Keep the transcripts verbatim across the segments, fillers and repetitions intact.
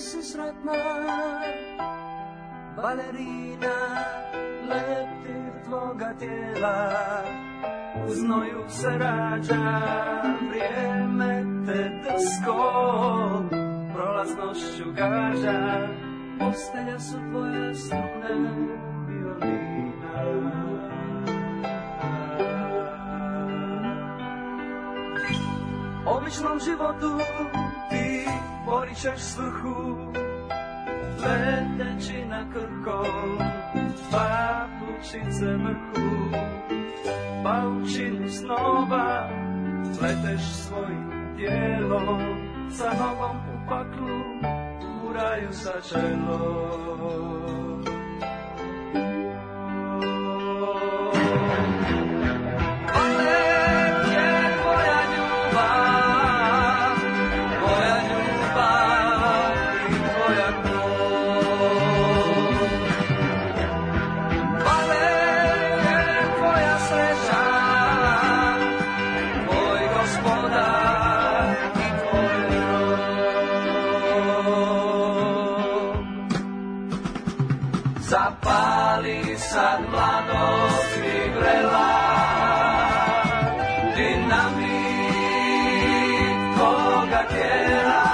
si sretna, balerina, leptir tvoga tijela, u znoju se rađa, vrijeme te drsko, prolaznošću gađa, postelja su tvoje strune, violina. Običnom životu ti poričeš svrhu, leteći na krkom, papučice mrhu, paučinu snova, leteš svojim tijelom, sa nogom u paklu, u raju sa čelom. Zapali sad mladost i vrela, dinamit tvoga tijela,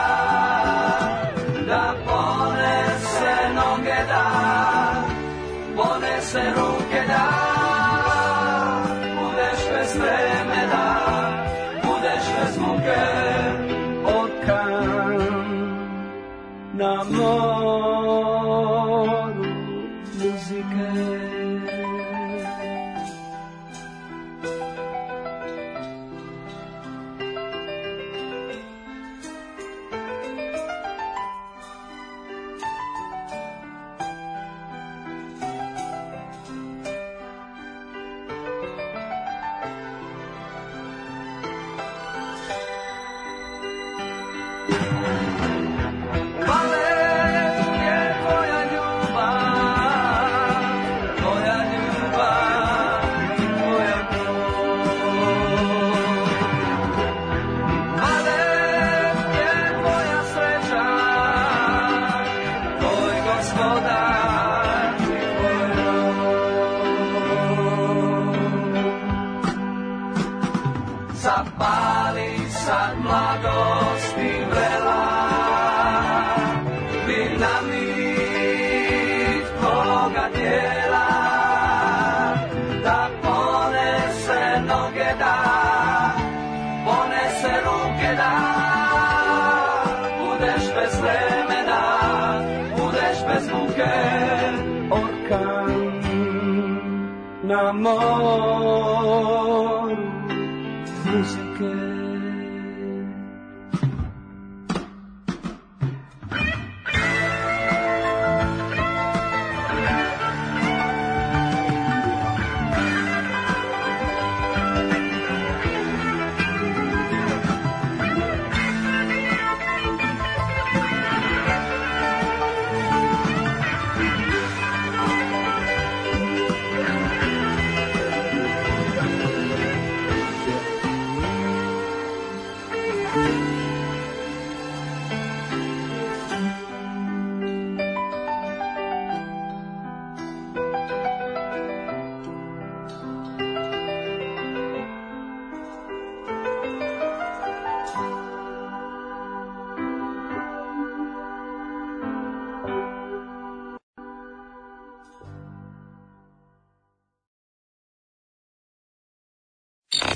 da ponese noge da, ponese ruke da, budeš bez vreme da, budeš bez muke, orkan na moru muzike. Zapali sad mladost i vrela, dinamit tvoga tijela, da ponese noge da, ponese ruke da, budeš bez vremena, budeš bez muke, orkan na moru muzike.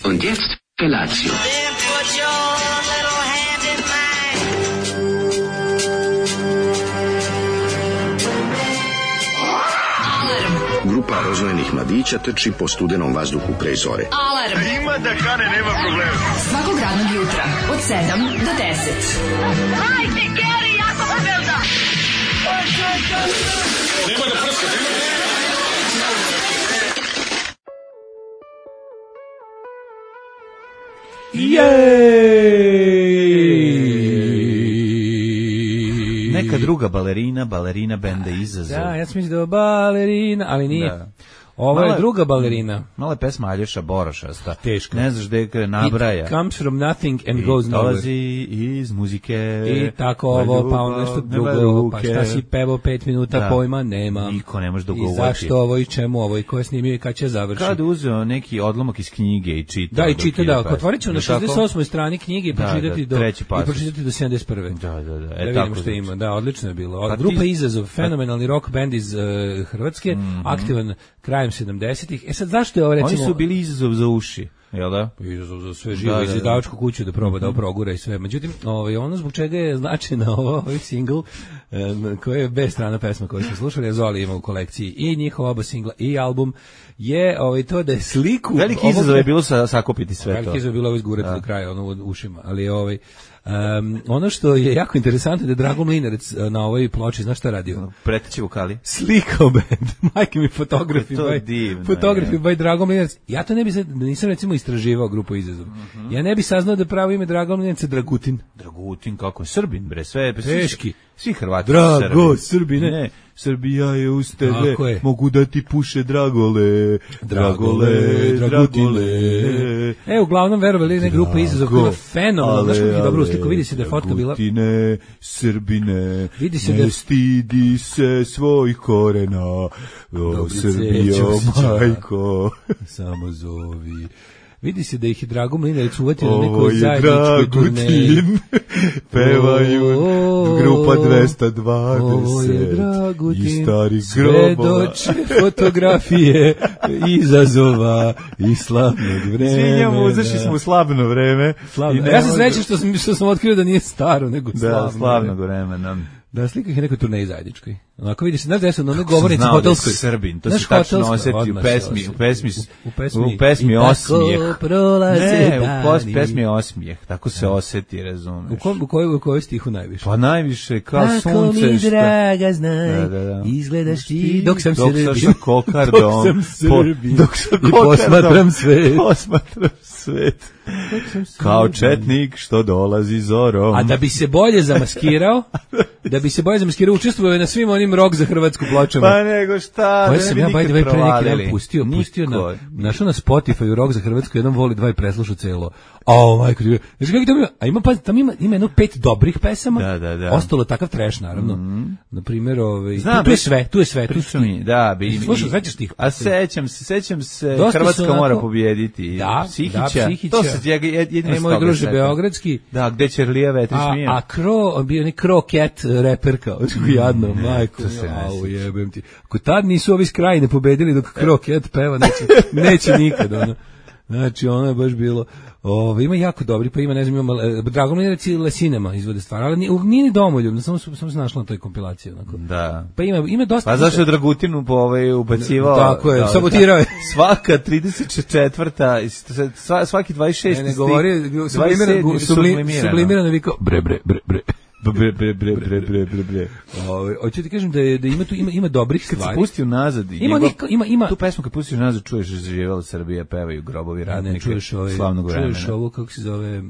Und jetzt Felatio. Grupa rozvojenih mladića trči po studenom vazduhu pre zore. Alarm! Ima da kane, nema problema. Svakog radnog jutra, od sedam do deset. Hajde, Geri, jako se velda! Nema da prska, nema da prska. Neka druga balerina, balerina benda Izazov. Da, ja sam mislio da je balerina, ali nije. Da. Ovo je druga balerina. Mala je pesma Aljoša Borošasta. Teška. Ne znaš gde je nabraja. It comes from nothing and goes nowhere. Dolazi iz muzike. I tako ovo, pa ono nešto drugo, pa šta si pevao pet minuta, da. Pojma nema. Niko ne može da govori. I zašto ovo i čemu ovo i ko je snimio i kad će završiti. Kad uzeo neki odlomak iz knjige i čita. Da, i čita, da. Otvorit ću na šezdeset osmoj strani knjige i pročitati do, i pročitati do sedamdeset prve. Da, da, da. E, da vidimo što ima. Da, odlično je bilo. Pa grupa ti... Izazov, fenomenalni rock band iz uh, Hrvatske, mm-hmm. aktivan krajem sedamdesetih. E sad, zašto je ovo, recimo... Oni su bili izazov za uši. Jel da? Izazov za sve živo, iz izdavačku kuću da proba mm-hmm. da progura i sve. Međutim, ovaj, ono zbog čega je značajna ovo, ovaj single, um, koji je bez strana pesma koju smo slušali, je Zoli ima u kolekciji i njihova oba singla i album, je ovaj, to da je sliku... Veliki izazov ovog... je bilo sa, sakupiti sve veliki to. Veliki izazov je bilo ovo izgurati do kraja, ono u ušima, ali ovaj... Um, ono što je jako interesantno je da je Drago Mlinarec na ovoj ploči, znaš šta radio? Preteći vokali. Slikao band, majke mi fotografi, by, divno, fotografi by Drago Mlinarec. Ja to ne bi, nisam recimo istraživao grupu Izazov. Uh-huh. Ja ne bi saznao da pravo ime Drago Mlinarec je Dragutin. Dragutin, kako je Srbin, bre, sve. Teški. Svi Hrvati Drago, Srbine. Ne, Srbija je uz tebe, mogu da ti puše Dragole, Dragole, Dragule. E, uglavnom, verovali, ne grupa Izazov koja je fenomenalno. Znaš kako je dobro usliko, vidi se da je fotka bila... Dragutine, Srbine, vidi se ne da... stidi se svojih korena, o Srbijo, majko. Samo zovi... Vidi se da ih je Drago Mlinarec uvatio na nekoj zajedničkoj turneji. Pevaju grupa dvesta dvadeset. Ovo je Dragutin, i stari grobova. Svedoče fotografije Izazova i slavnog vremena. Svinjamo, uzašli smo u slavno vreme. Slavno. Ja sam srećan što sam, što sam otkrio da nije staro, nego slavno. Da, slavnog vremena. Da, slika ih je nekoj turneji zajedničkoj. Onako vidiš, znaš gde su na onoj govornici hotelskoj. Srbin, to se tačno osjeti u pesmi, u pesmi, u pesmi, u pesmi osmijeh. Ne, u pesmi osmijeh, tako se osjeti, razumeš. U kom, u kojoj, u kojoj stihu najviše? Pa najviše, kao sunce. Ako mi draga znaj, da, da, da. Izgledaš ti, dok sam Srbin. Dok sam kokardom. Dok sam Srbin. Dok sam i posmatram svet. Posmatram svet. Kao četnik što dolazi zorom. A da bi se bolje zamaskirao, da bi se bolje zamaskirao, učestvovao je na svim onim rock za Hrvatsku pločama. Pa nego šta, koje sam ja by the way pre neki dan pustio, pustio na, našao na Spotify rock za Hrvatsku, jedan voli dva i preslušao celo. A majko, znači kako to ima, a ima pa tamo ima ima jedno pet dobrih pesama. Da, da, da. Ostalo takav trash naravno. Mm-hmm. Na primjer, ovaj Znam, tu je sve, tu je sve, tu su mi. Da, bi. Slušaj, sećaš tih? A sećam se, sećam se dosta Hrvatska onako, mora pobijediti. Da, Psihića. Da, Psihića. To se jedino e, moj druže beogradski. Da, gde Ćerlija vetri smije. A, a Kro, bio ni Kro Cat reper kao, jadno, majko. Au, jebem ti. Ako tad nisu ovi s Krajine pobedili dok Kro Cat peva, neće, neće nikad, ono. Znači, ono je baš bilo... Ove, ima jako dobri, pa ima, ne znam, ima Drago Mlinarec i Lesinema izvode stvar, ali nije, nije ni domoljubno, samo sam se našla na toj kompilaciji. Onako. Da. Pa ima, ima dosta... Pa zašto je Dragutinu po ovaj ubacivao? Tako je, da, sabotirao je. Svaka trideset četvrta svaki dvadeset šesti ne, ne govori, sublimirano, sublimirano vikao, bre, bre, bre, bre. Bre bre bre bre bre bre bre. Ovaj, hoću ti kažem da je da ima tu ima ima dobrih stvari. Kad se pustio nazad, ima njegov, ima ima tu pesmu kad pustiš nazad čuješ živela Srbija, pevaju grobovi radnika. Čuješ ovaj, slavnog vremena. Čuješ ovo kako se zove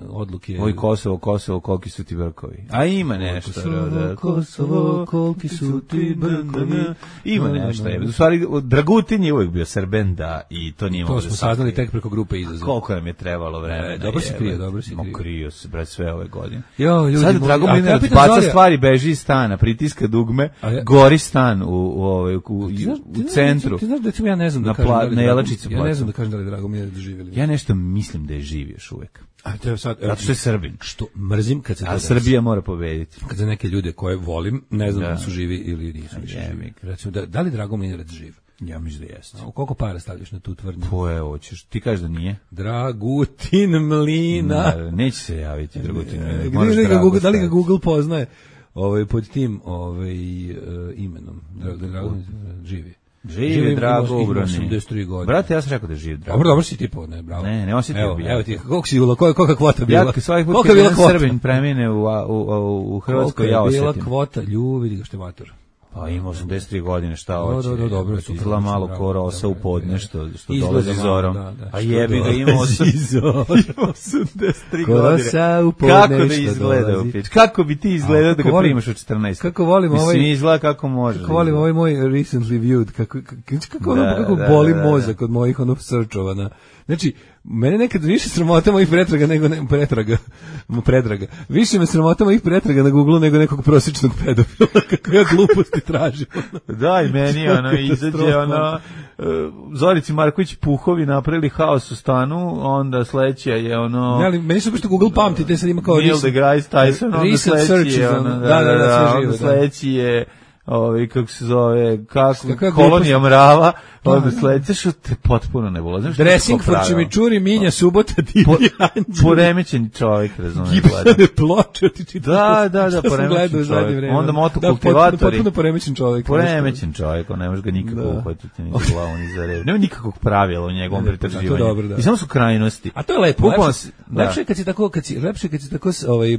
odluke. Oj Kosovo, Kosovo, koliki su ti brkovi. A ima nešto. Kosovo, Kosovo, koliki su ti brkovi. Ima nešto. U stvari Dragutin je uvijek bio Srben, da, i to nije moglo. To smo saznali tek preko grupe Izazov. Koliko nam je trebalo vremena. Dobro se krio, dobro se krio. Krio se bre sve ove godine. Jo, ljudi, Drago Mlinarec baca stvari, beži iz stana, pritiska dugme, ja, gori stan u, u, u, u, ti znaš, u centru. Ti znaš da ću ja ne znam da kažem da li Jelačicu ja ne znam da kažem da li Drago Mlinarec živjeli. Ja nešto mislim da je živ još uvek. A to je sad, zato što je Srbin. Što mrzim kad se to a Srbija mora pobediti. Kad za neke ljude koje volim, ne znam da, da su živi ili nisu živi. Recimo, da, da li Drago Mlinarec živ? Ja mislim da jeste. A koliko para stavljaš na tu tvrdnju? Po evo, hoćeš. Ti kažeš da nije? Dragutin Mlina. Da, neće se javiti Dragutin Mlina. Gdje li ga Google, da li ga Google poznaje ovaj, pod tim ovaj, uh, imenom? Dragutin živi. Živi, živi Drago Ubrani. Brate, ja sam rekao da je živ Drago. Dobro, dobro si ti po, ne, bravo. Ne, ne osjetio bi. Evo ti, koliko si bilo, kolika kvota bila? Ja svaki put kad jedan Srbin premine u, u, u, u Hrvatskoj, ja osjetim. Kolika je bila kvota, ljubi, vidi ga što je mator. Pa ima osamdeset tri godine, šta hoće? Da, da, dobro, izgleda malo ko rosa u podne, što, što dolazi malo, zorom. da, da, a jebi ga, ima osamdeset tri godine. Rosa u podne, kako da izgleda? Kako bi ti izgledao da ga volim, primaš u četrnaest? Kako volim Mislim, ovaj... Mislim, izgleda kako može. Kako volim ovaj moj recently viewed, kako, kako, da, kako da, boli da, da, mozak od mojih ono searchova na... Znači, mene nekad više sramota mojih pretraga nego ne, pretraga, pretraga. Više me sramota mojih pretraga na Google nego nekog prosječnog pedofila, kako ja gluposti tražim. Da, i meni ono izađe ono uh, Zorici Marković Puhovi napravili haos u stanu, onda sledeća je ono... Ne, ali meni su što Google pamti, te sad ima kao... Neil deGrasse Tyson, onda sledeći je ono... Da, da, da, da, sve živo, onda sledeći je... Ovaj kako se zove, kako, kako kolonija mrava, onda sledeće što te potpuno ne bolo. Znaš dressing for chimichurri, Minja, Subota, Divlji Anđeli. Poremećen čovjek, razumiješ. Gibsone ploče, ti čitaš. Da, da, da, poremećen čovjek. Onda motokultivatori. Da, potpuno poremećen čovjek. Poremećen čovjek, on ne može ga nikako uhvatiti, ni za glavu, ni za rep. Nema nikakvog pravila u njegovom pretraživanju. I samo su krajnosti. A to je lepo. Lepše kad si tako, kad si, lepše kad si tako ovaj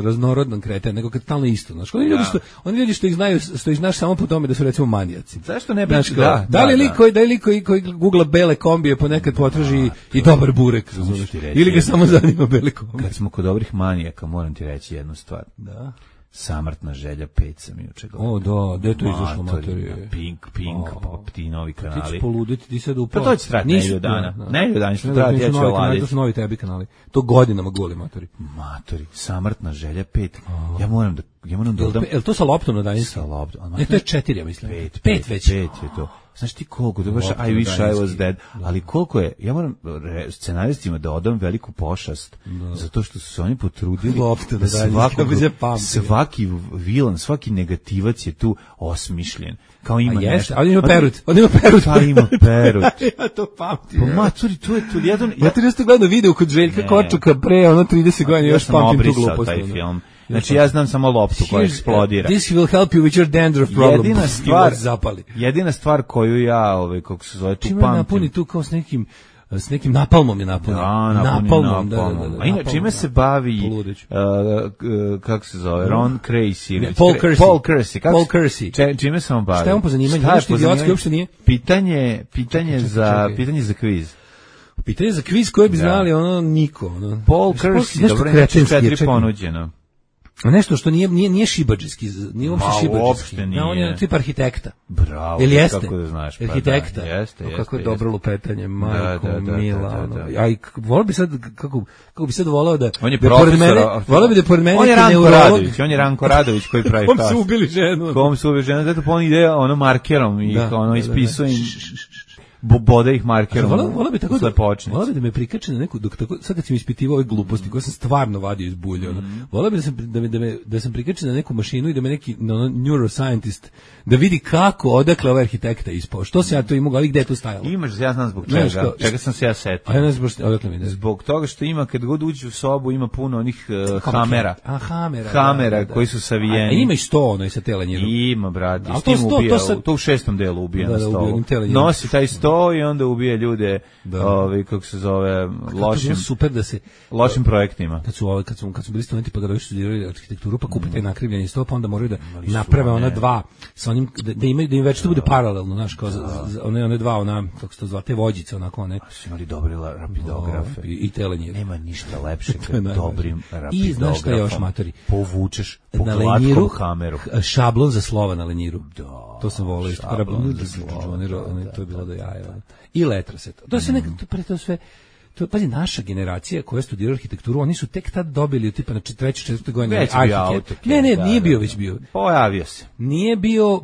raznorodan kreten, nego kad stalno isto. Znaš, oni ljudi što oni ljudi što ih znaju, što ih znaš samo po tome da su recimo manijaci. Zašto ne bi? Da, da li lik koji, da li lik koji, koji googla bele kombije ponekad potraži i dobar burek, razumiješ? Ili ga samo zanima bele kombije. Kad smo kod dobrih manijaka, moram ti reći jednu stvar. Da. Samrtna želja pet sam juče gledao. O, da, gde je to izašlo materije? Pink, Pink, pa ti novi kanali. Ti ćeš poluditi, ti sad upao. Pa to će trati nedelju dana. Nedelju dana će trati, ja ću oladiti. To su novi tebi kanali. To godinama goli matori. Matori, Samrtna želja pet. Ja moram da, ja moram da odam. Je li to sa loptom na daljinski? Sa loptom. Ne, to je četiri, ja mislim. Pet, pet već. Pet je to. Znaš ti koliko, da baš I wish I was dead, ali koliko je, ja moram scenaristima da odam veliku pošast, da. Zato što su se oni potrudili Lopte, da svakog, svaki vilan, svaki negativac je tu osmišljen. Kao ima A nešto. Ali ima perut, on ima perut. Pa ima perut. Ja to pamtim. Pa maturi, to je to jedan... Ja ti nešto gledao video kod Željka Kočuka pre, ono trideset godina, još pamtim tu glupost. Ja sam obrisao taj film. Znači ja znam samo loptu koja eksplodira. This will help you with your dandruff problem. Jedina stvar, jedina stvar koju ja, ovaj kako se zove, tu pamtim. Čime napuni tu kao s nekim s nekim napalmom je napunio. Da, napalmom, da, da, da. A ina čime se bavi uh, kako se zove, Ron Creasy ili Paul Kersey. Paul Kersey. Paul Kersey. Čime se on bavi? Šta je on po zanimanju? Nešto idiotski uopšte nije. Pitanje, pitanje za pitanje za kviz. Pitanje za kviz koje bi znali ono niko, ono. Paul Kersey, dobro, nešto četiri ponuđeno. Nešto što nije nije nije šibadžijski, nije uopšte šibadžijski. Da, on je tip arhitekta. Bravo. Ili jeste? Kako da znaš? Pa arhitekta. Da, jeste, jeste. Kako je jeste. dobro lupetanje, majko da, da, da, mila. da, da, da. Ono. Aj, voleo bi sad kako kako bi sad voleo da on je da pored mene, voleo bi da pored mene on je Ranko Radović, on je Ranko Radović koji pravi fast. Kom su ubili ženu. Kom su ubili ženu, zato pa on ide ono markerom i ono ispisuje bode ih markerom. Vola bi tako da, vola bi da me prikače na neku, dok tako, sad kad sam ispitivao ove gluposti koje sam stvarno vadio iz bulje, mm -hmm. vola bi da sam, da me, da me, da sam prikačen na neku mašinu i da me neki no, neuroscientist da vidi kako, odakle ovaj arhitekta ispao. Što se ja to imao, ali gde je to stajalo? Imaš, ja znam zbog čega, što, čega sam se ja setio. A ja ne znam odakle mi ide. Zbog toga što ima, kad god uđe u sobu, ima puno onih uh, hamera. A, hamera. Hamera da, da, koji su savijeni. A ima i sto ono i sa telenjirom. Ima, brate. I s tim sto, ubija, to sad... to u šestom delu ubija da, na stolu. Da, nosi taj sto i onda ubija ljude, ovaj kako se zove, lošim super da se lošim projektima. Kad su ovaj kad su kad su bili studenti pa da još studirali arhitekturu pa kupe taj nakrivljeni sto pa onda moraju da naprave ona dva sa onim da, da imaju da im već to bude paralelno, znaš, kao one one dva ona kako se to zove te vođice onako ne. Su imali dobri rapidografe i, i telenjir. Nema ništa lepše kad dobrim rapidografom. I znaš šta još, matori? Povučeš po glatkom hameru. Šablon za slova na lenjiru. Da. To sam voleo isto. To je bilo do jaja. I letraset. To se nekako, pre to sve, to, pazi, naša generacija koja studira arhitekturu, oni su tek tad dobili, tipa na trećoj, četvrtoj godini arhitekt. Ne, ne, nije bio već bio. Pojavio se. Nije bio,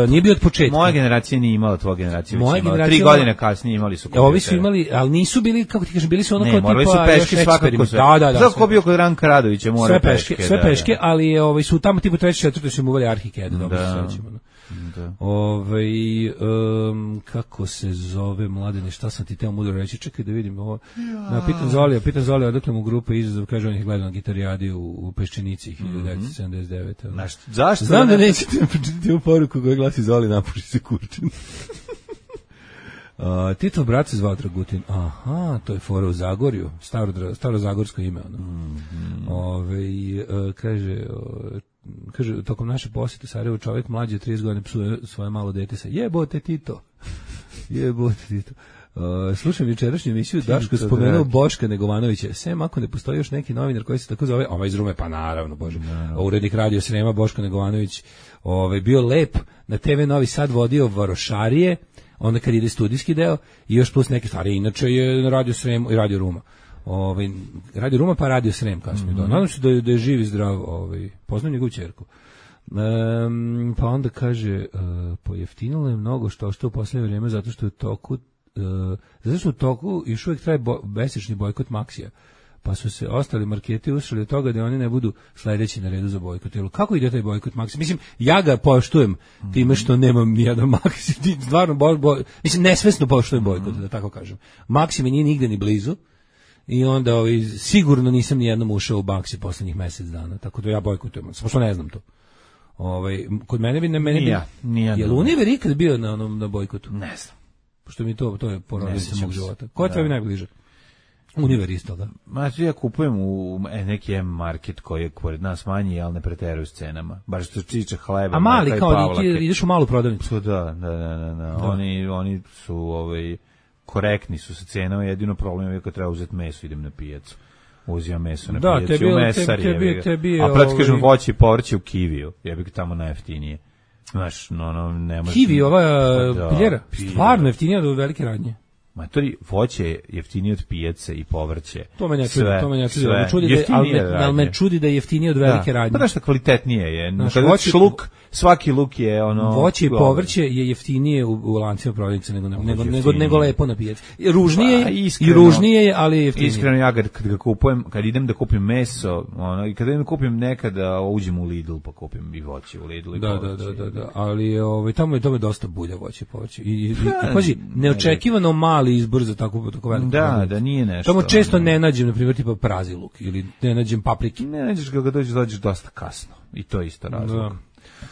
nije bio od početka. Moja generacija nije imala, tvoja generacija već imala. Tri godine kasnije imali su kompjutere. Ovi su imali, ali nisu bili, kako ti kažem, bili su ono kao tipa... Ne, morali su peške svakako sve. Da, da, da. Zato ko bio kod Ranka Radovića, mora peške. Sve peške, ali ovaj, su tamo tipa trećoj, četvrtoj su im uvali ArchiCAD, dobro se sećamo. Da. Ove, um, kako se zove, Mladene, šta sam ti teo mudro reći, čekaj da vidim ovo. Ja. Pitan Zolija, pitan Zolija, odakle mu grupa izazov, kaže on ih gleda na Gitarijadi u, u Peščenici hiljadu devetsto sedamdeset devete. Znaš, zašto? Znam da nećete pročitati ovu poruku koja glasi Zoli, napuši se kurčin. Uh, Tito brat se zvao Dragutin. Aha, to je fora u Zagorju, staro, staro zagorsko ime ono. Mm -hmm. Ove, uh, kaže uh, kaže, tokom naše posete Sarajevo čovjek mlađi od trideset godina psuje svoje malo dete sa jebote Tito. Jebote Tito. Uh, slušam jučerašnju emisiju, Daško spomenuo Boška Negovanovića. Sem ako ne postoji još neki novinar koji se tako zove, ovaj iz Rume, pa naravno, bože. No. Urednik Radio Srema Boško Negovanović, ovaj bio lep, na te ve Novi Sad vodio Varošarije, onda kad ide studijski deo i još plus neke stvari. Inače je na Radio Srem i Radio Ruma. Ovaj Radio Ruma pa Radio Srem kasnije. Mm -hmm. Nadam se da je, da je živ i zdrav, ovaj poznam njegovu ćerku. Um, pa onda kaže uh, pojeftinilo je mnogo što što u poslednje vrijeme zato što je u toku uh, zato što u toku još uvijek traje bo, besečni bojkot Maxija. Pa su se ostali marketi ušli od toga da oni ne budu sledeći na redu za bojkot. Kako ide taj bojkot Maxi? Mislim, ja ga poštujem time što nemam nijedan Maxi. Stvarno, bo, bo, mislim, nesvesno poštujem bojkot, da tako kažem. Maxi mi nije nigde ni blizu i onda ovaj, sigurno nisam nijednom ušao u Maxi poslednjih mjesec dana, tako da ja bojkotujem. Samo što ne znam to. Ovaj, kod mene bi... Ne, mene bi je li Univer ikad bio na, onom, na bojkotu? Ne znam. Pošto mi to, to je porodica mog života. Ko je tebi najbliže? Univer isto, da. Ma, ja kupujem u neki M-market koji je pored nas manji, ali ne preteruju s cenama. Baš što čiče hleba. A mali, kao ti ideš u malu prodavnicu. Da, da, da, da, da. Oni, oni su ovaj, korektni su sa cenama, jedino problem je kad treba uzeti meso, idem na pijacu. Uzimam meso na da, pijacu, u mesar je. A prati kažem voće i povrće u Kiviju, je bi tamo najjeftinije. Znaš, no, no, ne može... Kivi, ova da, piljera, stvarno jeftinija od velike radnje. Matori, voće je jeftinije od pijace i povrće. To me ne čudi, to me ne čudi. Me čudi da, ali, me, ali me čudi da je jeftinije od velike da. radnje. Pa da što kvalitetnije je. Znaš, kada voće, luk, svaki luk je ono... Voće i povrće je jeftinije u, u lancima prodavnice nego, nego, nego, nego lepo na pijaci. Ružnije pa, iskreno, i ružnije je, ali je jeftinije. Iskreno, ja kad, kad ga kupujem, kad idem da kupim meso, ono, i kad idem da kupim nekada, uđem u Lidl pa kupim i voće u Lidl i da, povrće. Da, da, da, da. Ali ovaj, tamo je tamo dosta bulja voće i povrće. I, i, i pazi, neočekivano mali izbor za tako tako veliko. Da, produkt. Da nije nešto. Tamo često ne nađem na primjer tipa prazi luk ili ne nađem paprike. Ne nađeš ga kad dođeš, dođeš dosta kasno. I to je isto razlog. Da.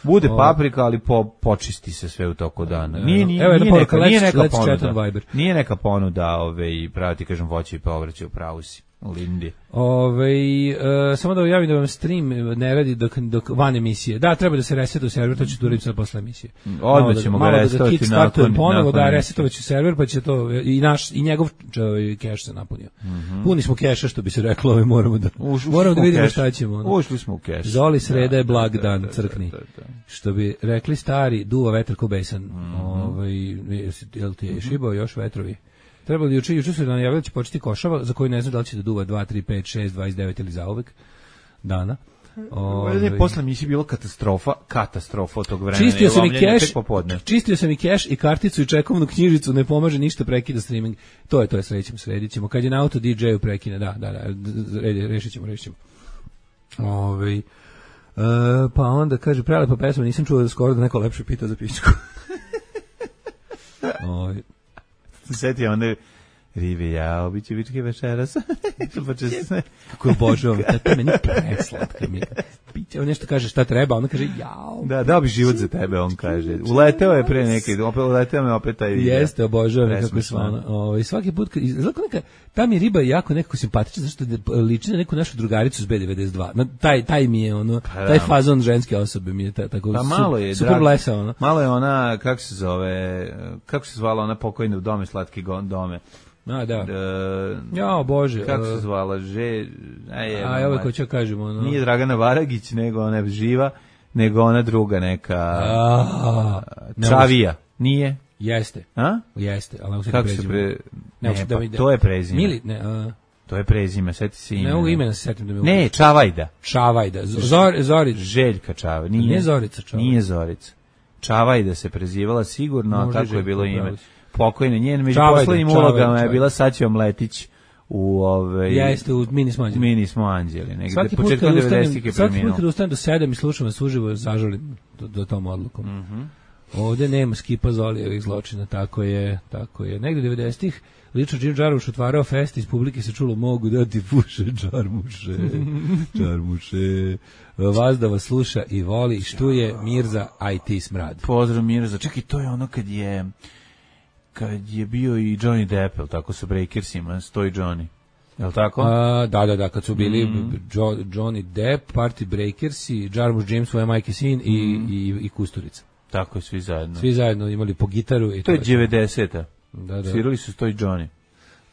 Bude o... paprika, ali po, počisti se sve u toku dana. Nije, nije, Evo, nije, poruka, neka, nije neka neka ponuda. Nije neka ponuda, ove, i pravi ti kažem voće i povrće u pravu si. U Lindi. Ove, uh, samo da vam javim da vam stream ne radi dok, dok van emisije. Da, treba da se resetuje server, to ću da uradim sad posle emisije. Odmah ćemo ga resetovati da nakon, ponovo, nakon da resetovaću server, pa će to i naš i njegov keš se napunio. Mm -hmm. Puni smo keša, što bi se reklo, ovaj moramo da Uš, moramo da vidimo šta ćemo. Ono. Ušli smo u keš. Zoli sreda da, je blag da, dan, da, crkni. Da, da, da. Što bi rekli stari, duva vetar ko besan. Mm -hmm. Ovaj, jel ti je šibao još vetrovi? Trebalo da juče, juče su nam javili da će početi košava, za koju ne znam da li će da duva dva, tri, pet, šest, dvadeset devet ili zauvek dana. Ove, posle mi je bilo katastrofa, katastrofa od tog vremena. Čistio sam i keš, čistio sam i keš i karticu i čekovnu knjižicu, ne pomaže ništa, prekida streaming. To je, to je srećemo, sredit ćemo. Kad je na auto D J-u prekine, da, da, da, rešit ćemo, rešit ćemo. Ove, uh, pa onda kaže, prelepa pesma, nisam čuo da skoro da neko lepše pitao za pičku. Ove, Sjeti onda ribe jao, bit će vičke večeras. Kako je obožavam, to je meni preslatka. Biće, on nešto kaže šta treba, on kaže jao. Da, dao bi život za tebe, on kaže. Uleteo je pre neki, opet uleteo me opet taj video. Jeste, obožavam kako je svano. Ovaj svaki put kad izlako neka ta mi riba je jako nekako simpatična zašto liči na neku našu drugaricu s B devedeset dva. Na taj taj mi je ono, pa, taj fazon ženske osobe mi je ta, tako pa, malo je, super blesa ona. Malo je ona, kako se zove, kako se zvala ona pokojna u dome slatki dome. A, da. Uh, ja, Bože. Kako se zvala? Že... Aj, A, evo ko ću kažem. Ono... Nije Dragana Varagić, nego ona živa, nego ona druga neka... A, Čavija. Nije? Jeste. A? Jeste, ali ne kako se pre... Ne, ne pa, da to je prezime. Mili, ne, a... To je prezime, seti se ime. Ne mogu imena se setim da mi... Ne, Čavajda. Čavajda. Zor, Zorica. Željka Čavajda. Nije, nije Zorica Čavajda. Nije Zorica. Čavajda se prezivala sigurno, a kako je bilo ime? Pokojne, njen među poslednjim ulogama je bila Saćo Mletić u ove jeste u Mini smo anđeli. Mini smo anđeli, negde početkom devedesetih je preminuo. Svaki put kad ustanem do sedam i slušam vas uživo, zažalim do, do tom odlukom. Mhm. Mm Ovde nema skipa Zolijevih zločina, tako je, tako je. Negde devedesetih lično Džir Džaruš otvarao fest, iz publike se čulo mogu da ti puše Džarmuše, Džarmuše. Vas da vas sluša i voli, štuje Mirza I T Smrad. Pozdrav Mirza, čekaj, to je ono kad je kad je bio i Johnny Depp, tako sa Breakersima, stoji Johnny. Jel tako? A, da, da, da, kad su bili mm. jo, Johnny Depp, Party Breakers i Jarmusch James, svoje majke sin i, mm. i, i Kusturica. Tako je, svi zajedno. Svi zajedno imali po gitaru. I to je devedeseta. Da, da. Svirali su to i Johnny.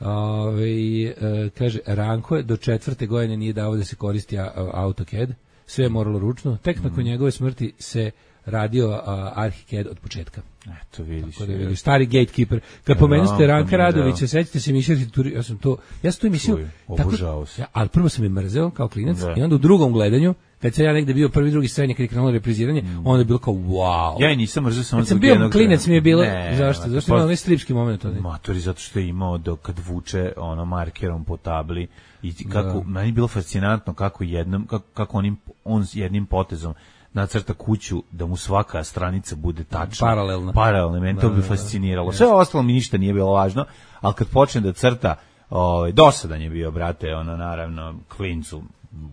Ove, e, kaže, Ranko je do četvrte godine nije dao da se koristi AutoCAD, sve je moralo ručno, tek mm. nakon njegove smrti se radio uh, ArchiCAD od početka. Eto vidiš. Da vidiš, stari gatekeeper. Kad pomenute Ranka Radovića, sećate se emisije, ja sam to, ja sam to emisiju, obožavao se. Ja, ali prvo sam je mrzeo kao klinac da. I onda u drugom gledanju, kad sam ja negde bio prvi, drugi srednje, kad je krenulo repriziranje, mm. onda je bilo kao wow. Ja i nisam mrzeo samo zbog jednog. Kad sam bio klinac mi je bilo, ne, zašto? Zašto imao onaj stripski moment? Matori, zato što je imao do, kad vuče ono markerom po tabli i kako, da. Meni je bilo fascinantno kako jednom, kako, kako onim, on s jednim potezom nacrta kuću da mu svaka stranica bude tačna. Paralelna. Paralelna, meni to bi fasciniralo. Sve ostalo mi ništa nije bilo važno, ali kad počne da crta, ovaj, dosadan je bio, brate, ono, naravno, klincu,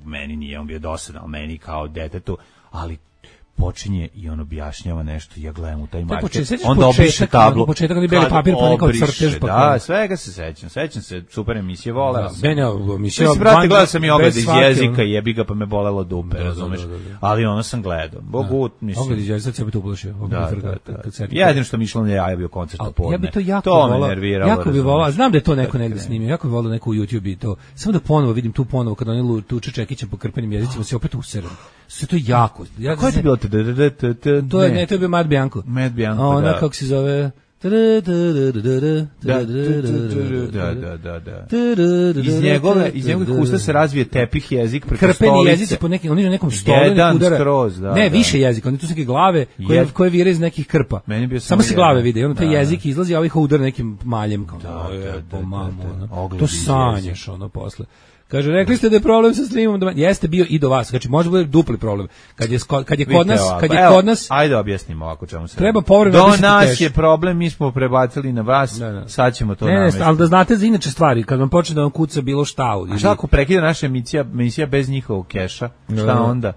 meni nije on bio dosadan, ali meni kao detetu, ali počinje i on objašnjava nešto, ja gledam u taj marker, onda obriše tablu, početak ali beli papir pa nekao crtež, pa da, svega se sećam, sećam se, super emisije, voleo sam. Mene emisija, brate, gledao sam i Ogled iz jezika, jebi ga pa me bolelo dupe, razumeš, ali ono sam gledao, bogu, mislim. Ogled iz jezika, sad se bi to uplašio. Jedino što mi išlo na jaja bio koncert na podne, ja bi to jako volao, jako bi volao, znam da je to neko negde snimio, jako bi volao neko u YouTube i to, samo da ponovo vidim tu ponovo, kad oni tuče Čekićem po krpenim jezicima, se opet useram. Sve to jako. Ja ko je bilo te? To je ne, to je bio Mad Bianco. Mad Bianco, da. Ona kako se zove? Da, da, da, da. Iz njegove, iz njegovih usta se razvije tepih jezik preko stolice. Krpeni jezici po nekim, oni na nekom stolu jedan udara. Skroz, da, ne, da. Više jezika, oni tu su neke glave koje, koje vire iz nekih krpa. Samo se glave vide, ono taj jezik izlazi, a ovih udara nekim maljem. Kao, da, da, da, da, to sanješ ono posle. Kaže, rekli ste da je problem sa streamom, da jeste bio i do vas. Znači može bude dupli problem. Kad je kad je kod nas, kad je kod nas, ajde objasnimo ovako čemu se. Treba povremeno do nas je problem, mi smo prebacili na vas. Ne, ne. Sad ćemo to navesti. Ne, ali da znate za inače stvari, kad vam počne da vam kuca bilo šta. A šta ako prekida naša emisija, emisija bez njihovog keša? Šta onda?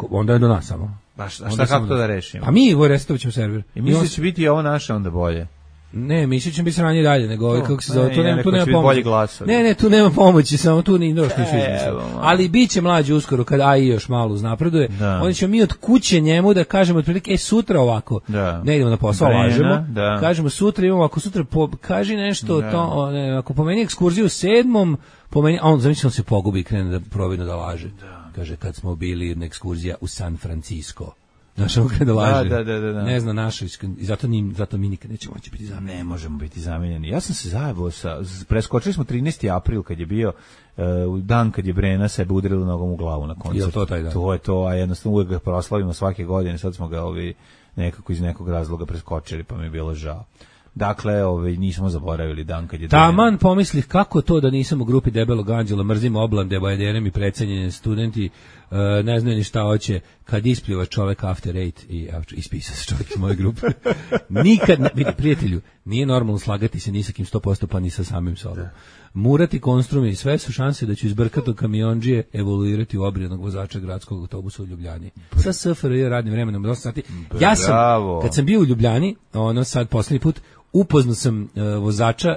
Onda je do nas samo. A šta, šta kako to da rešimo? A mi ovo restovaćemo server. I misliš će biti ovo naše onda bolje? Ne, misliš će biti sranje dalje, nego ovaj, kako se zove, ne, tu nema, tu nema pomoći. Glasa, ne, ne, tu nema pomoći, samo tu ni došli nisu izmislili. Ali bit će mlađi uskoro, kad A I još malo uznapreduje, onda ćemo mi od kuće njemu da kažemo otprilike, e, sutra ovako, da. Ne idemo na posao, lažemo, da. Kažemo sutra imamo, ako sutra, po, kaži nešto, da. To, ne, ako pomeni ekskurziju u sedmom, pomeni, a on zamislio se pogubi i krene da providno da laže. Da. Kaže, kad smo bili na ekskurzija u San Francisco. Naša okre da laže. Da, da, da, da. Ne zna naša, i zato, njim, zato mi nikad nećemo moći biti zamijenjeni. Ne možemo biti zamijenjeni. Ja sam se zajebao sa, preskočili smo trinaesti april kad je bio uh, dan kad je Brena sebe udarila nogom u glavu na koncertu. Je to taj dan? To je to, a jednostavno uvijek ga proslavimo svake godine, sad smo ga ovi nekako iz nekog razloga preskočili, pa mi je bilo žao. Dakle, ovaj, nismo zaboravili dan kad je... Taman pomislih kako to da nisam u grupi Debelog anđela, mrzim oblande, bajaderem i precenjeni studenti, uh, ne znaju ni šta hoće, kad ispljiva čovek after eight i ispisa se čovek iz moje grupe. Nikad, ne, vidi, prijatelju, nije normalno slagati se ni sa kim sto posto pa ni sa samim sobom. Murati konstrumi i sve su šanse da ću iz brkato kamiondžije evoluirati u obrijednog vozača gradskog autobusa u Ljubljani. Sa S F R J radnim vremenom dosta sati. Ja sam, kad sam bio u Ljubljani, ono sad poslednji put, upoznao sam uh, vozača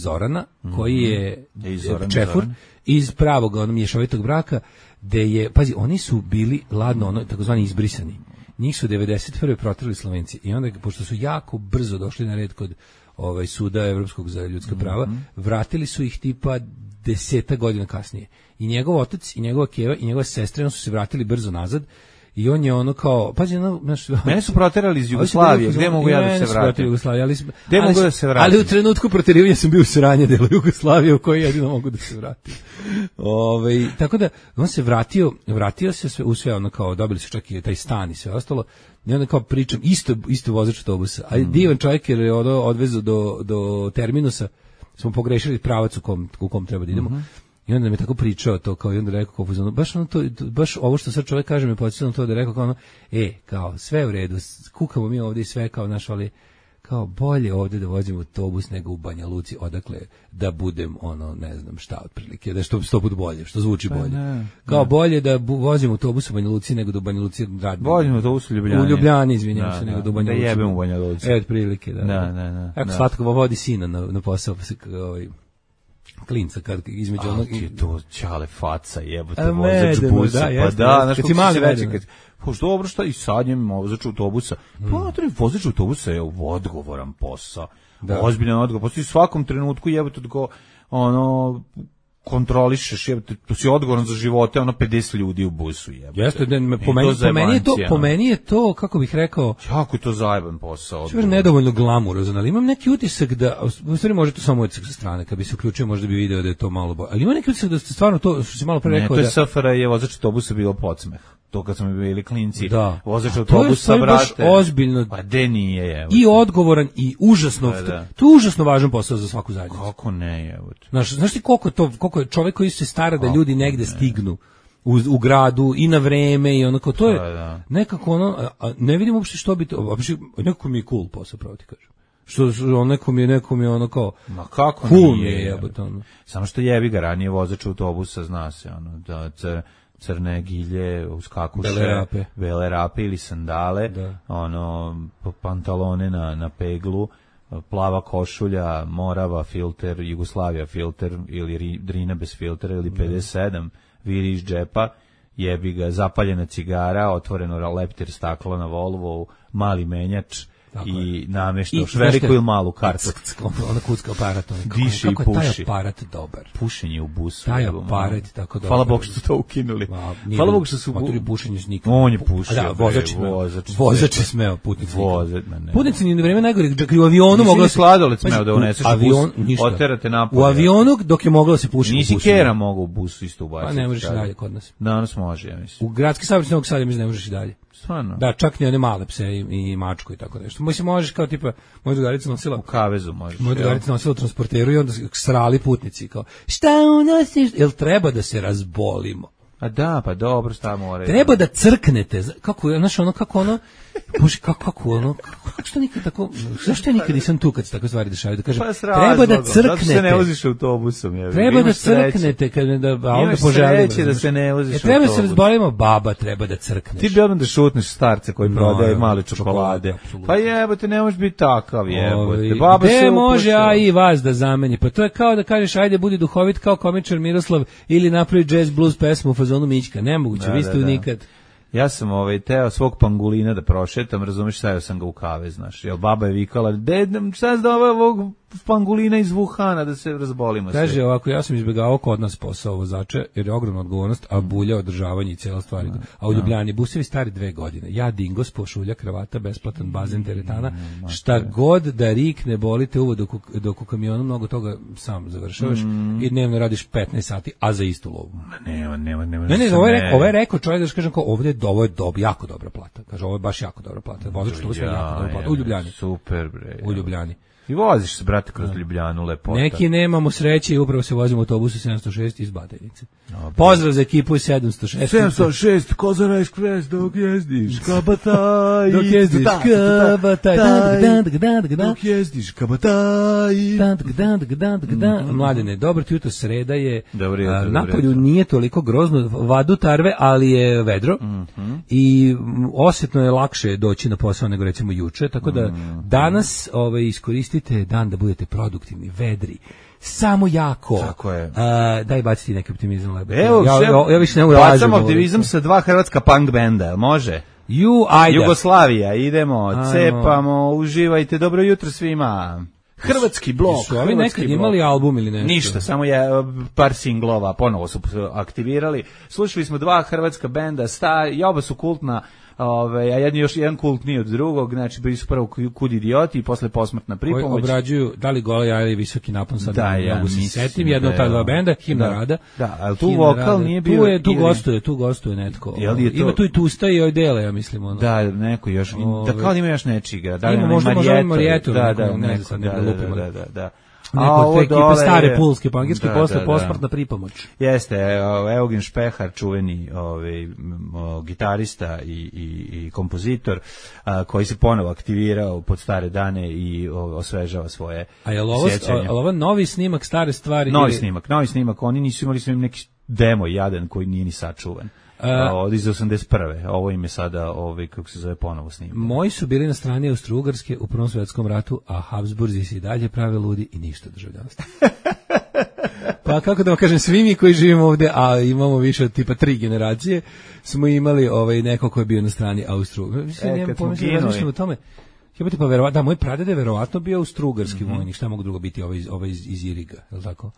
Zorana, koji je mm-hmm. Zoran, čefur, Zoran. Iz pravog ono, mješovitog braka, gde je, pazi, oni su bili ladno, ono, takozvani izbrisani. Njih su devedeset prve proterali Slovenci i onda, pošto su jako brzo došli na red kod ovaj, suda Evropskog za ljudska prava, mm-hmm. vratili su ih tipa deseta godina kasnije. I njegov otac, i njegova keva, i njegova sestra, on su se vratili brzo nazad. I on je ono kao, pazi, ono, znaš, mene su proterali iz Jugoslavije, gde mogu ja da se vratim? Jugoslavije, ali gde mogu da se vratim? Ali u trenutku proterivanja sam bio u sranje delu Jugoslavije u kojoj jedino mogu da se vratim. Ove, tako da, on se vratio, vratio se sve, u sve ono kao, dobili su čak i taj stan i sve ostalo, i onda kao pričam, isto, isto vozač autobusa, a mm. divan čovjek jer je ono odvezu do, do terminusa, smo pogrešili pravac u kom, u kom treba da idemo. Mm-hmm. I onda mi je tako pričao to, kao i onda rekao, kao, baš, ono to, baš ovo što sad čovjek kaže mi podsjetilo to da rekao kao ono, e, kao, sve u redu, kukamo mi ovdje i sve kao naš, ali kao bolje ovdje da vozimo autobus nego u Banja Luci, odakle da budem ono, ne znam šta otprilike, da što sto put bolje, što zvuči bolje. Ne, kao ne. Bolje da bu, vozimo autobus u Banja Luci nego da u Banja Luci radimo. Vozimo autobus u Ljubljani. U Ljubljani, izvinjam se, nego da u Banja Luci. Da jebem u Banja Luci. E, otprilike, da. Da, da, da. Ako slatko vodi sina na, na posao, pa se ovaj klinca kad između A, onog ti je to ćale faca, jebote, A, vozač medeno, busa, da, pa jeste, da, jeste. znaš Kad kako si mali si reći, medeno. kad, pa što dobro, šta i sad njem vozač autobusa, pa materi, vozač autobusa je odgovoran posao, Da. ozbiljan odgovor, postoji u svakom trenutku jebote tko, ono, kontrolišeš, jebote, tu si odgovoran za živote, ono, pedeset ljudi u busu, jebote. Jeste, da, me- I po, meni, to po, meni je to, zajebancija, po ono. meni je to, kako bih rekao, Jako je to zajeban posao. čuvar nedovoljno glamurozan, ali imam neki utisak da, u stvari može to samo utisak sa strane, kad bi se uključio možda bi video da je to malo bolje, ali ima neki utisak da ste stvarno to, što si malo pre Ne, rekao, to je da... S F R je vozač autobusa bilo podsmeh. To kad smo bili klinci, Da. vozač A to je autobusa, stvari baš brate. ozbiljno. Pa de nije, je. I odgovoran i užasno, Da, da. to je užasno važan posao za svaku zajednicu. Kako ne, je. Znaš, znaš ti koliko, to, koliko je čovjek koji se stara da ljudi negde stignu u, u gradu i na vreme i onako, to je Da, da. nekako ono, a, a ne vidim uopšte što bi to, uopšte, nekako mi je cool posao, pravo ti kažem. Što, što nekom je, nekom je ono kao, Ma kako cool mi nije, je, je. jebote, ono. Samo što jebi ga, ranije vozač autobusa, zna se, ono, da cr, crne gilje, uskakuše, Bele rape. bele rape ili sandale, Da. ono, p- pantalone na, na peglu, plava košulja, Morava filter, Jugoslavija filter, ili ri, Drina bez filtera, ili pedeset sedam, viri iz džepa, jebi ga, zapaljena cigara, otvoreno leptir stakla na Volvo, mali menjač, Tako i nameštaš I, veliku znaš šta- ili malu kartu. Ona kucka aparat, ono, kako, Diše i kako je taj puši. aparat dobar. Pušenje u busu. Taj evo, aparat malo. je tako dobar. Hvala Bogu što su to ukinuli. Ma, nije Hvala bilo- Bogu što su... Motori pušenje s nikom. On je pušio. Da, bre, vozač je smeo. vozač. Vozač je smeo, putnici nikako. Vozač, ma ne. Putnici ni na vreme najgore, čak i u avionu Nisi moglo ni se... sladoled smeo Pazi, da u uneseš u avion, bus, ništa. oterate napolje. U avionu dok je moglo da se puši. Nisi u busu. kera mogao u busu isto ubaciti. Pa ne možeš i tada. dalje kod nas. Danas može, ja mislim. U gradski saobraćaj Novog Sada mislim da ne možeš i dalje. Stvarno. Da, čak ni one male pse i, i mačku i tako nešto. Mislim, možeš kao tipa, moja drugarica nosila... U kavezu možeš. Moja jel? drugarica nosila u transporteru i onda srali putnici kao, šta unosiš? Jel treba da se razbolimo? A da, pa dobro, šta mora. Treba da crknete, kako je, znaš, ono, kako ono, bože, kako, kako ono, kako što nikad tako, zašto ja nikad nisam tu kad se takve stvari dešavaju, da kažem, Pa s treba razlogom, da zato što se ne crknete, voziš autobusom. Je. treba da Imaš sreće. crknete, kad ne da, a onda Imaš poželimo. sreće da se ne voziš E, treba se autobusom. razbolimo, baba, treba da crkneš. Ti bi odmah da šutneš starce koji No, prodaje ja, male čokolade, čokolade. apsolutno. Pa jebote, ne možeš biti takav, jebote. Ovi, Baba gde se može, upušta. a i vas da zameni? Pa to je kao da kažeš, ajde, budi duhovit kao komičar Miroslav ili napravi jazz blues pesmu u fazonu Mićka. Nemoguće, Da, vi ste da, da. unikad. Ja sam ovaj teo svog pangulina da prošetam, razumeš, stavio sam ga u kave, znaš. Jel baba je vikala, dedam, šta se da ovog pangulina iz Wuhana da se razbolimo sve. Kaže ovako, ja sam izbjegavao kod nas posao vozača, jer je ogromna odgovornost, a bulja održavanje i cijela stvar. A u Ljubljani busevi stari dve godine. Ja dingos, pošulja, kravata, besplatan bazen, teretana, šta god da rikne, bolite uvo dok, u- dok u kamionu mnogo toga sam završavaš i dnevno radiš petnaest sati, a za istu lovu. Nema, nema, nema. Ne, ne, ovo je rekao, ovo je rekao čovjek da što kažem kao ovdje je ovo je dob, jako dobra plata. Kaže ovo je baš jako dobra plata. Vozač to je jako dobra plata u Ljubljani. Super, bre. U Ljubljani. I voziš se, brate, kroz Ljubljanu, lepota. Neki nemamo sreće i upravo se vozimo u autobusu sedamsto šest iz Batajnice. Pozdrav za ekipu iz sedamsto šest. sedamsto šest, Kozara Express, dok jezdiš, kabataj. Dok jezdiš kabataj. Dok jezdiš, kabataj. Mladene, dobro ti jutro, sreda je. Dobro jutro, a, dobro Napolju jutro. nije toliko grozno, vadu tarve, ali je vedro i m, osjetno je lakše doći na posao nego recimo juče, tako da danas ovaj, iskoristite dan da budete produktivni, vedri, samo jako. Tako je. A, daj baciti neki optimizam. Lebe. Evo, ja, šef, ja, ja više ne mogu bacam optimizam sa dva hrvatska punk benda, jel može? Ju, ajde. Jugoslavija, idemo, Ajmo. cepamo, uživajte, dobro jutro svima. Hrvatski blok. Su ovi hrvatski nekad blok. imali album ili nešto? Ništa, samo je e, par singlova, ponovo su aktivirali. Slušali smo dva hrvatska benda, sta, i oba su kultna, ove, a jedan još jedan kultniji od drugog, znači bili su prvo Kud idioti i posle Posmrtna Koji pripomoć. obrađuju da li gola jaja ili visoki napon, sad Da, ne ja mogu se mislim setim, da jedno od ta je dva ovo. benda, Himna Da. Rada. Da, ali tu Himna vokal Rada. nije Tu bio je, tu ili- gostuje, tu gostuje netko. Jel je to- Ima tu i Tusta i Ojdele, ja mislim. Ono. Da, neko još, Ove. da kao da ima još nečiga. Da li Ima, onaj možda- možda onaj Marijeto, Marijeto, da, neko, da, ne znam neko, sad, ne da, da da, lupimo. da, da, da. Neko A od ovo te ekipe dole stare je- pulske, pangirske, Da, posle da, da. posmrtna pripomoć. Jeste, evo, Eugen Špehar, čuveni ovaj, m, o, gitarista i, i, i kompozitor, a, koji se ponovo aktivirao pod stare dane i o, osvežava svoje A je li ovo, sjećanje. a, ovo novi snimak stare stvari? Novi ili- snimak, novi snimak, oni nisu imali su im neki demo jadan koji nije ni sačuvan. A, od iz osamdeset prve. Ovo im je sada, ovaj, kako se zove, ponovo snimak. Moji su bili na strani Austro-Ugarske u Prvom svjetskom ratu, a Habsburzi se i dalje prave ludi i ništa državljanstva. Pa kako da vam kažem, svi mi koji živimo ovde, a imamo više od tipa tri generacije, smo imali ovaj neko ko je bio na strani Austro. Mislim, E, ne kad smo razmišljam o tome. Jebote, pa verovatno, da, moj praded je verovatno bio austrougarski mm-hmm. vojnik, šta mogu drugo biti ovaj, ovaj iz, iz Iriga, je li tako?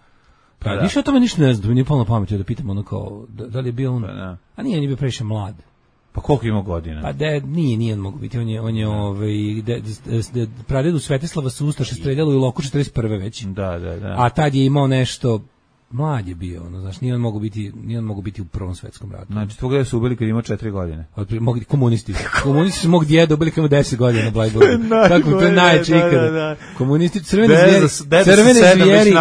Pa, više o tome ništa ne znam, mi nije polno pametio da pitam ono kao, da, da li je bio on, pa, a nije, on je bio previše mlad. Pa koliko ima godina? Pa de, nije, nije on mogu biti, on je, on je ovaj, de, de, de, pradedu Svetislava su Ustaše streljalo u Iloku četrdeset prve već. Da, da, da. A tad je imao nešto, mlad je bio, ono, znaš, nije on mogu biti, nije on mogu biti u Prvom svetskom ratu. Znači, tvoga su ubili kad imao četiri godine. Od, mogli, komunisti. Komunisti su mog djeda ubili kad imao deset godina na Blajburgu. Tako, to je najče ikada. Da, da, da. Komunisti, crvene zvijeri, crvene zvijeri,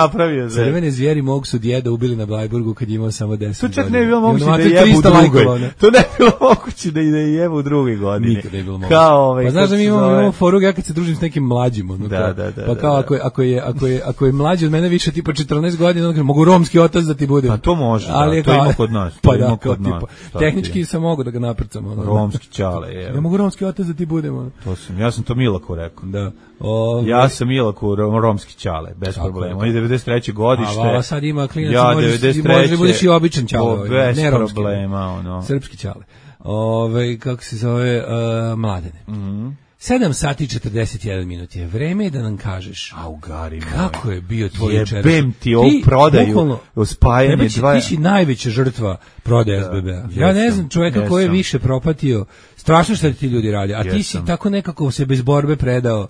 crvene zvijeri mog su djeda ubili na Blajburgu kad je imao samo deset godina. To čak ne je bilo moguće da je jebu u drugoj. To ne je bilo moguće da je jebu u drugoj godini. Nikada je bilo moguće. Kao ovaj, pa znaš da mi imamo, imamo foru, ja kad se družim s nekim mlađim, ono, da, kao, da, da, pa kao da, ako, je, ako, je, ako, je, ako je mlađi od mene više tipa četrnaest godina, onda mogu romski otac da ti bude. Pa to može, ali da, to ima kod nas. Pa ima da, kod nas. Tipa, tehnički sam mogu da ga naprcam. Ono, romski čale, je. Ja mogu romski otac da ti budem. Ono. To sam, ja sam to Milaku rekao. Da. O, ja sam Milaku romski čale, bez tako problema. On je devedeset treće godište. A sad ima klinac, ja, možeš, možeš da budeš i običan čale. Bez ne romski, problema, ono. Srpski čale. Ove, kako se zove, uh, Mladene. Mhm. sedam sati i četrdeset jedan minut je. Vreme je da nam kažeš. A u gari kako moj. Je bio tvoj jučerašnji. Jebem ti ovu prodaju, spajanje dva. Ti si najveća žrtva prodaje S B B-a. Ja ne znam čovjeka koji je više propatio. Strašno što ti ljudi radi. A ti si tako nekako se bez borbe predao.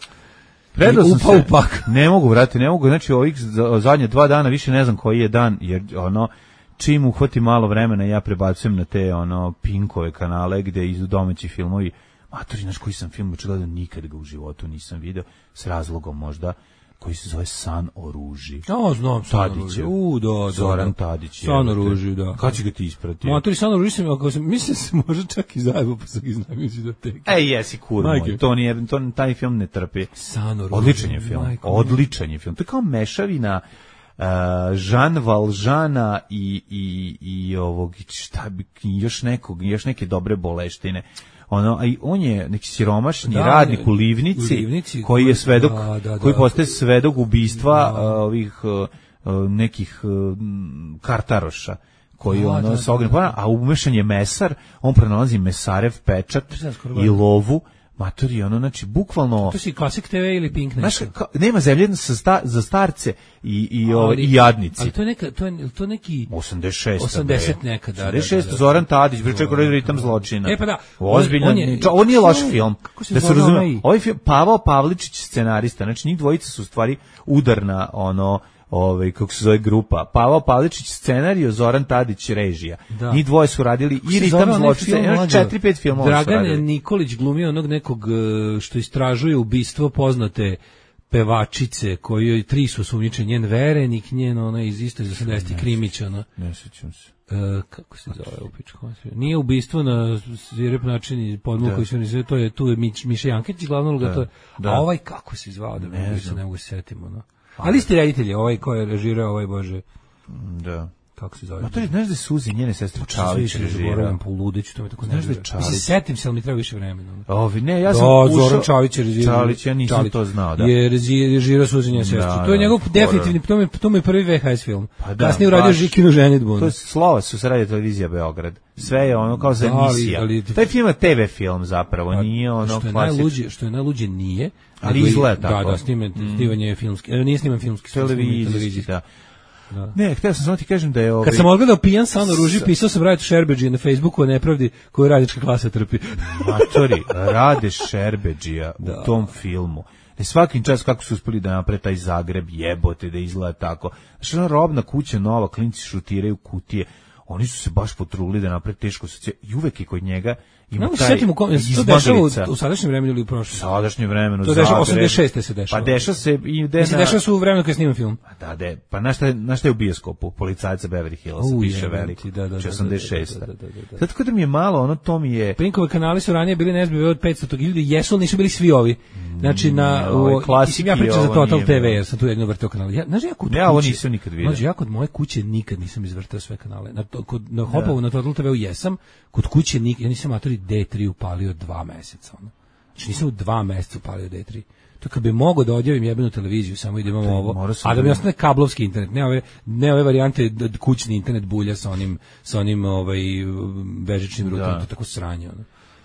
Predao sam upao se. Upak. Ne mogu, vrati, ne mogu. Znači, ovih zadnje dva dana više ne znam koji je dan, jer ono, čim uhvati malo vremena, ja prebacujem na te ono Pinkove kanale gde idu domaći filmovi. Matori, znaš koji sam film već gledao, nikad ga u životu nisam video, s razlogom možda, koji se zove San o ruži. Ja znam, San o ruži. U, da, da. Zoran Tadić. San o ruži, da. Kad će ga ti isprati? Matori, San o ruži sam, ako sam, mislim se može čak i zajedno, pa sam iznam iz videoteke. Ej, jesi kur moj, to nije, to, taj film ne trpi. San o ruži. Odličan je film, Majko, odličan je film. To je kao mešavina Uh, Jean Valjeana i, i, i ovog, šta bi, još nekog, još neke dobre boleštine. Ono, a i on je neki siromašni da, radnik u Livnici, u Livnici koji je svedok, da, da, da, koji postaje svedok ubistva da. uh, ovih uh, nekih uh, kartaroša koji da, ono da, sa ognjem, da. A umešan je mesar, on pronalazi mesarev pečat i lovu. Matori, ono, znači, bukvalno... To si Klasik te ve ili Pink nešto? Znaš, nema zemlje za, sta, za starce i, i, ali, i jadnici. Ali to je, neka, to je, to neki... osamdeset šest. osamdeset neka, da. osamdeset šest, da, da, da. Zoran Tadić, bre čekao ritam zločina. E pa da. Ozbiljno, on, on, je, on nije loš film. Da se razume, ovaj film, Pavao Pavličić, scenarista, znači njih dvojica su u stvari udarna, ono, ovaj kako se zove grupa. Pavao Pavličić scenarijo, Zoran Tadić režija. Da. Njih dvoje su radili i ritam zločina, četiri pet filmova. Dragan Nikolić glumio onog nekog što istražuje ubistvo poznate pevačice kojoj tri su osumnjičeni, njen verenik, njen ona iz isto iz osamdesetih Krimić, ona. Ne sećam se. E, kako se zove u pičku? Nije ubistvo na svirep način podmuk koji se ne to je tu je Miš, Miša Jankić glavna uloga, to je. Da. A ovaj kako se zvao da ne, se ne mogu se setiti, ono. Ali isti reditelj, ovaj ko je režirao, ovaj Bože. Da. Kako se zove? Ma to je, znaš da je Suzi, njene sestre Čalić režirao. Po ludeću, to me tako znaš da je Čalić. Mislim, setim se, ali mi treba više vremena. Ovi, ne, ja sam da, ušao... Zoran Čalić je režirao. Čalić, ja nisam Čalić. To znao, da. Je režirao Suzi, njene sestre. Da, to je njegov da, definitivni, to mi, to mi je prvi V H S film. Pa da, kasnije uradio Žikinu ženidbu. To je slova su se radio televizija Beograd. Sve je ono kao za emisija. Ali, ali, taj film je te ve film zapravo, a, nije ono što je najluđe, što je najluđe nije. Ali izgleda tako. Da, da, snimen, snimanje je filmski. Nije sniman filmski, televizijski, da. Da. Ne, htio sam samo ti kažem da je ovaj... Kad sam odgledao Pijan San o ruži, pisao sam Rade Šerbeđije na Facebooku o nepravdi koju radnička klasa trpi. Matori, Rade Šerbeđija u tom filmu. Ne svakim čas kako su uspeli da naprave taj Zagreb, jebote, da izgleda tako. Znači, ona robna kuća nova, klinci šutiraju kutije. Oni su se baš potrudili da naprave teško socije. I uvek je kod njega ima no, taj izbadalica. U, u sadašnjem vremenu ili u prošlom? U sadašnjem vremenu. To dešava, osamdeset šeste se dešava. Pa dešava se i de se dešava su u vremenu kad snimam film. Pa da, de, pa na šta je, na šta je u bioskopu? Policajca Beverly Hills, piše veliki. Da, da, da, osamdeset šeste. Da, da, da, da, da. Zato kada mi je malo, ono to mi je... Pinkove kanali su ranije bili ne znam od petsto ljudi, jesu nisu bili svi ovi. Znači na klasiki, ja pričam za Total te ve, jer sam tu jedno vrteo kanale. Ja, znaš, ja kod ja ovo nisam nikad vidio. Znači, ja kod moje kuće nikad nisam izvrtao sve kanale. Na to, kod na Hopovu na Total te ve jesam, kod kuće nikad, ja nisam matori de tri upalio dva meseca, ono. Znači nisam u dva meseca upalio de tri. To kad bi mogao da odjavim jebenu televiziju, samo i da imamo ovo, a da mi da... ostane kablovski internet, ne ove, ne ove varijante da kućni internet bulja sa onim, sa onim ovaj, bežičnim rutom, to tako sranje. Ono.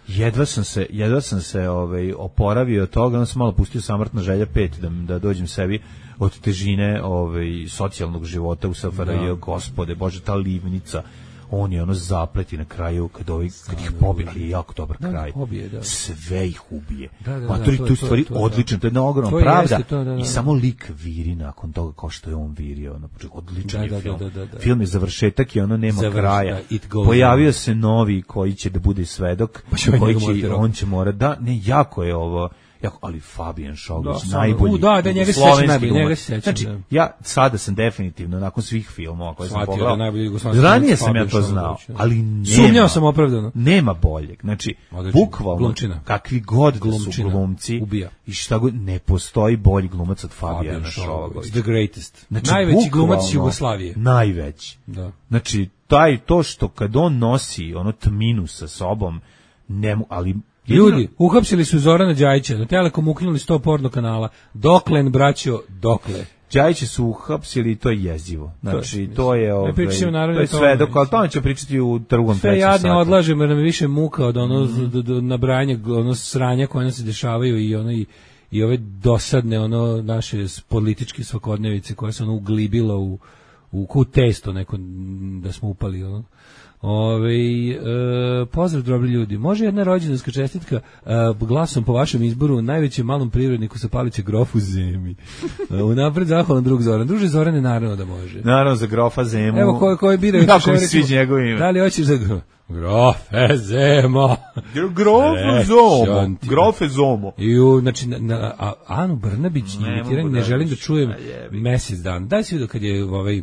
Jedva sam se, jedva sam se ovaj, oporavio od toga, onda sam malo pustio Samrtna želja pet da, da dođem sebi od težine ovaj, socijalnog života u S F R J, gospode, bože, ta livnica, on je ono zapleti na kraju kad, ovi, kad ih pobije, ali je jako dobar da, kraj. Pobije, da. Sve ih ubije. Da, da, Matori, da, to, to je stvari to, to, odlično, to je jedna ogromna to pravda. To, da, da, i samo lik viri nakon toga kao što je on virio. Ono, odličan da, je da, film. Da, da, da, da. Film je završetak i ono nema Završ, kraja. da, Pojavio se novi koji će da bude svedok, pa koji će, on će mora da, ne, jako je ovo, jako, ali Fabijan Šogović, da, najbolji. U, da, da, njega se sećam najbolji, njega se sećam. Znači, da. ja sada sam definitivno, nakon svih filmova koje sam pogledao, da ranije sam ja to znao, ali nema. Sumnjao sam opravdano. Nema boljeg. Znači, odlično, bukvalno, glumčina. Kakvi god glumčina, da su glumci, ubija. I šta god, ne postoji bolji glumac od Fabijana Šogovića. The greatest. Znači, najveći glumac Jugoslavije. Najveći. Da. Znači, taj, to što kad on nosi ono tminu sa sobom, ne mu, ali jedino... Ljudi, uhapsili su Zorana Đajića, na Telekom ukinuli sto porno kanala. Doklen, braćo, dokle? Đajića su uhapsili i to je jezivo. Znači, to, to je, ovaj, to je sve, dok, ali tome će pričati u drugom, trećem sve satu. Sve jadne odlažemo, jer nam je više muka od ono mm. do, do, nabrajanja, ono sranja koje nam se dešavaju i ono i, i ove dosadne, ono naše političke svakodnevice koje se ono uglibilo u, u, u testo neko da smo upali, ono. Ove, e, pozdrav dobri ljudi, može jedna rođendanska čestitka e, glasom po vašem izboru najvećem malom privredniku sa paliće grofu Zemi. E, unapred zahvalan drug Zoran. Druže Zorane, naravno da može. Naravno za grofa Zemu. Evo koji koji biraju. Kako mi sviđa njegovo ime. Da li hoćeš za grof? Grofe Zemo. Grofe Zomo. Grofe Zomo. I u, znači, na, na, a, Anu Brnabić imitiranje ne želim da čujem mesec dan. Daj se vidio kad je ovaj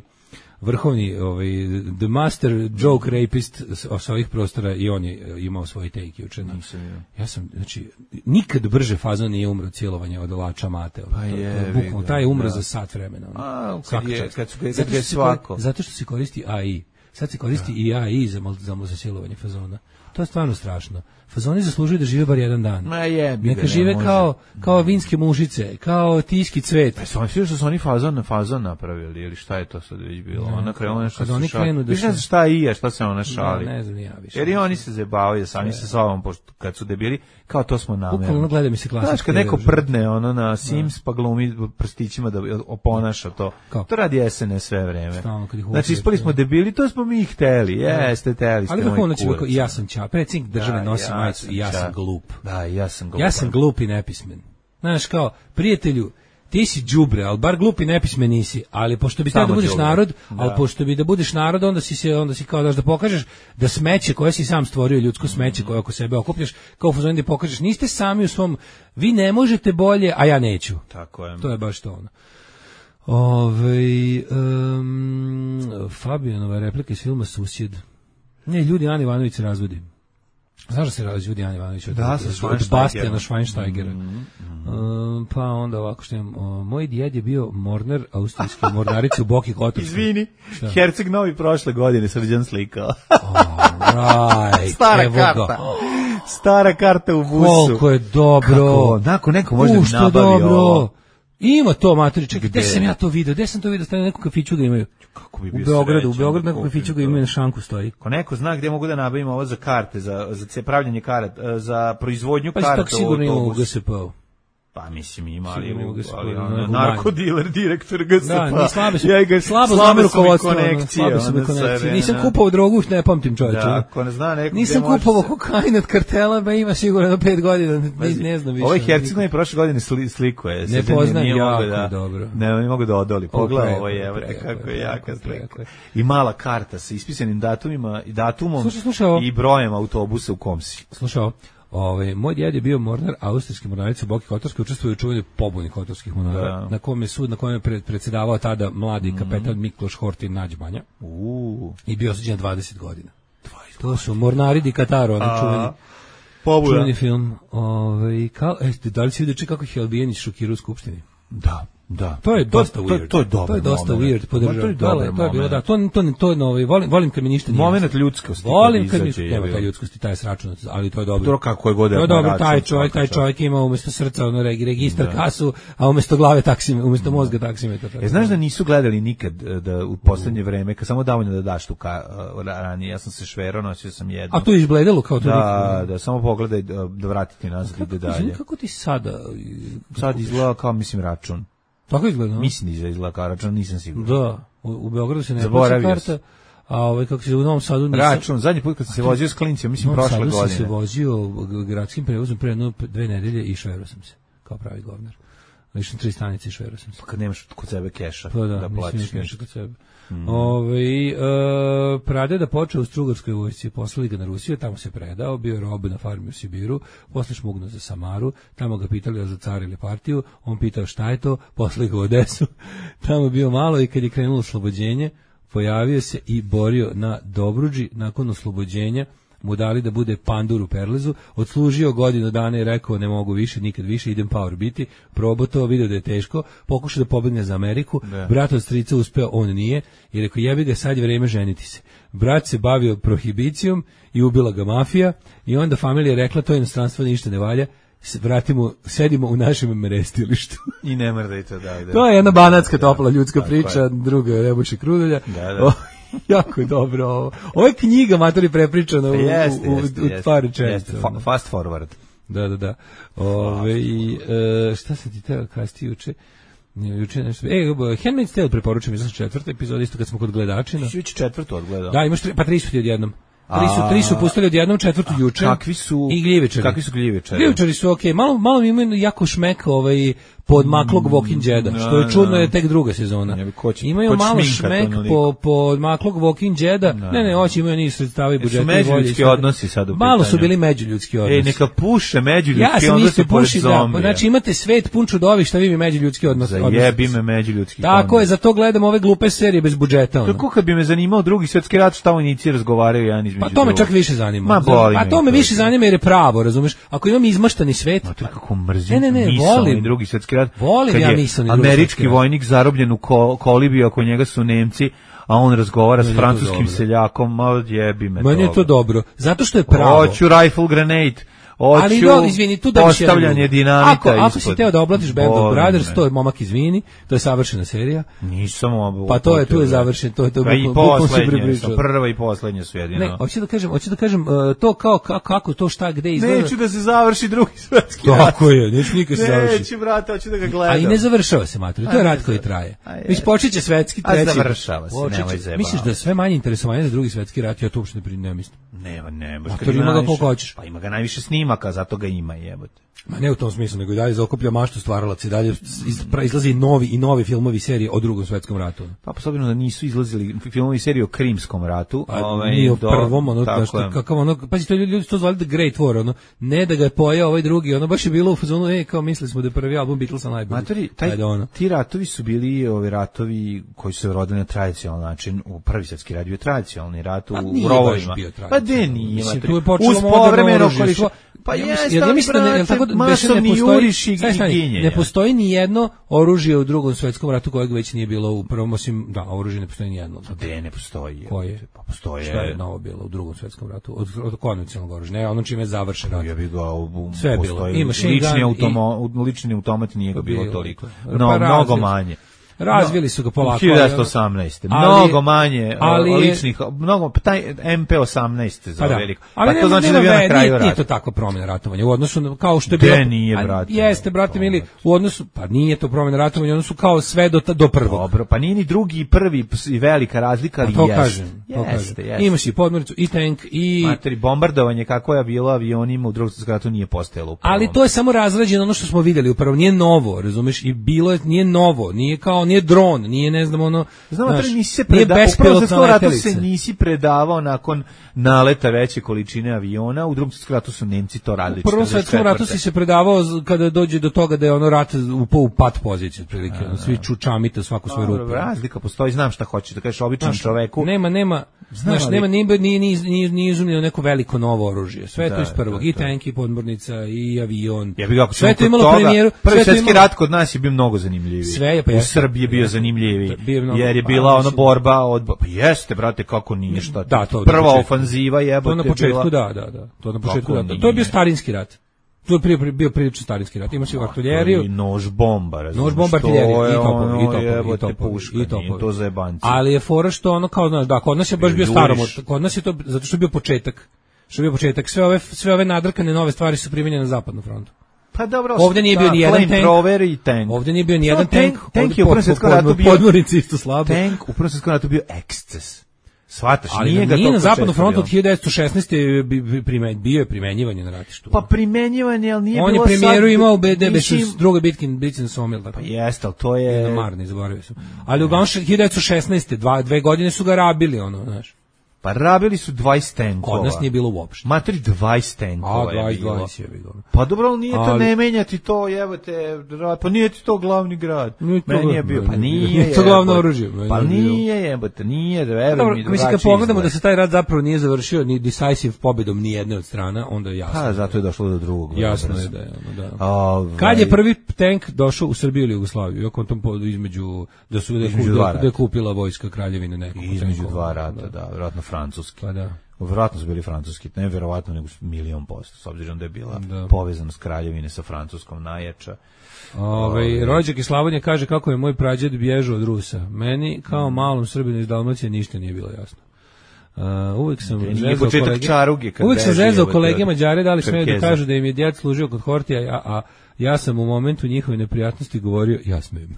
vrhovni, ovaj, the master joke rapist sa ovih prostora i on je imao svoj take juče. Ja sam, znači, nikad brže fazon nije umro cijelovanje od Lača Mate. Pa je, bukvalno, taj je umro za sat vremena. A, kad je, kad su zato, što svako. zato što se koristi A I. Sad se koristi i A I za, za, za cijelovanje fazona. To je stvarno strašno. Fazoni zaslužuju da žive bar jedan dan. Ma je, neka ne, žive može. kao kao vinske mušice, kao tiški cvet. Pa su što su oni fazon na fazon napravili ili šta je to sad već bilo? Ne, ona krenu nešto kad oni krenu da se šta i je, šta se ona šali. Ne, ne znam ja više. Jer i oni se zabavaju sami sa sobom pošto kad su debili, kao to smo namerno. Bukvalno gleda mi se klasički. Znaš, kad neko prdne ono na Sims pa glumi prstićima da oponaša to. Kao? To radi S N S sve vreme. Stalno, znači ispali smo debili, to smo mi hteli. Jeste, hteli ste. Ali bukvalno će i ja sam čao. Predsjednik države nosi majicu i ja sam glup. Da, ja sam glup. Ja sam glup i nepismen. Znaš, kao, prijatelju, ti si đubre, ali bar glup i nepismen nisi, ali pošto bi trebao da budeš džubre. narod, da. ali pošto bi da budeš narod, onda si se, onda si kao daš da pokažeš da smeće koje si sam stvorio, ljudsko smeće koje oko sebe okupljaš, kao u fazonu da pokažeš, niste sami u svom, vi ne možete bolje, a ja neću. Tako je. To je baš to ono. Ove, um, Fabijanova replika iz filma Susjed. Ne, ljudi, Ana Ivanović se razvodi. Znaš da se razvodi ljudi Ana Ivanović od, da, od, od Bastiana Schweinsteigera. Mm, mm. Um, pa onda ovako što imam, o, moj djed je bio mornar austrijski mornarici u Boki Kotorskoj. Izvini, šta? Herceg Novi prošle godine Srđan slikao. Right, stara karta. Stara karta u busu. Koliko je dobro. Kako, nakon neko može da nabavi ovo. Ima to, materi, čekaj, gde sam ja to video? Gde sam to video? Stane neku kafiću ga imaju. Kako bi bio u Beogradu, srećan, u Beogradu neku kafiću ga imaju na šanku stoji. Ko neko zna gde mogu da nabavim ovo za karte, za za pravljenje karata, za proizvodnju pa karata. Pa tako sigurno ima u G S P-u. Pa mislim ima, ali, ali ono, narkodiler, direktor G S P-a. Da, slabe su, ja ga, slabo znam rukovodstvo, konekcije. Slabe su konekcije. Nisam kupovao drogu, ne pamtim čovječe. Da, ako ne zna neko nisam kupovao kokain od kartela, ba ima sigurno na pet godina, ne, ne znam više. Ovaj Herceg i prošle godine sli, slikuje. Ne poznajem jako da, dobro. Ne, ne mogu da odoli. Pogledaj ovo je, evo te kako je jaka slika. I mala karta sa ispisanim datumima, datumom i brojem autobusa u kom si. Slušao. Ove, moj djed je bio mornar, austrijski mornarica u Boki Kotorskoj, učestvuje u čuvanju pobuni kotorskih mornara, da. na kojem je sud, na kojem je pred, predsjedavao tada mladi mm. kapetan Mikloš Hortin Nađmanja. Uh. I bio osuđen dvadeset godina. dvadeset To su mornari di Kataro, onaj čuveni, čuveni film. Ove, kao, e, da li si vidio če kako ih je Albijenić šokirao u Skupštini? Da. Da. To je dosta to, weird. To, to je dobro. To je dosta moment. weird podržavam. To je dobar to je bilo da. To to to novi volim volim kad mi ništa nije. Momenat ljudskosti. Volim kad mi nema taj ljudskosti, taj sračunac, ali to je dobro. To kako je god je. To je dobro, taj čovjek, taj čovjek ima umesto srca ono registar kasu, a umesto glave taksimetar, umesto mozga taksimetar. E, znaš da nisu gledali nikad da u poslednje vreme, kad samo dovoljno da daš tu ka, ranije, ja sam se šverao, nosio sam jedno. A to je izbledelo kao to. Da, da, samo pogledaj da vratiti nazad ide dalje. Kako ti sada? Sad izgleda kao, mislim, račun. Tako izgleda? Mislim da izgleda kao račun, nisam siguran. Da, u, u Beogradu se ne plaća karta, a ovaj, kako se u Novom Sadu... Nisam... Račun, zadnji put kad sam se vozio s klincima, mislim, prošle godine. U Novom Sadu sam se vozio gradskim prevozom pre jedno dve nedelje i šverao sam se, kao pravi govnar. Lično tri stanice i šverao sam se. Pa kad nemaš kod sebe keša, pa da, da platiš keša kod sebe. Mm. Ove, e, pradeda počeo u Strugarskoj vojsci, poslali ga na Rusiju, tamo se predao, bio je rob na farmi u Sibiru, posle šmugnuo za Samaru, tamo ga pitali za car ili partiju, on pitao šta je to, poslali ga u Odesu, tamo bio malo i kad je krenulo oslobođenje, pojavio se i borio na Dobruđi, nakon oslobođenja mu dali da bude pandur u Perlezu, odslužio godinu dana i rekao ne mogu više, nikad više, idem power biti, probao to, vidio da je teško, pokušao da pobegne za Ameriku, da. Brat od strica uspeo, on nije, i rekao jebi ga, sad je vreme ženiti se. Brat se bavio prohibicijom i ubila ga mafija i onda familija rekla to inostranstvo ništa ne valja, vratimo, sedimo u našem merestilištu. I ne mrdajte, da, da. To je jedna banatska topla ljudska da, priča, je. Druga je Rebuši Krudulja. Da, da. Jako je dobro ovo. Ovo je knjiga, matori, prepričana u, jeste, u, jeste, u, u par rečenica. Fa, fast forward. Da, da, da. Ove, i, e, šta se ti teo kasti juče? Juče nešto. E, Handmaid's Tale preporučujem, izlazi četvrta epizoda, isto kad smo kod gledačina. Ti si četvrtu odgledao. Da, imaš tri, pa tri su ti odjednom. Tri su, tri su pustili odjednom, četvrtu juče. Kakvi su? I gljivičari. Kakvi su gljivičari? Gljivičari su okej, okay. malo, malo mi imaju jako šmek ovaj, podmaklog Walking Jeda, što je čudno, je tek druga sezona. Koć, imaju koć malo šmek po, po maklog Walking Jeda, ne, ne, ne hoće imaju niz sredstava i budžeta. Su međuljudski odnosi sad u malo su bili međuljudski odnosi. Ej, neka puše međuljudski ja odnosi pored zombija. Da, znači imate svet pun čudovi, šta vi mi međuljudski odnosi. Zajebi me međuljudski odnosi. Tako je, zato gledam ove glupe serije bez budžeta. Ono. Kako kad bi me zanimao drugi svetski rat, šta oni nici razgovaraju jedan između. Pa to me čak više zanima. Ma, boli a to me više zanima jer je pravo, razumeš? Ako imam izmaštani svet, ma to kako mrzim. Ne, ne, ne, volim drugi svetski rat. Volim ja nisam američki vojnik zarobljen u ko, kolibiji, oko njega su Nemci, a on razgovara s francuskim seljakom, ma jebi me. Meni je to dobro, zato što je pravo. Hoću rifle grenade. Oću, ali do, izvini, tu da postavljanje dinamita ako, ispod. Ako si teo da oblatiš Band of Brothers, to je momak izvini, to je savršena serija. Nisam ovo. Pa to je, tu je završen, to je to. Pa i poslednje, prva i poslednje su jedino. Ne, hoću da kažem, hoću da kažem uh, to kao kako to šta gde izgleda. Neću da se završi drugi svetski rat. Tako je, neću nikad se završi. Neću, brate, hoću da ga gledam. A i ne završava se, mater, to je rat koji traje. Već počeće svetski treći. A završava se, nemoj zebati. Misliš da sve manje interesovanje za drugi svetski rat, ja to uopšte ne mislim. Nema, ne, baš kad ima ga koliko hoćeš. Pa ima ga najviše snimaka, zato ga ima, jebote. Ma ne u tom smislu, nego i dalje zaokuplja maštu stvaralaca i dalje izlazi novi i novi filmovi serije o Drugom svetskom ratu. Pa posebno da nisu izlazili filmovi serije o Krimskom ratu, a ovaj nije o prvom, ono nešto kakav ono, pazi to ljudi to zvali The Great War, ono ne da ga je pojeo ovaj drugi, ono baš je bilo u fazonu, ej, kao mislili smo da je prvi album Beatlesa najbolji. Matori, taj, Ajde, ono. Ti ratovi su bili ovi ratovi koji su se rodili na tradicionalan način, u Prvi svjetski rat bio tradicionalni rat u rovovima. Pa de nije, mislim, tu je počelo moderno oružje. Pa jeste, ja mislim da ne, tako da masovni juriš i ginjenje. Ne postoji ni jedno oružje u Drugom svetskom ratu kojeg već nije bilo u prvom, osim da, oružje ne postoji ni jedno. Gde ne postoji? Koje? Pa postoji. Šta je novo bilo u Drugom svetskom ratu? Od, od konvencionalnog oružja. Ne, ono čime je završen rat. Ja bih ga u, sve je bilo. Imaš lični automat, i... lični automat nije ga bilo toliko. No, pa mnogo manje. Razvili su ga polako. hiljadu devetsto osamnaeste Mnogo manje ali ličnih, mnogo, taj em pe osamnaest za pa veliko. Ali pa to znači da je na kraju rata. Nije to takva promjena ratovanja u odnosu kao što je bilo. Gde nije, brate? Jeste, brate mili, u odnosu, pa nije to promjena ratovanja, odnosu kao sve do, do prvog. Dobro, pa nije ni drugi i prvi i velika razlika, ali to jest. Kažem, to jeste, kažem. Jeste. Imaš i podmornicu, i tank, i... Materi, bombardovanje kako je bilo avionima u Drugom svjetskom ratu nije postojalo. Ali to je samo razrađeno ono što smo vidjeli upravo, nije novo, razumeš, i bilo je, nije novo, nije kao, nije dron, nije ne znam ono, znam, znaš, nisi se predavao, upravo za to ratu se nisi predavao nakon naleta veće količine aviona, u Drugom svjetskom ratu su Nemci to radili. U Prvom svjetskom ratu si se predavao kada dođe do toga da je ono rat upao u pat poziciju, otprilike, ono, svi čučamite svaku svoju rupu. Razlika postoji, znam šta hoćeš da kažeš običnom čoveku. Nema, nema, Znaš, nema ni ni ni ni ni izumljeno neko veliko novo oružje. Sve da, to iz prvog, da, i tank, i podmornica, i avion. Ja bih kako sve to imalo premijeru. Prvi svjetski imalo... rat kod nas je bio mnogo zanimljiviji. Sve je, pa u Srbiji je bio zanimljiviji. Jer je bila ona borba od pa jeste brate kako nije šta. Da, to prva ofanziva jebote. To na početku, da, da, da. To na početku, da. To je bio starinski rat. To je prije bio prilično starinski rat. Ima se artiljeriju i nož bomba, razumiješ. Nož bomba, artiljerija i topovi, i topovi, i topovi, i topovi. To za jebanci. Ali je fora što ono kao znaš, da, kod nas je baš bio staromod. Kod nas je to zato što je bio početak. Što je bio početak. Sve ove sve ove nadrkane nove stvari su primenjene na zapadnom frontu. Pa dobro, ovde nije bio ni jedan tank. Ovde nije bio ni jedan tank. Tank je u prvom svjetskom ratu bio podmornici isto slabo. Tank u prvom svjetskom ratu bio eksces. Svataš, ali nije ga nije na zapadnom frontu od hiljadu devetsto šesnaeste bio je primenjivanje na ratištu. Pa primenjivanje, ali nije on bilo sad... On je premijeru imao B D B ničim... s druge bitke, bitke na Somil. Pa jeste, ali to je... Na Marni, zaboravio sam. Ali uglavnom hiljadu devetsto šesnaeste Dva, dve godine su ga rabili, ono, znaš. Pa rabili su dvadeset tenkova. Kod nas nije bilo uopšte. Materi dvadeset tenkova A, dvadeset, dvadeset je bilo. Pa dobro, ali nije to, ali... ne menjati to, jebate, pa nije ti to glavni grad. Nije to, meni je bio, pa nije, nije to glavno oružje. Pa nije, jebate, nije, verujem mi, mislim, kad pogledamo da se taj rat zapravo nije završio ni decisive pobedom ni jedne od strana, onda je jasno. Pa, zato je došlo do drugog. Jasno je da je, ono, da. Ove... Kad je prvi tank došao u Srbiju ili Jugoslaviju, oko tom podu između, da su da, između da, da je kupila vojska kraljevine nekog. Između dva rata, da, vjerojatno francuski. Pa da. Vjerojatno su bili francuski, ne vjerovatno nego milion posto, s obzirom da je bila da. povezanost kraljevine sa Francuskom najjača. Ove, rođak iz Slavonije kaže kako je moj prađed bježao od Rusa. Meni, kao malom Srbinu iz Dalmacije, ništa nije bilo jasno. Uh, uvijek sam zezao kolege, čaruge, uvijek sam zezao kolege Mađare, da li smeju da kažu da im je djed služio kod Hortija, a, a ja sam u momentu njihove neprijatnosti govorio, ja smijem.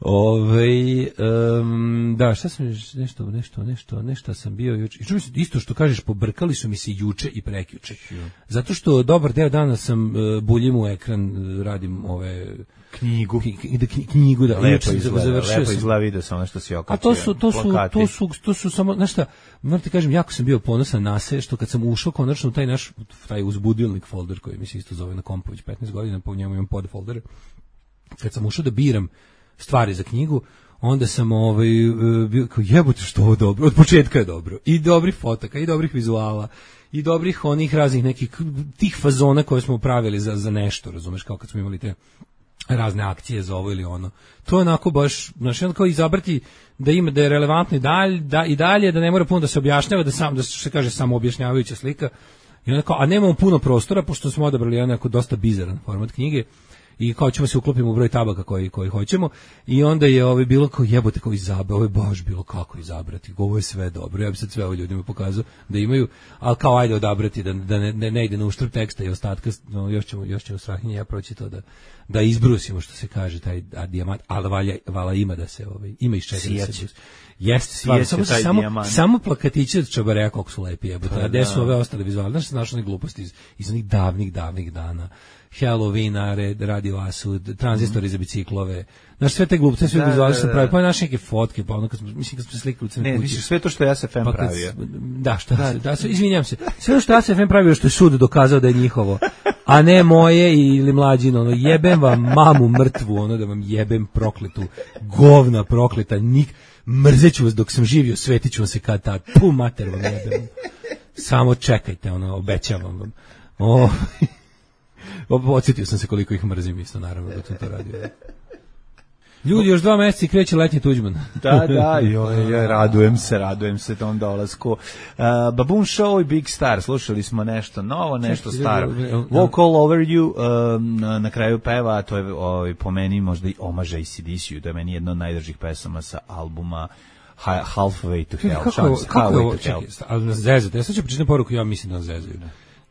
Ove, um, da, šta sam, nešto, nešto, nešto, nešto sam bio juče. Isto što kažeš, pobrkali su mi se juče i prekjuče. Zato što dobar deo dana sam uh, buljim u ekran, radim ove... knjigu da knjigu da lepo izgleda, lepo izgleda, vidio sam ono što si okačio. A to su to su to su to su samo znaš šta, moram ti kažem, jako sam bio ponosan na se što kad sam ušao konačno u taj naš taj uzbudilnik folder koji mi se isto zove na kompu već petnaest godina, po njemu imam podfolder. Kad sam ušao da biram stvari za knjigu, onda sam ovaj bio kao jebote što ovo dobro, od početka je dobro. I dobrih fotaka, i dobrih vizuala, i dobrih onih raznih nekih tih fazona koje smo pravili za za nešto, razumeš, kao kad smo imali te razne akcije za ovo ili ono. To je onako baš, znači ono kao izabrati da ima da je relevantno i dalje, da i dalje da ne mora puno da se objašnjava, da sam da se kaže samo objašnjavajuća slika. I onako, a nemamo puno prostora pošto smo odabrali onako dosta bizaran format knjige. I kao ćemo se uklopimo u broj tabaka koji koji hoćemo i onda je ovaj bilo kao jebote kao izabra, ovo je baš bilo kako izabrati. Ovo je sve dobro. Ja bih sad sve ovim ljudima pokazao da imaju, al kao ajde odabrati da da ne, ne, ne ide na uštrb teksta i ostatka, no, još ćemo još ćemo Strahinje ja proći to da da izbrusimo što se kaže taj dijamant, al valja vala ima da se ovaj ima iz čega da se jeste stvarno samo samo samo plakatići od čabareja kako su lepi jebote. A gde su ove ostale vizualne, znači našo one gluposti iz iz onih davnih davnih dana. Halloween, Radio Asud, tranzistori za biciklove. Znaš, sve te glupce, sve vizualne što pravi, pa naše neke fotke, pa ono kad smo, mislim kad smo se slikali u crnoj kući. Ne, misliš sve to što ja S F M pa pravio. Da, šta, da, da, izvinjam se. Sve što ja S F M pravio što je sud dokazao da je njihovo, a ne moje ili mlađino, ono, jebem vam mamu mrtvu, ono da vam jebem prokletu, govna prokleta, nik, mrzeću vas dok sam živio, svetiću vam se kad tad, pu mater vam jebem. Samo čekajte, ono, obećavam vam. O, odsjetio sam se koliko ih mrzim isto, naravno, dok sam to radio. Ljudi, još dva mjeseca i kreće letnji Tuđman. Da, da, joj, joj, radujem se, radujem se tom dolasku. Uh, Baboon Show i Big Star, slušali smo nešto novo, nešto staro. Walk All Over You, um, na kraju peva, to je ovaj, po meni možda i omaž A C D C-u, to je meni jedna od najdržih pesama sa albuma Halfway to Hell. Kako, Chance, kako je ovo, čekaj, ali zezate, ja sad ću pričati poruku, ja mislim da nas zezaju.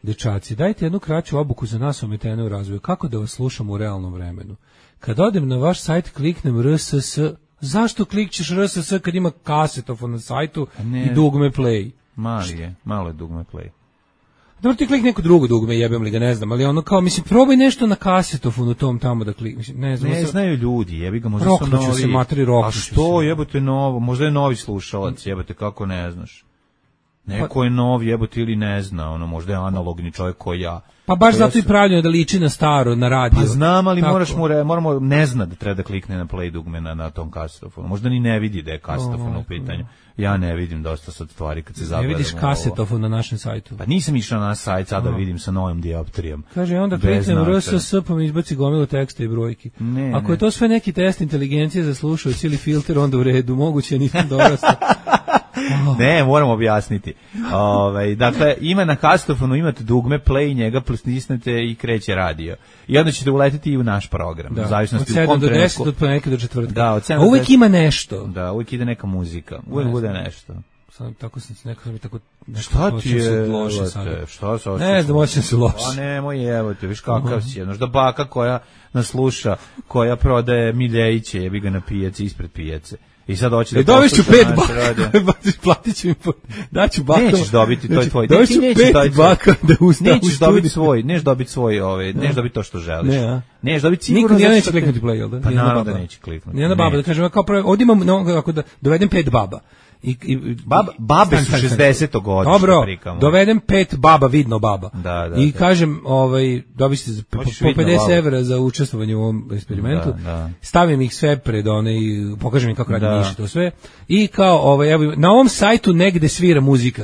Dečaci, dajte jednu kraću obuku za nas ometene u razvoju. Kako da vas slušam u realnom vremenu? Kad odem na vaš sajt, kliknem R S S. Zašto klikćeš R S S kad ima kasetofon na sajtu i dugme play? Mali je, malo je dugme play. Dobro, ti klik neko drugo dugme, jebem li ga, ne znam, ali ono kao, mislim, probaj nešto na kasetofonu tom tamo da klik, mislim, ne znam. Ne sa... znaju ljudi, jebi ga, možda su novi. Se materi, a što, jebote novo, možda je novi slušalac, jebote, kako ne znaš. Neko je nov, jebote, ili ne zna, ono, možda je analogni čovjek koji ja. Pa baš ja zato i sam... pravljeno da liči na staro, na radio. Pa znam, ali Tako. moraš mu, re, moramo, ne zna da treba da klikne na play dugme na, na tom kasetofonu. Možda ni ne vidi da je kasetofon u pitanju. Ja ne vidim dosta sad stvari kad se zagledam. Ne vidiš kasetofon na našem sajtu. Pa nisam išao na naš sajt sad da vidim sa novim dioptrijom. Kaže, onda kliknem R S S pa mi izbaci gomilu teksta i brojki. Ne, Ako ne. je to sve neki test inteligencije za slušaoc ili filter, onda u redu, moguće nisam dorastao. Ne, moram objasniti. Ovaj, dakle, ima na kasetofonu, imate dugme, play, njega plisnete i kreće radio. I onda ćete uletiti i u naš program. Da. U zavisnosti Od sedam u kom do trenutku. deset, od ponedjeljka do četvrtka. Da, od sedam A do uvek deset. ima nešto. Da, uvijek ide neka muzika. Uvijek Ne bude znam. nešto. Sam, tako sam, neko sam mi tako... Nešto Šta ti osjećam se je, loše evo sada. te, šta se Ne osjećam? znam, osjećam se loše. A nemoj, evo te, viš kakav si. Znaš da baka koja nas sluša, koja prodaje miljejiće, jebi ga na pijaci, ispred pijace. I sad hoće da E, dovešću posluša pet naš radio. baka, platit ću mi, po, daću baka. Nećeš dobiti, to je tvoj. Dovešću Nećeš pet dobiti- baka da ustavu u Nećeš dobiti studiju. svoj, neš dobiti svoj, ovaj, neš dobiti to što želiš. Ne, a? Neš dobiti sigurno. Niko nijedan zato neće što kliknuti te- play, jel da? Pa Nijedna naravno da baba. neće kliknuti. Nijedna baba, da Neće. kažem, kao prvo, ovdje imam, no, ako da dovedem pet baba. I, i, Bab- babe Stani, su stani, stani. šezdeseto godište, Dobro, prikamo. dovedem pet baba, vidno baba. Da, da, I da. kažem, ovaj, dobiti se po, Hoćeš po vidno pedeset babu. evra za učestvovanje u ovom eksperimentu. Da, da. Stavim ih sve pred one i pokažem im kako radi Da. miši to sve. I kao, ovaj, evo, na ovom sajtu negde svira muzika.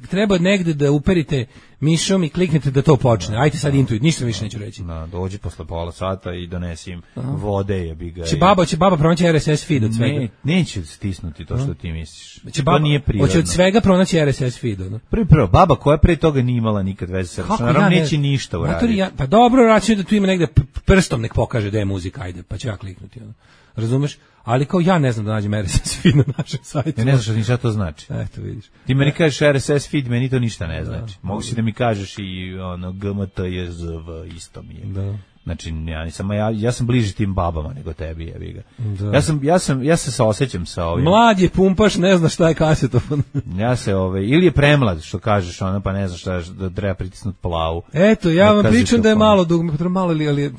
Treba negde da uperite mišom i kliknete da to počne. Ajde sad intuit, ništa više neću reći. Da, dođi posle pola sata i donesi im vode, jebi ga. Će i- baba, će baba pronaći R S S feed od svega. Ne, neće stisnuti to što ti misliš. Će to baba, nije prirodno. hoće od svega pronaći R S S feed, ono. Prvi prvo, baba koja pre toga nije imala nikad veze sa računarom, ja ne- neće ništa Matori, uraditi. ja- pa dobro, računaj da tu ima negde p- prstom nek pokaže da je muzika, ajde, pa ću ja kliknuti. Ono. Razumeš? Ali kao ja ne znam da nađem R S S feed na našem sajtu. Ja ne znam šta ni šta to znači. Eto, vidiš. Ti meni kažeš R S S feed, meni to ništa ne znači. Mogu si da mi kažeš i ono G M T J Z V isto mi je. Da. Znači ja nisam ja ja sam bliži tim babama nego tebi, jebi ga. Da. Ja sam ja sam ja se saosećam sa ovim. Mlad je pumpaš, ne zna šta je kasetofon. Ja se ovaj ili je premlad što kažeš, ona pa ne znaš šta je, da treba pritisnuti plavu. Eto, ja Na vam pričam da je kazetofon. malo dugme, pa malo ali, ali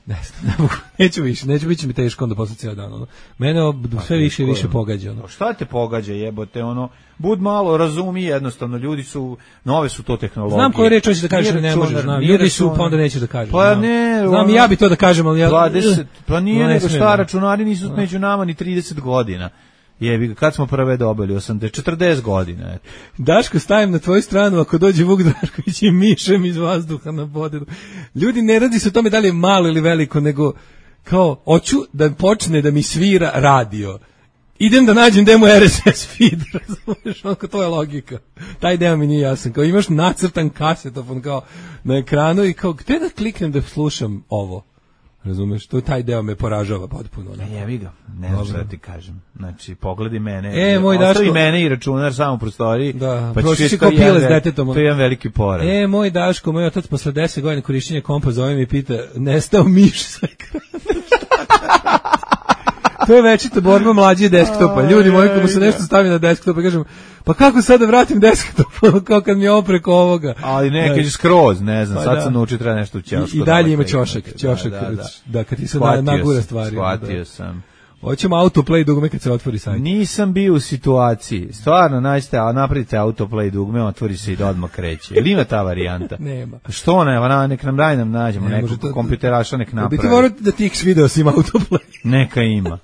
ne znam, ne mogu, neću više, neću, bit će mi teško onda posle cijel dan. Ono. Mene ob- sve više i teško je. više pogađa. Ono. Pa šta te pogađa, jebote, ono, bud malo, razumi jednostavno, ljudi su, nove su to tehnologije. Znam koju reč hoćeš da kažeš, Nije ne računar, možeš, znam. nije Ljudi su, računar. pa onda nećeš da kažeš. Pa znam. ne, Znam ono, i ja bi to da kažem, ali ja... dvadeset, pa nije No, ne nego smijem, šta, da. računari nisu među nama ni trideset godina. Jebi ga, kad smo prve dobili, osamdeset, četrdeset godina. Eto. Daško, stavim na tvoju stranu ako dođe Vuk Drašković i mišem iz vazduha na podedu. Ljudi, ne radi se o tome da li je malo ili veliko, nego kao, hoću da počne da mi svira radio. Idem da nađem demo R S S feed, razumiješ, onako, to je logika. Taj deo mi nije jasan, kao imaš nacrtan kasetofon kao na ekranu i kao, gde da kliknem da slušam ovo? Razumeš, to taj deo me poražava potpuno. Ne? Jebi ga, ne znam šta da ti kažem. Znači, pogledaj mene, E, moj ostavi Daško- mene i računar samo u prostoriji, Da, pa ćeš proći vidjeti kao to je jedan pile s ve- detetom. To je jedan veliki poraz. E, moj Daško, moj otac posle deset godina korišćenja kompa zove mi i pita, nestao miš sa ekrana. To je večita borba mlađe desktopa. Ljudi moji, kako se nešto stavi na desktop, pa kažem, pa kako sad da vratim desktop, kao kad mi je ovo preko ovoga. Ali ne, Da. kaže skroz, ne znam, Pa sad da. sam naučio treba nešto u ćošku. I, i dalje ima ćošak, ćošak, Da, da, da. da, kad ti se Shvatio na, nagura sam, stvari. Shvatio Da. sam. Hoćemo autoplay dugme kad se otvori sajt. Nisam bio u situaciji. Stvarno, nađite, a napravite autoplay dugme, otvori se i da odmah kreće. Ili ima ta varijanta? Nema. Što ne, va, nek nam daj nam nađemo, Ne, nekog može to- kompjuteraša nek Bi ti napravi. morao da ti X video si ima autoplay. Neka ima.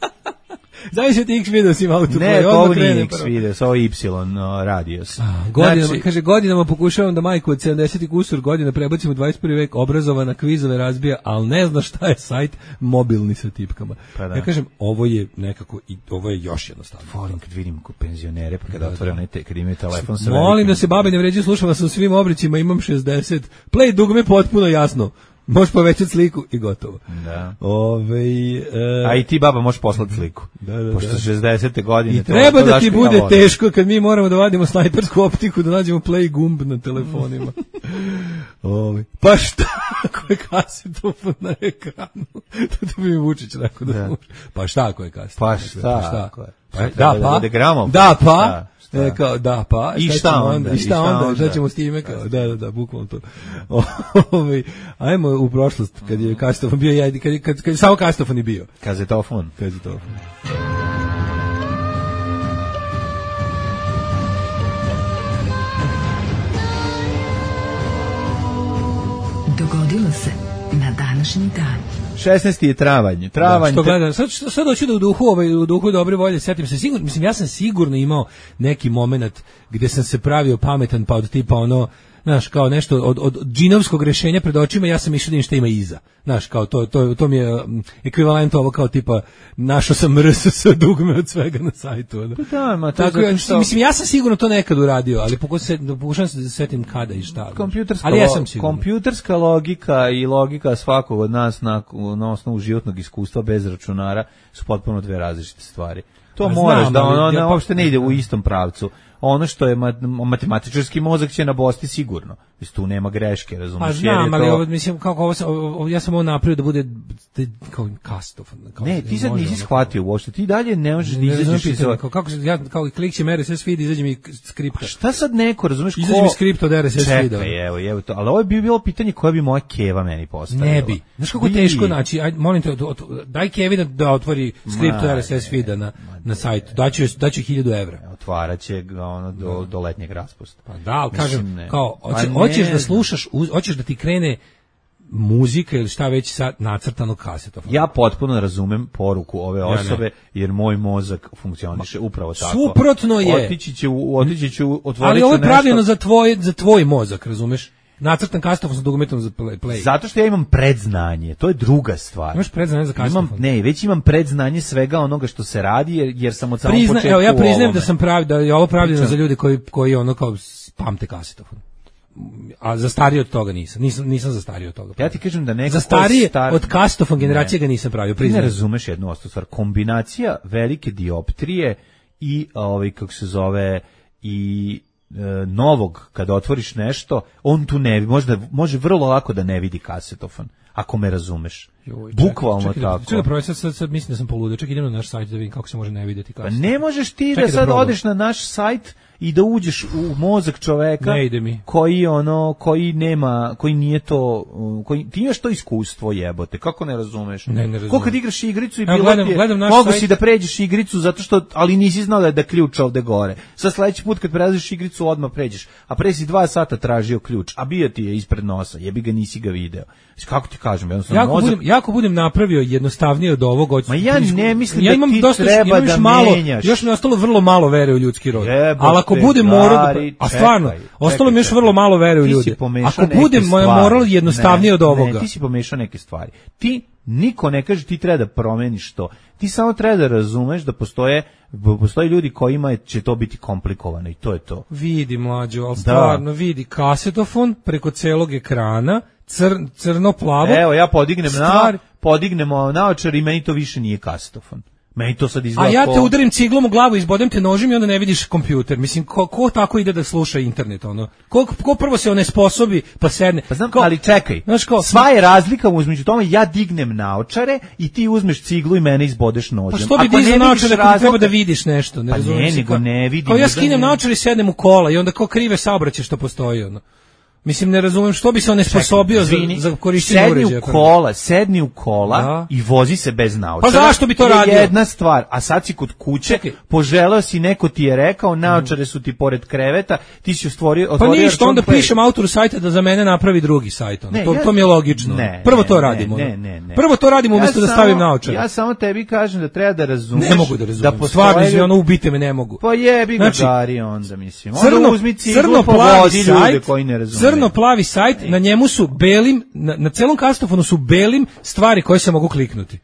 Znaš ti X video si ima autoplay. Ne, odmah ovo krene nije X prvo. video, ovo je Y no, radios. Godinama, Znači, kaže, godinama pokušavam da majku od sedamdeset i kusur godina prebacim u dvadeset prvi vek, obrazovana, kvizove razbija, ali ne zna šta je sajt mobilni sa tipkama. Pa da. Ja kažem, ovo je nekako, i ovo je još jednostavno. volim kad vidim ko penzionere, pa kada otvore onaj te, kad imaju telefon sa Molim velikim- da se babe ne vređaju, slušam vas u svim obrićima, imam šezdeset. Play dugme potpuno jasno. Možeš povećati sliku i gotovo. Da. Ove, e, A i ti baba možeš poslati sliku. Da, da, Pošto da. šezdesete godine. I to- treba to da daš ti mi ja bude volim. teško kad mi moramo da vadimo snajpersku optiku da nađemo play gumb na telefonima. Ove, pa šta ako je kasetofon na ekranu? To, to bi mi Vučić rekao da, Da. može. Pa šta ako je kasetofon? Pa na šta ekranu? Pa ako je? Pa, Šta da treba da pa, bude gramofon? da pa, Šta? Šta? E, kao, da pa, I šta šta ćemo onda? I šta, I šta onda? onda? Šta ćemo s time? Kao, da, da, da, bukvalno to. Ove, ajmo u prošlost, kad je kasetofon bio, ja, kad, je- kad, kad je samo kasetofon i bio. Kazetofon. Kasetofon. Tačni dan. šesnaesti je travanj. Travanj. Da, što gledam, sad, sad hoću da u duhu, ovaj, u duhu dobre volje, setim se sigurno, mislim, ja sam sigurno imao neki moment gde sam se pravio pametan, pa od tipa ono, znaš, kao nešto od, od džinovskog rešenja pred očima, ja sam išao da im šta ima iza. Znaš, kao to, to, to mi je um, ekvivalent ovo kao tipa, našao sam R S S dugme od svega na sajtu. Ono. Pa da, ma, to tako, je što... Mislim, ja sam sigurno to nekad uradio, ali pokušam, pokušam se da se setim kada i šta. Kompjuterska, ali ja sam sigurno. Kompjuterska logika i logika svakog od nas na, na osnovu životnog iskustva bez računara su potpuno dve različite stvari. To A moraš znam, da ono, ali, ono ja, uopšte ne ide u istom pravcu. Ono što je matematičarski mozak će nabosti sigurno. Mislim, tu nema greške, razumiješ? Pa znam, ali ovo, mislim, kako ovo, ovo, ja sam ovo napravio da bude kao kastofon. Ne, ti sad nisi shvatio uopšte, ti dalje ne možeš da izađeš iz ova... Kako se, ja, kao klikćem R S S feed, izađe mi skripta. Šta sad neko, razumiješ? Izađe mi skripta od R S S feeda. Čekaj, evo, evo to. Ali ovo bi bilo pitanje koje bi moja keva meni postavila. Ne bi. Znaš kako je teško naći, aj, molim te, daj kevi da, da otvori skriptu R S S feeda na, na sajtu. Daću, daću hiljadu evra. Otvara će ga ono do, do letnjeg raspusta. Pa da, ali kažem, ne. kao, hoće, Pa hoćeš ne. da slušaš, hoćeš da ti krene muzika ili šta već sa nacrtanog kasetofona. Ja potpuno razumem poruku ove Ja osobe, jer moj mozak funkcioniše upravo tako. Suprotno je. Otići će, u, otići će, otvorit Ali ću ovo je nešto. pravljeno za tvoj, za tvoj mozak, razumeš? Nacrtan kasetofon sa dugmetom za play. Zato što ja imam predznanje, to je druga stvar. Imaš predznanje za kasetofon? Imam, ne, već imam predznanje svega onoga što se radi, jer, jer sam od samog Prizna, početka evo, ja u priznajem ovome. da sam pravi, da je ovo pravljeno Pričam. za ljude koji, koji ono kao pamte kasetofon. A za starije od toga nisam. Nisam, nisam za starije od toga. Ja ti kažem da neko Za ko je starije star... od kasetofon generacije ga nisam pravio, Ti ne priznajem. razumeš jednu ostru stvar. Kombinacija velike dioptrije i, ovaj, kako se zove, i e, novog, kada otvoriš nešto, on tu ne vidi, možda, može vrlo lako da ne vidi kasetofon, ako me razumeš. Joj, čekaj, Bukvalno čekaj, tako. Čekaj, prvo, sad, sad, sad mislim da sam poludio. Čekaj, idem na naš sajt da vidim kako se može ne vidjeti Pa kasetofon. ne možeš ti Čekaj da da sad probam. odeš na naš sajt i da uđeš u mozak čoveka Ne ide mi. koji ono koji nema, koji nije to, koji ti imaš to iskustvo, jebote, kako ne razumeš? Ne, ne razumem. Ko kad igraš igricu i Evo, bilo gledam- ti je, gledam naš mogu sajt. si da pređeš igricu zato što, ali nisi znao da je da ključ ovde gore. Sad sledeći put kad prelaziš igricu odmah pređeš, a pre si dva sata tražio ključ, a bio ti je ispred nosa, jebi ga, nisi ga video. Kako ti kažem, jednostavno Jako mozak... budem, jako budem napravio jednostavnije od ovog. Od, Ma ja ne mislim ja da imam ti dosta, treba imam još da malo, menjaš. još mi je ostalo vrlo malo vere u ljudski rod. Jebote, Ali ako budem morao, da, Gari, a stvarno, čekaj, ostalo mi je još čekaj, vrlo malo vere u ti si ljude. pomešao Ako neke budem stvari. morao jednostavnije Ne, od ovoga. Ne, ti si pomešao neke stvari. Ti, niko ne kaže ti treba da promeniš to. Ti samo treba da razumeš da postoje, postoje ljudi kojima će to biti komplikovano i to je to. Vidi, mlađo, ali stvarno vidi kasetofon preko celog ekrana, cr, crno-plavo. Evo, ja podignem Stvar- na, podignemo naočar i meni to više nije kasetofon. Meni to sad izgleda A ja te ko- udarim ciglom u glavu, izbodem te nožem i onda ne vidiš kompjuter. Mislim, ko, ko tako ide da sluša internet, ono? Ko, ko prvo se onesposobi, pa sedne? Pa znam, Ko- ali čekaj, Znaš kao- sva je razlika između tome, ja dignem naočare i ti uzmeš ciglu i mene izbodeš nožem. Pa što bi Ako ne dizao vidiš naočare ako razloga- treba da vidiš nešto, ne Pa razumem ne, se nego kao- ne vidim, Kao ja da skinem ne- naočare i sednem u kola i onda kao krive saobraćaje što postoji, ono. Mislim, ne razumem što bi se onesposobio za, Izvini, za korišćenje sedni uređaja. u kola, sedni u kola Da. i vozi se bez naočara. Pa zašto bi to je radio? jedna stvar, a sad si kod kuće, Čekaj. poželeo si, neko ti je rekao, naočare su ti pored kreveta, ti si stvorio, Pa otvorio ništa, račun onda Play. pišem autoru sajta da za mene napravi drugi sajt. Ono. Ne, to, ja- to mi je logično. Ne, Prvo ne, to ne, radimo. ne, ono. ne, ne. Prvo to radimo umjesto da samo- stavim naočare. Ja samo tebi kažem da treba da razumeš. Ne mogu da razumem. postoje Stvarno, ljudi- izvi, ono ubite me, ne mogu. Pa jebi ga, Znači, Gari, onda mislim. Onda Crno, uzmi ciglu, crno pa plavi vodi ljude sajt, koji ne razumeju. crno plavi sajt, na njemu su belim, na, na celom kastofonu su belim stvari koje se mogu kliknuti.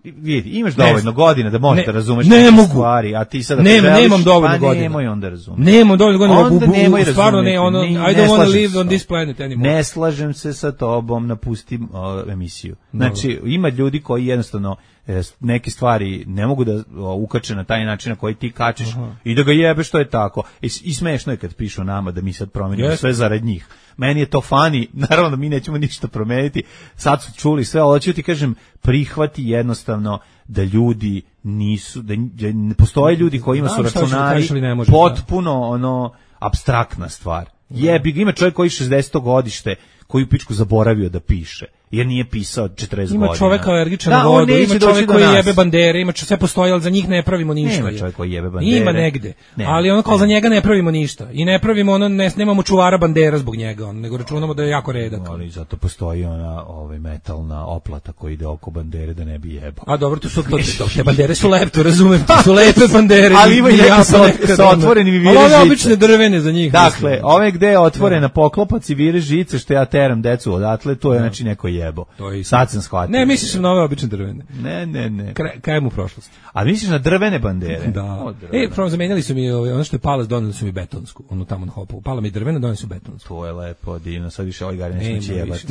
Vidi, imaš dovoljno godina da možeš Ne, da razumeš ne neke mogu. stvari, a ti sad ako Nema, želiš, nemam dovoljno pa godina. nemoj onda razumeti. Nemam dovoljno godina, Onda bu- bu- nemoj stvarno ne, razumeti. ono, Ni- I ne don't wanna slažem live se on s this tobom. planet anymore. Ne slažem se sa tobom, napustim o, emisiju. Znači, ima ljudi koji jednostavno e, neke stvari ne mogu da o, ukače na taj način na koji ti kačeš i da ga jebe što je tako. I, i smešno je kad pišu nama da mi sad promenimo Jeste. sve zarad njih. Meni je to fani, naravno da mi nećemo ništa promeniti. Sad su čuli sve, ali ću ti kažem, prihvati jednostavno da ljudi nisu, da, da ne postoje ljudi kojima su Znam šta ću da računari kažeš, ali ne možeš, potpuno ono apstraktna stvar. Jebi ga, ima čovjek koji šezdeseto godište, koji u pičku zaboravio da piše. jer nije pisao četrdeset ima godina. Čovek alergičan da, na vodu, ima čovek koji nas. jebe bandere, ima čo, sve postoji, ali za njih ne pravimo ništa. Nema čovek koji jebe bandere. Ima negde, ne, ali ono kao ne. za njega ne pravimo ništa. I ne pravimo ono, ne, nemamo čuvara bandera zbog njega, on, nego računamo da je jako redak. Ali zato postoji ona ovaj, metalna oplata koja ide oko bandere da ne bi jebao. A dobro, to su to, to, te bandere su lepto, razumem, to su lepe bandere. Ali ima i neke jako sa, nekad, sa otvorenim i vire ali žice. ove obične drvene za njih. Dakle, mislim. ove gde je otvorena poklopac i vire žice, što ja teram decu odatle, to je Da. znači neko jebo. To je Sad sam shvatio. Ne, misliš na ove obične drvene. Ne, ne, ne. Kraj, kajem u prošlosti. A misliš na drvene bandere? Da. O, drvene. E, prvo zamenjali su mi ovaj, ono što je palac, doneli su mi betonsku, ono tamo na Hopovu. Pala mi drvena, doneli su betonsku. To je lepo, divno, sad više ovaj gari Nema neće jebati.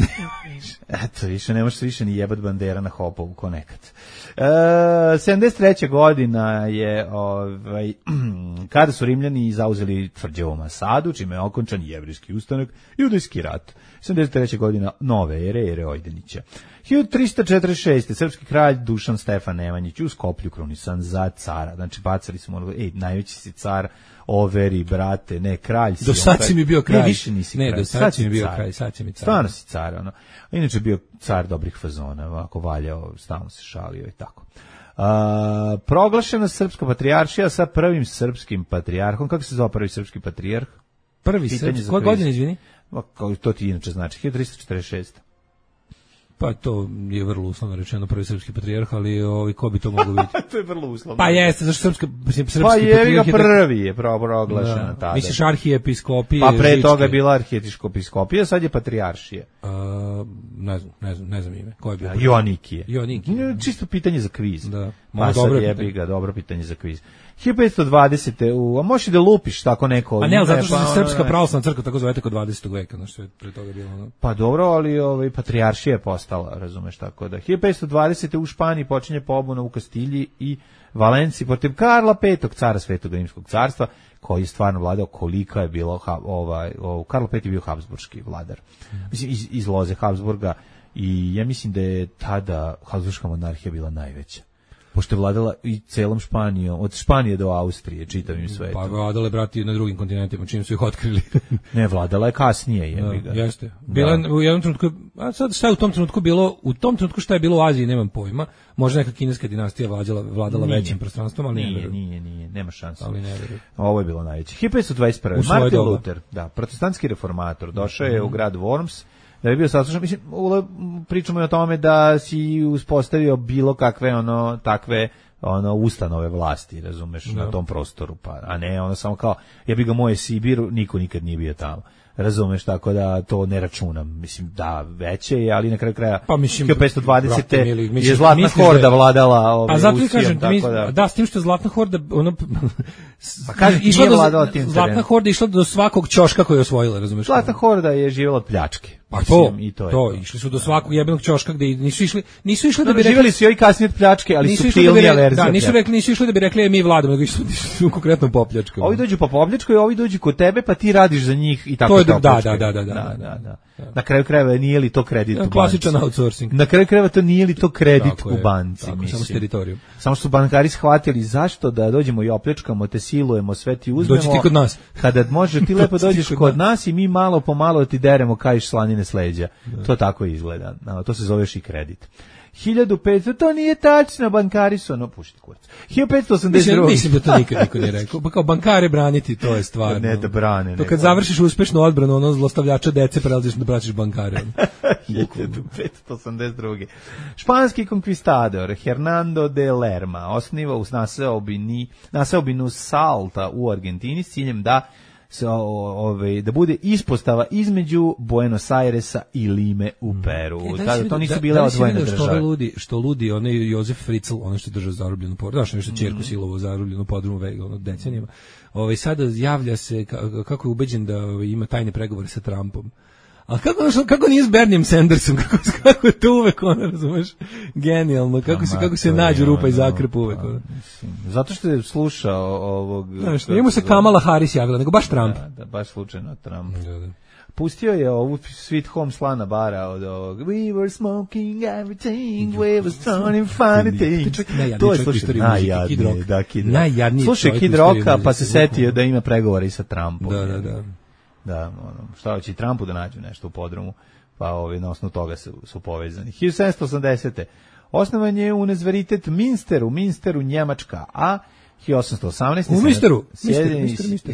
više. Eto, više ne možeš više ni jebat bandera na Hopovu, ko nekad. E, sedamdeset treća godina je, ovaj, kada su Rimljani zauzeli tvrđavu Masadu, čime je okončan Jevrejski ustanak i Judejski rat. sedamdeset treća godina nove ere, ere Ojdenića. hiljadu trista četrdeset šeste. srpski kralj Dušan Stefan Nemanjić u Skoplju krunisan za cara. Znači, bacali smo, ej, najveći si car, overi, brate, ne, kralj si. Do sad si mi bio kralj. Ne, više nisi ne, kralj. do sad si mi bio car. kralj, sad si mi car. Stvarno si car, ono. Inače bio car dobrih fazona, ovako valjao, stalno se šalio i tako. A, proglašena srpska patrijaršija sa prvim srpskim patrijarhom. Kako se zove prvi srpski patrijarh? Prvi Pitanje srpski, za koje kviz. godine, izvini? Ma, kao to ti inače znači, hiljadu trista četrdeset šeste. Pa to je vrlo uslovno rečeno prvi srpski patrijarh, ali ovaj, ko bi to moglo biti? To je vrlo uslovno. Pa jeste, zašto srpska, mislim, srpski Pa je ga patrijarh je... prvi je proglašena Da. tada. Misliš arhijepiskopije, Pa pre Žičke? toga je bila arhijepiskopija, sad je patrijaršija. A, ne znam, ne znam, ne znam ime. Ko je bio? Joanikije. Joanikije. Čisto pitanje za kviz. Da. Ma Ma, sad dobro jebi pitanje. ga, dobro pitanje za kviz. hiljadu petsto dvadesete. U, a možeš i da lupiš tako neko. A ne, ali zato što pa se ono, srpska ne. pravoslavna crkva tako zove kod dvadesetog veka, znači što je pre toga bilo ono. Pa dobro, ali ovaj patrijaršija je postala, razumeš, tako da. hiljadu petsto dvadesete. u Španiji počinje pobuna u Kastilji i Valenciji protiv Karla petog, cara Svetog rimskog carstva, koji je stvarno vladao, kolika je bilo ha, ovaj o, Karlo peti je bio habsburški vladar. Mislim iz, iz loze Habsburga i ja mislim da je tada Habsburška monarhija bila najveća. Pošto je vladala i celom Španijom, od Španije do Austrije, čitavim svetom. Pa vladale brati na drugim kontinentima, čim su ih otkrili. Ne, vladala je kasnije, jebi ga. Da, jeste. Bila Da. u jednom trenutku, a sad šta je u tom trenutku bilo, u tom trenutku šta je bilo u Aziji, nemam pojma. Možda neka kineska dinastija vladala, vladala Nije. većim prostranstvom, ali ne Nije, verujem. nije, nije, nema šanse. Ali ne verujem. Ovo je bilo najveće. hiljadu petsto dvadeset prve. U svoje Martin doba. Luther, da, protestantski reformator, došao je u grad Worms, da je bio saslušan, mislim, ule, pričamo i o tome da si uspostavio bilo kakve, ono, takve, ono, ustanove vlasti, razumeš, Da. na tom prostoru, pa, a ne, ono, samo kao, ja bi ga moje Sibiru, niko nikad nije bio tamo. Razumeš, tako da to ne računam. Mislim, da, veće je, ali na kraju kraja Pa mislim, hiljadu petsto dvadesete. brate mili, mislim, je Zlatna misliš da je- horda vladala ovaj, A zato ti Rusijom, kažem, tako mi, da. da. s tim što je Zlatna horda, ono, Pa kažem, išla nije do, vladala tim Zlatna terenom. horda išla do svakog ćoška koji je osvojila, razumeš? Zlatna horda je živjela od pljačke. Pa Mislim, to, i to, to, je to. išli su do svakog jebenog ćoška gde nisu išli, nisu išli da bi Dobro, rekli, živjeli su i kasnije od pljačke, ali nisu išli da bi suptilnija rekli, verzija. da, nisu pljačke. rekli, nisu išli da bi rekli e, mi vladamo, nego išli su konkretno popljačkom. Ovi dođu po popljačkoj, ovi dođu kod tebe, pa ti radiš za njih i tako To je to da, da, opljačkaju. da, da, da, da, da, da. Na kraju krajeva nije li to kredit u banci? Klasičan outsourcing. Na kraju krajeva to nije li to kredit Tako u je, banci, tako, mislim. samo s teritorijom. Samo što su bankari shvatili zašto da dođemo i opljačkamo, te silujemo, sve ti uzmemo. Dođi ti kod nas. Kada može ti lepo Dođi ti dođeš kod kod nas i mi malo po malo ti deremo kajiš slanine s leđa. To tako izgleda. No, to se zoveš i kredit. hiljadu petsto, to nije tačno, bankari su, ono, pušti kurac. hiljadu petsto osamdeset Mislim, druge. mislim da to nikad niko nije rekao. Pa kao bankare braniti, to je stvarno. Ne da brane, To nego- kad završiš uspešnu odbranu, ono zlostavljača dece, prelaziš da braćiš bankare. hiljadu petsto osamdeset druge. Španski konkvistador Hernando de Lerma osniva u naseobini, naseobinu Salta u Argentini s ciljem da se o- ove, da bude ispostava između Buenos Airesa i Lime u Peru. E, da li si Tada to vidio- nisu da- bile da li si odvojene vidio što države. ove ludi, što ludi onaj Jozef Fritzl, ono što je držao zarobljenu porodicu, znaš, nešto ćerku silovo zarobljenu podrumu vega, ono decenijama. Ovaj sada javlja se ka- kako je ubeđen da ovaj, ima tajne pregovore sa Trumpom. A kako, znaš, kako nije s Bernijem Sandersom, kako, kako je to uvek, ono, razumeš, genijalno, kako se, kako se Ma, to nađe je rupa i ono, zakrep uvek, pa, ono. mislim, zato što je slušao ovog... Znaš, kako nije mu se zove? Kamala Harris javila, nego baš Trump. Da, da, baš slučajno Trump. Da, da. Pustio je ovu Sweet Home Slana bara od ovog We were smoking everything, we were starting funny things. čovjek najjadniji To je, čovjek u slušaj, istoriji muzike, Kid najjadniji, Rock. da, Kid Rock. Najjadniji Slušaj čovjek Kid u istoriji Rocka, pa se muzike, setio da ima pregovore i sa Trumpom. Da, da, da. Da, ono, šta hoće i Trumpu da nađu nešto u podrumu. pa ovaj, na osnovu toga su, su povezani. hiljadu sedamsto osamdesete. Osnovan je Univerzitet Minster u Minsteru, Njemačka, a hiljadu osamsto osamnaeste. U Minsteru.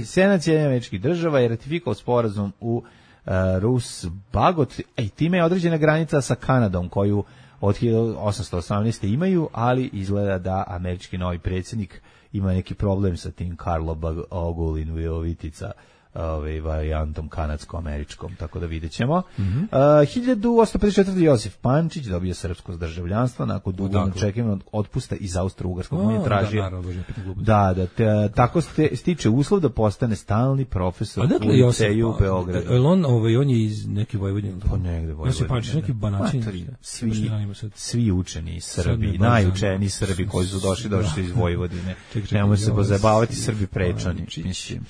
Senat Sjedinjenih Američkih Država je ratifikovao sporazum u uh, Rus-Bagot, i time je određena granica sa Kanadom, koju od hiljadu osamsto osamnaeste. imaju, ali izgleda da američki novi predsjednik ima neki problem sa tim Karlo Ogulin Vijovitica, ovaj varijantom kanadsko-američkom, tako da videćemo. Mm -hmm. uh, hiljadu osamsto pedeset četvrte. Josif Pančić dobio srpsko državljanstvo nakon dugo čekanja otpusta iz Austro-Ugarskog. On je tražio da, naravno, da, da te, tako ste, stiče uslov da postane stalni profesor u liceju u Beogradu. Je on, ovaj, on je iz neke Vojvodine? Pa negde Vojvodine. Josif Pančić, neki banačin. Svi, svi učeni Srbi, najučeniji Srbi koji su došli, došli iz Vojvodine. Nemoj se pozabavati, Srbi prečani, mislim.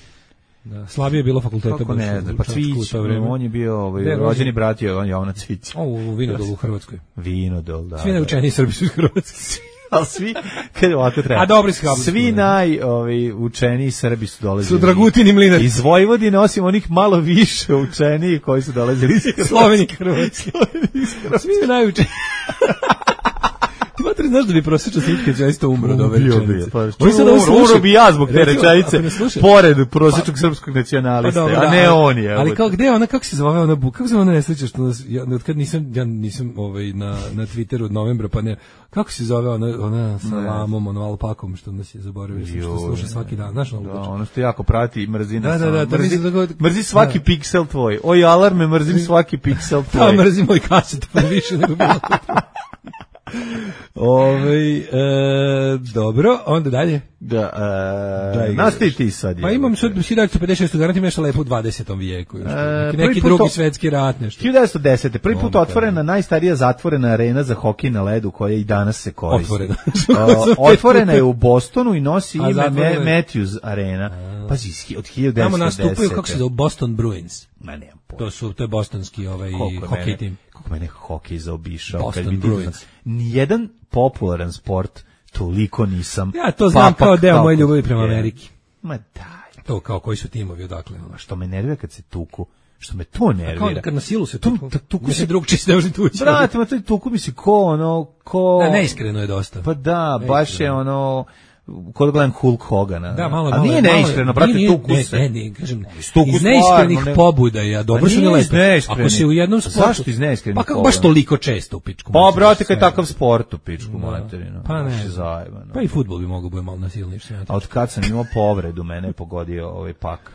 Da, slabije je bilo fakulteta. Kako ne, pa Cvić, on je bio ovaj, rođeni brat je on Jovana Cvić. O, u Vinodolu u Hrvatskoj. Vinodol, da. Svi najučeniji Srbi su iz Hrvatske. Ali svi, kad ovako treba. A dobri su svi naj, ovaj, učeniji Srbi su dolazili. Su Dragutini Mlinar. Iz Vojvodine, osim onih malo više učeniji koji su dolazili iz Hrvatske. Sloveni Hrvatske. Svi najučeniji. Ti matri, znaš da bi prosječan Snitkeć zaista umro od ove rečenice? Umro bi ja zbog te rečenice, pored prosječnog srpskog nacionalista, a ne on je. Ali kao gde ona, kako se zove ona, kako se ona nesreća, što nas, ja, od kad nisam, ja nisam ovaj, na, na Twitteru od novembra, pa ne, kako se zove ona, ona sa lamom, ono alpakom, što nas je zaboravio, što sluša svaki dan, znaš ono? Da, ono što jako prati i mrzi nas. Da, da, da, mrzi, mrzi svaki piksel tvoj. Oj, alarme, mrzim svaki piksel tvoj. Da, mrzim moj kaset, pa više nego bilo. Ove, e, dobro, onda dalje. Da, e, nastavi ti sad. Pa imam sad hiljadu devetsto pedeset šeste. garanti nešto lepo u dvadesetom vijeku. Još, e, neki neki drugi to, svetski rat, nešto. hiljadu devetsto desete. Prvi put otvorena najstarija zatvorena arena za hokej na ledu koja i danas se koristi. Otvorena. uh, otvorena je u Bostonu i nosi ime Ma- Matthews Arena. Pazi, od hiljadu devetsto desete. Tamo nastupaju, kako se zove, Boston Bruins. Ma nemam pojma. To su, to je bostonski ovaj, hokej tim. Kako mene hokej zaobišao. Boston Bruins. Nijedan popularan sport toliko nisam. Ja to znam papak, kao deo moje ljubavi prema je. Ameriki. Ma daj. To kao koji su timovi odakle. A što me nervira kad se tuku. Što me to nervira. Kao kad na silu se tuku. Tu, tuku se drugčiji se ne može tući. Brate, ma to tuku mi se ko ono, ko... Da, neiskreno je dosta. Pa da, baš je ono... Kod gledam Hulk Hogana. Da, malo, a nije neiskreno, brate, tuku se. Ne, ne, kažem, iz neiskrenih pobuda, ja, dobro su ne lepe. Ako se u jednom sportu... Zašto iz neiskrenih pobuda? Pa kako baš toliko često u pičku? Pa, brate, kad je takav sport u pičku, materinu. Pa ne. Pa i fudbal bi mogao biti malo nasilniji. A od kad sam imao povredu, mene je pogodio ovaj pak.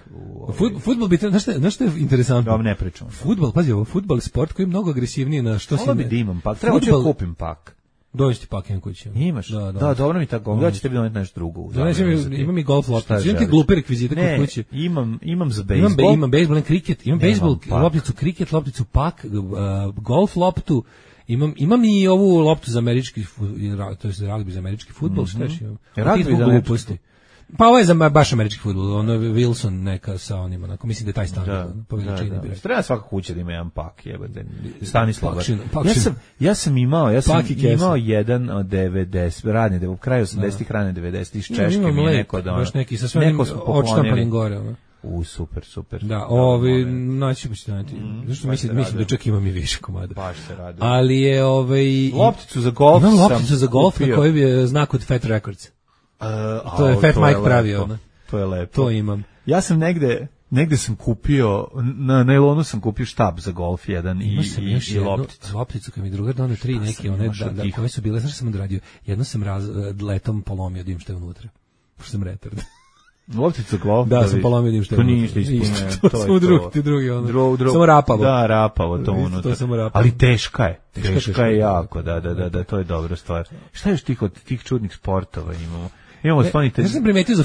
Fudbal bi, znaš što je interesantno? Da, ne pričam. Fudbal, pazi, ovo, fudbal je sport koji je mnogo agresivniji na što si... Ovo bi da imam pak, treba ću da kupim pak. Dođi ti pak jedan kući. Imaš? Da, da, da, dobro mi tako. Da će tebi doneti nešto drugo. Znači, imam i golf lopticu. Imam ti glupe rekvizite kod kuće. Imam, imam za bejsbol. Imam, imam bejsbol, imam kriket, imam bejsbol, lopticu kriket, lopticu pak, uh, golf loptu. Imam, imam i ovu loptu za američki, to je za ragbi za američki fudbal, mm-hmm. Šta imam? Ragbi za američki. Pa ovo je za baš američki fudbal, ono Wilson neka sa onima, onako, mislim da je taj standard, da, po veličini da, da. Treba svaka kuća da ima jedan pak, jebate. Stanislav. Ja sam, ja sam imao, ja sam imao jedan od devedeset, radne, u kraju osamdesetih, rane devedesetih, iz Češke mi je neko da ono. Baš neki sa svojim odštampanim gore, ono. U, super, super. Da, ovi, naći ćemo se naći. Zašto mislim, mislim da čak imam i više komada. Baš se radi. Ali je, ovaj... Lopticu za golf sam imam lopticu za golf na kojoj je znak od Fat Records. Uh, to je Fat to Mike je pravio. Ne? To je lepo. To imam. Ja sam negde, negde sam kupio, na nailonu sam kupio štab za golf jedan i, sam i, i lopticu. Lopticu kad mi drugar donio tri neke, one da, da, koje su bile, znaš sam odradio, jedno sam raz, letom polomio dim što je unutra. Pošto sam retard. Lopticu golf? Da, sam polomio dim što je unutra. To nije isto ispuno. To smo drugi, drugi ono. Dru, dru, samo rapavo. Da, rapavo to unutra. To samo rapavo. Ali teška je. Teška, teška je jako, da, da, da, da, to je dobra stvar. Šta još tih od tih čudnih sportova imamo? Imamo stonite,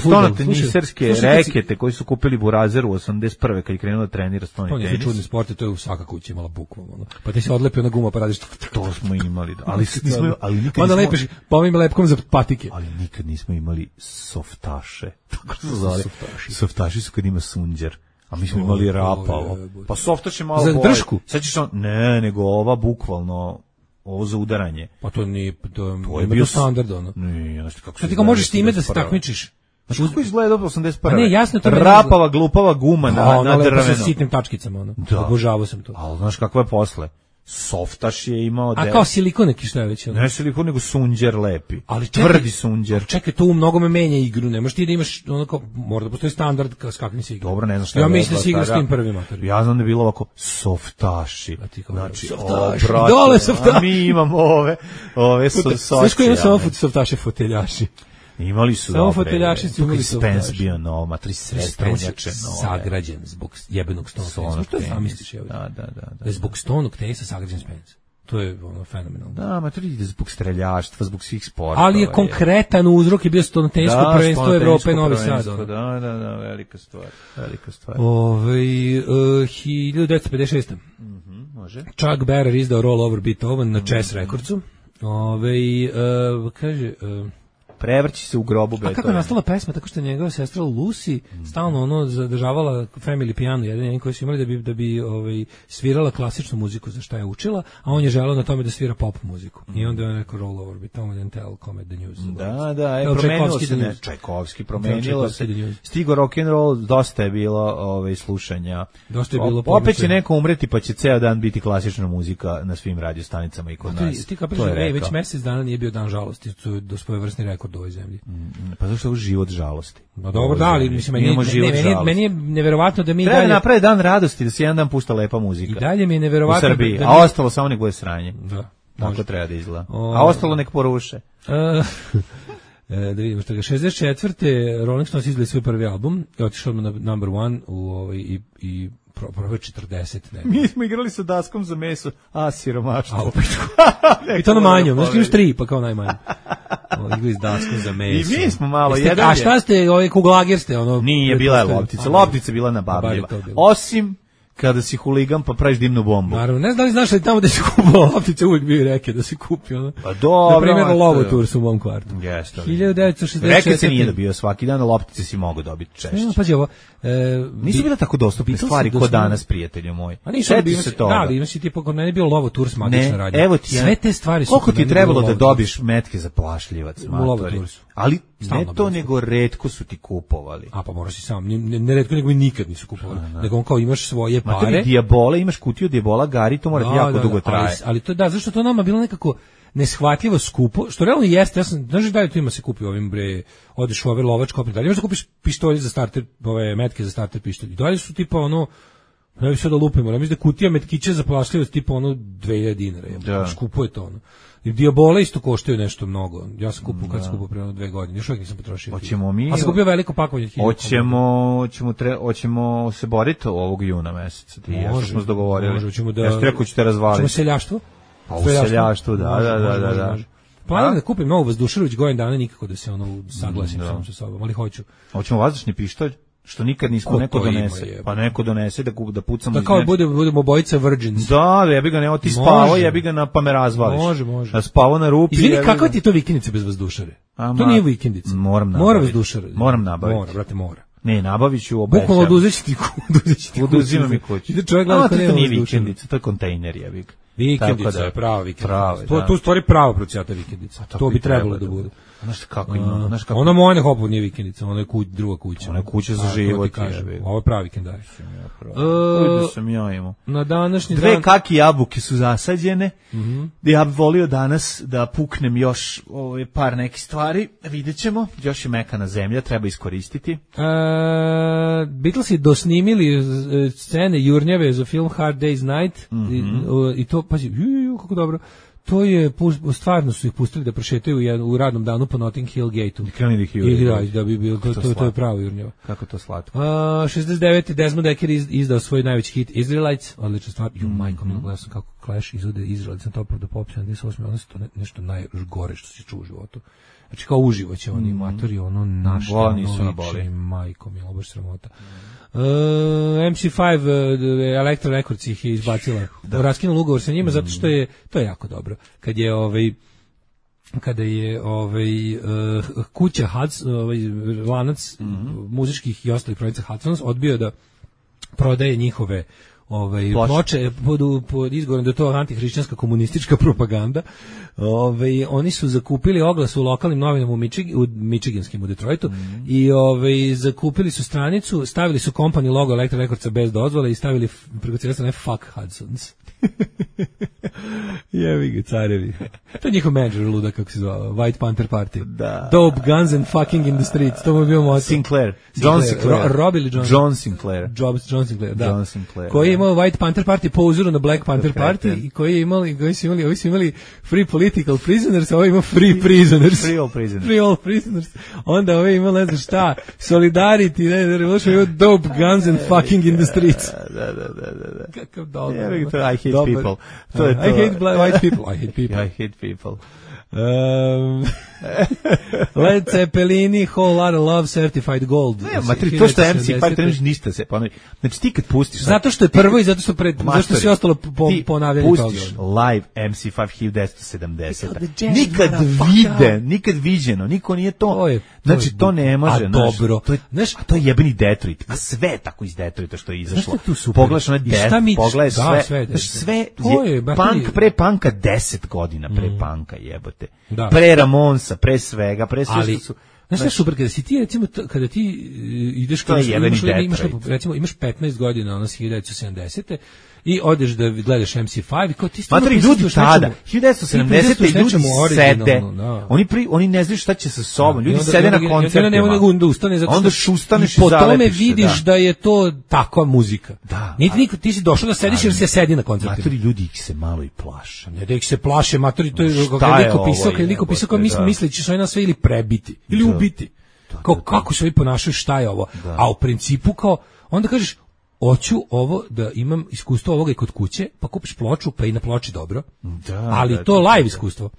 stonate niserske rekete koji su kupili Burazeru u osamdeset prve kad je krenuo da trenira stoni tenis. To nije čudni sport, to je u svaka kuća imala bukvalno. Ono. Pa ti se odlepi ona guma pa radiš... To smo imali, da. Ali, nismo, ali nikad onda nismo... lepiš pomim lepkom za patike. Ali nikad nismo imali softaše. Tako se zove. Softaši. Softaši su kad ima sunđer. A mi smo imali rapavo. Pa softaš je malo za držku? Sad ćeš on... Ne, nego ova bukvalno... Ovo za udaranje. Pa to nije, to, to je bio standard, ono. Nije, znaš kako se... Sad ti ga možeš time da se takmičiš. Znaš kako izgleda osamdeset prve? A ne, jasno to... Rapava, glupava guma na, na drveno. Sa sitnim tačkicama, ono. Da. Obožavao sam to. Ali znaš kakva je posle? Softaš je imao... A kao silikon neki šta je već? Ne silikon, nego sunđer lepi. Ali čekaj, tvrdi sunđer. Čekaj, to u mnogome menja igru. Ne možeš ti da imaš, onako, mora da postoji standard s kakvim se igra. Dobro, ne znam šta ja je. Ja mislim da si igra s tim prvima. Ja znam da je bilo ovako softaši. Znači, softaši. O, brate, dole softaši. A mi imamo ove, ove su socije. Znaš koji ima samo softaše foteljaši? Imali su samo foteljaši su imali softaši. Spence bio nov, matri sestrenjače nove. Sagrađen zbog jebenog stonog. Što je zamisliš? Da, da, da. Da je zbog stonog tenisa sagrađen Spence. To je ono fenomenalno. Da, ma to ide zbog streljaštva, zbog svih sportova. Ali je konkretan uzrok je bio stonotensko da, prvenstvo Evrope Novi Sad. Da, da, da, velika stvar, velika stvar. Ovaj uh, hiljadu devetsto pedeset šeste. Mhm, može. Chuck Berry izdao Roll Over Beethoven na Chess mm-hmm. Recordsu. Ovaj uh, kaže uh, prevrći se u grobu Beethoven. A kako je nastala pesma? Tako što je njegova sestra Lucy mm. stalno ono zadržavala family piano, jedan koji su imali da bi, da bi ovaj, svirala klasičnu muziku za šta je učila, a on je želeo na tome da svira pop muziku. Mm. I onda je neko roll over Beethoven and tell come the news. Da, da, je promenilo se, ne, Čajkovski promenilo se. Stigo rock and roll, dosta je bilo ovaj, slušanja. Dosta je bilo opet će neko umreti pa će ceo dan biti klasična muzika na svim radiostanicama i kod nas. Ti, ti kapiraš, ej, već mjesec dana nije bio dan žalosti, to je do svojevrsni rekord u ovoj zemlji. Mm, pa zašto je život žalosti? No dobro, da, ali mislim, meni, ne, meni, meni je neverovatno da mi treba dalje... da napravi dan radosti, da se jedan dan pušta lepa muzika. I dalje mi je neverovatno... U Srbiji, da, da a mi... ostalo samo nek bude sranje. Da. Tako treba da izgleda. O... A ostalo nek poruše. da vidimo što ga. šezdeset četvrte Rolling Stones izdali svoj prvi album i otišao na number one u, ovaj, i, i probao četrdeset. Ne. Mi smo igrali sa daskom za meso, a siromaštvo. A opet. I to na manjom, znaš imaš tri, pa kao najmanje. Igrali s daskom za meso. I mi smo malo, Jeste, jedan a šta ste, ovaj kuglager ste? Ono, nije, bila je loptica. Loptica je bila nababljiva. Osim kada si huligan pa praviš dimnu bombu. Naravno, ne znam da li znaš da tamo da se kupao loptice uvijek bio reke da se kupi. Ono. Pa dobro. Na primjer, Lovoturs u mom kvartu. Jeste. hiljadu devetsto šezdeset četvrte. Reke se nije dobio svaki dan, loptice si mogu dobiti češće. No, pazi ovo. E, nisu bile tako dostupne stvari kod danas, prijatelju moj. A nisu bi se to. Da, imaš i tipa kod mene bio Lovoturs magična radnja. Evo ti, sve te stvari su. Koliko ti trebalo da dobiš metke za plašljivac, matori. Ali ne to, nego retko su ti kupovali. A pa moraš si sam, ne, ne retko, nego i nikad nisu kupovali. Nego on kao imaš svoje pare. Matori, dijabole, imaš kutiju dijebola, Gari, to mora da, jako da, dugo traje. Ali, ali to da, zašto to nama bilo nekako neshvatljivo skupo, što realno jeste, ja sam, znaš da li tu ima se kupi ovim bre, odeš u ove lovačke opet, da li imaš da kupiš pištolje za starter, ove metke za starter pištolje, da li su tipa ono, ne bi sve da lupimo, ne mislim da kutija metkića za plašljivost tipa ono dve hiljade dinara, ja, skupo je to ono. I dijabole isto koštaju nešto mnogo. Ja sam kupio kad sam kupio pre dve godine. Još uvijek nisam potrošio. Hoćemo mi. A sam kupio veliko pakovanje. Hoćemo, hoćemo tre, hoćemo se boriti ovog juna meseca. Ti ja smo se dogovorili. Može, hoćemo da. Ja što rekao ćete razvaliti. Hoćemo seljaštvo? Pa u seljaštvu, da, da, da, da, da. Planiram da kupim novu vazdušaru, već godinu dana nikako da se ono saglasim sam sa sobom, ali hoću. Hoćemo vazdušni pištolj? Što nikad nismo ko neko donese. Ima, pa neko donese da da pucamo. Da kao bude budemo obojica virgins. Da, ja bih ga ne oti spavao, ja bih ga na pa me razvališ. Može, može. Da spavao na rupi. Izvini, kakva ti je to vikendica bez vazdušare? To nije vikendica. Moram nabaviti. Mora vazdušara. Moram nabaviti. Mora, brate, mora. Ne, nabaviću, obećam. Bukvalno oduzeći ti kuću, oduzeći ti kuću. Oduzima mi kuću. Ide čovjek gleda kako nije vikendica, to je kontejner, ja bih. Vikendica je prava vikendica. To to stvari prava procijata vikendica. To bi trebalo da bude. Znaš kako ima, znaš kako. Ona moja hopu nije vikendica, ona je kuć, druga kuća. Ona je kuća za život, kaže. Ovo je pravi vikendaj. Koji sam ja imao. Na današnji dan dve kaki jabuke su zasađene. Mhm. Ja bih volio danas da puknem još ovaj par nekih stvari, videćemo. Još je mekana zemlja, treba iskoristiti. E, Beatlesi dosnimili scene jurnjave za film Hard Day's Night i, i to pazi, ju, kako dobro. To je, stvarno su ih pustili da prošetaju u radnom danu po Notting Hill Gate-u. I krenuli ih i da, da bi bilo, to, to, to je pravo jurnjava. Kako to slatko. Uh, šezdeset devete Desmond Dekker iz, izdao svoj najveći hit Israelites, odlična stvar. Ju, majko, mi gledao sam kako Clash izvode Israelites na Top of the Pops, sedamdeset osme ono se to ne, nešto najgore što se čuo u životu. Znači kao uživo će oni mm. matori, ono našte, ono liči, majko, mi je baš sramota. Uh, M C pet uh, Elektra Records ih je izbacila. Da. Raskinula ugovor sa njima zato što je to je jako dobro. Kad je ovaj kada je ovaj uh, kuća Hudson, ovaj lanac mm-hmm. muzičkih i ostalih proizvođača Hudson's odbio da prodaje njihove ovaj ploče pod, pod izgovorom da je to antihrišćanska komunistička propaganda. Ovaj oni su zakupili oglas u lokalnim novinama u, Michig, u Michiganskim u Detroitu mm. i ovaj zakupili su stranicu, stavili su company logo Elektra Rekordsa bez dozvole i stavili preko cijele strane fuck Hudsons. Jevi ga carevi. To je njihov menadžer luda, kako se zvao, White Panther Party. Da. Dope guns and fucking in the streets. To mu je bio moto. Sinclair. John Sinclair. Ro, Rob ili John? John Sinclair. Jobs, John Sinclair, da. John Sinclair. Koji je imao White Panther Party po uzoru na Black Panther Party i koji je imali, koji su imali, ovi su imali free political prisoners, a ovo ima free prisoners. Free all prisoners. Free all prisoners. Onda ovo ima, ne znam šta, solidarity, ne znam, revolution, ima dope guns and fucking in the streets. Da, da, da, da. da. Kakav dobar. Yeah, to I hate dobar. people. To je to. I hate black, white people. I hate people. I hate people. Um, Led Zeppelini, Whole Lotta Love, Certified Gold. Ne, matri, to što je em si par trebaš ništa se ponovi. Znači ti kad pustiš... Zato što je prvo i zato što pred, zato što sve ostalo po, ponavljanje toga. Ti pustiš live em si pet hiljadu devetsto sedamdeset. Nikad vide, nikad viđeno, niko nije to. to je, to znači to ne može. A naš, dobro. To je, znaš, a to je jebeni Detroit. A sve tako iz Detroita što je izašlo. Pogledaš onaj Death, pogledaš sve. Sve, znaš, sve je punk pre punka deset godina pre mm. punka jebote. Da. Pre Ramonsa, pre svega, pre sve ali, što su... Znaš šta super, kada si ti, recimo, kada ti ideš... To je jebeni imaš, recimo, imaš petnaest godina, ono, hiljadu devetsto sedamdesete i odeš da gledaš em si pet i kao ti stvarno... Matri, ljudi tada, hiljadu devetsto sedamdesete ljudi sede, oni, pri, oni ne znaju šta će sa sobom, ljudi onda, sede onda, na koncertima. Ne, ne, onda ustane, zato onda ustaneš i, i po tome vidiš da. da je to takva muzika. Da. Niti niko, ti si došao da sediš jer se sedi na koncertima. Matri, ljudi ih se malo i plaše. Ne da ih se plaše, matri, to je kako niko pisao, kad niko pisao, kao misleći su oni nas sve ili prebiti, ili ubiti. Kao kako se ovi ponašaju, šta je ovo? A u principu kao, onda kažeš, hoću ovo da imam iskustvo ovoga i kod kuće, pa kupiš ploču, pa i na ploči dobro. Da, ali da, to da, live da. iskustvo.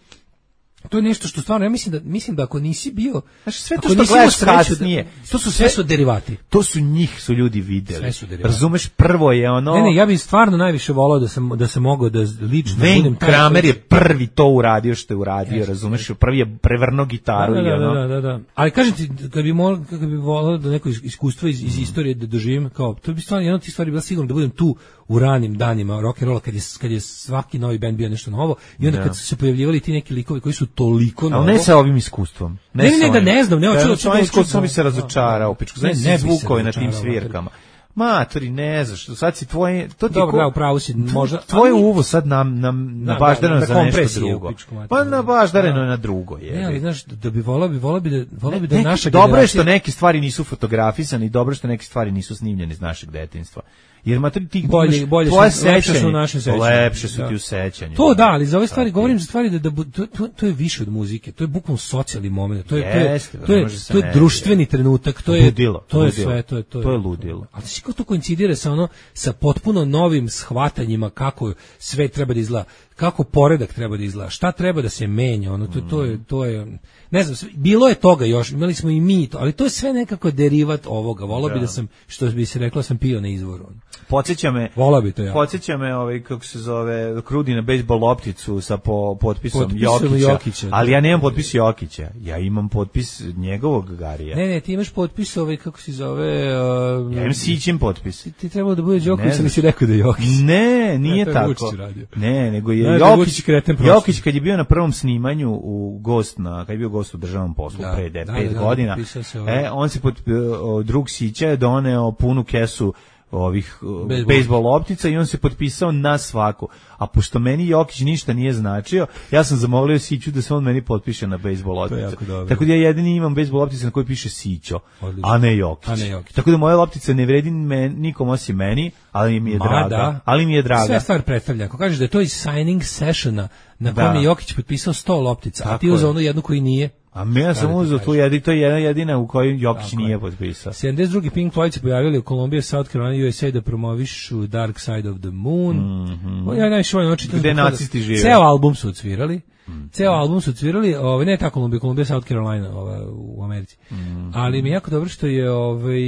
To je nešto što stvarno, ja mislim da mislim da ako nisi bio, znači sve to što gledaš kasnije, to su sve su derivati. To su njih su ljudi videli. Razumeš, prvo je ono. Ne, ne, ja bih stvarno najviše voleo da sam da sam mogao da lično Wayne budem Kramer je prvi to uradio što je uradio, yes, razumeš, prvi je prevrnuo gitaru da, da, i ono. Da, da, da. Ali kažem ti, kad bi mogao, kad bi voleo da neko iskustvo iz, iz istorije da doživim, kao to bi stvarno jedno od tih stvari bila sigurno da budem tu u ranim danima rock and rolla kad je kad je svaki novi bend bio nešto novo i onda kad su se pojavljivali ti neki likovi koji su toliko novo. Ali ne sa ovim iskustvom. Ne, ne, ne, da ne znam, ne hoću da sa ovim iskustvom bi se razočarao, pičku. Znači ne zvukove na tim svirkama. Matori, ne znaš, sad si tvoje, to ti dobro, da, upravo si, možda tvoje uvo sad nam nam nabaždareno za nešto drugo. Pa nabaždareno na drugo je. Ne, ali znaš da bi voleo bi voleo bi da voleo bi da naša generacija. Dobro je što neke stvari nisu fotografisane i dobro što neke stvari nisu snimljene iz našeg detinjstva. Jer matri ti bolje bolje su, lepše su u našem sećanju. Lepše su ti u sećanju. To da, ali za ove stvari govorim za stvari da, da to, to, to je više od muzike, to je bukvalno socijalni moment, to je to je to je, to je društveni trenutak, to je ludilo, to je sve, to je to je. To je ludilo. A znači kako to koincidira sa ono sa potpuno novim shvatanjima kako sve treba da izgleda, kako poredak treba da izgleda, šta treba da se menja, ono to, to je to je ne znam, bilo je toga još, imali smo i mi to, ali to je sve nekako derivat ovoga. Volao bi da sam, što bi se reklo, sam pio na izvoru. Podsjeća me, volao bi to ja. Podsjeća me, ovaj kako se zove, krudi na bejsbol lopticu sa po, potpisom, potpisom Jokića, Jokića, ali ja nemam potpis Jokića, ja imam potpis njegovog Garija. Ne, ne, ti imaš potpis ovaj kako se zove, uh, ja imam Sićin potpis. Ti, ti trebalo da bude Đoković, ali si rekao da je Jokić. Ne, nije ne, tako. Ne, nego je ne, Jokić, Jokić kad je bio na prvom snimanju u gost na, kad je bio gost u državnom poslu da, pre da, pet da, godina, da, e, on se pod, drug Sića je doneo punu kesu ovih bejsbol loptica i on se potpisao na svaku. A pošto meni Jokić ništa nije značio, ja sam zamolio Siću da se on meni potpiše na bejsbol lopticu. Tako da ja jedini imam bejsbol loptice na kojoj piše Sićo, a ne Jokić. A ne Jokić. Tako da moja loptica ne vredi men, nikom osim meni, ali mi je Ma, draga. Da. Ali mi je draga. Sve stvar predstavlja. Ako kažeš da je to iz signing sessiona na kojem je Jokić potpisao sto loptica, tako a ti uzeo onu jednu koji nije. A ja sam uzeo tu jedinu, to je jedna jedina u kojoj Jokić nije potpisao. sedamdeset drugi Pink Floyd se pojavili u Columbia, South Carolina, U S A da promovišu Dark Side of the Moon. Mm-hmm. Ja najviše volim očito. Gde nacisti žive. Ceo album su odsvirali. Mm-hmm. Ceo album su odsvirali, ovaj, ne ta Columbia, Columbia, South Carolina ovaj, u Americi. Mm-hmm. Ali mi je jako dobro što je ovaj,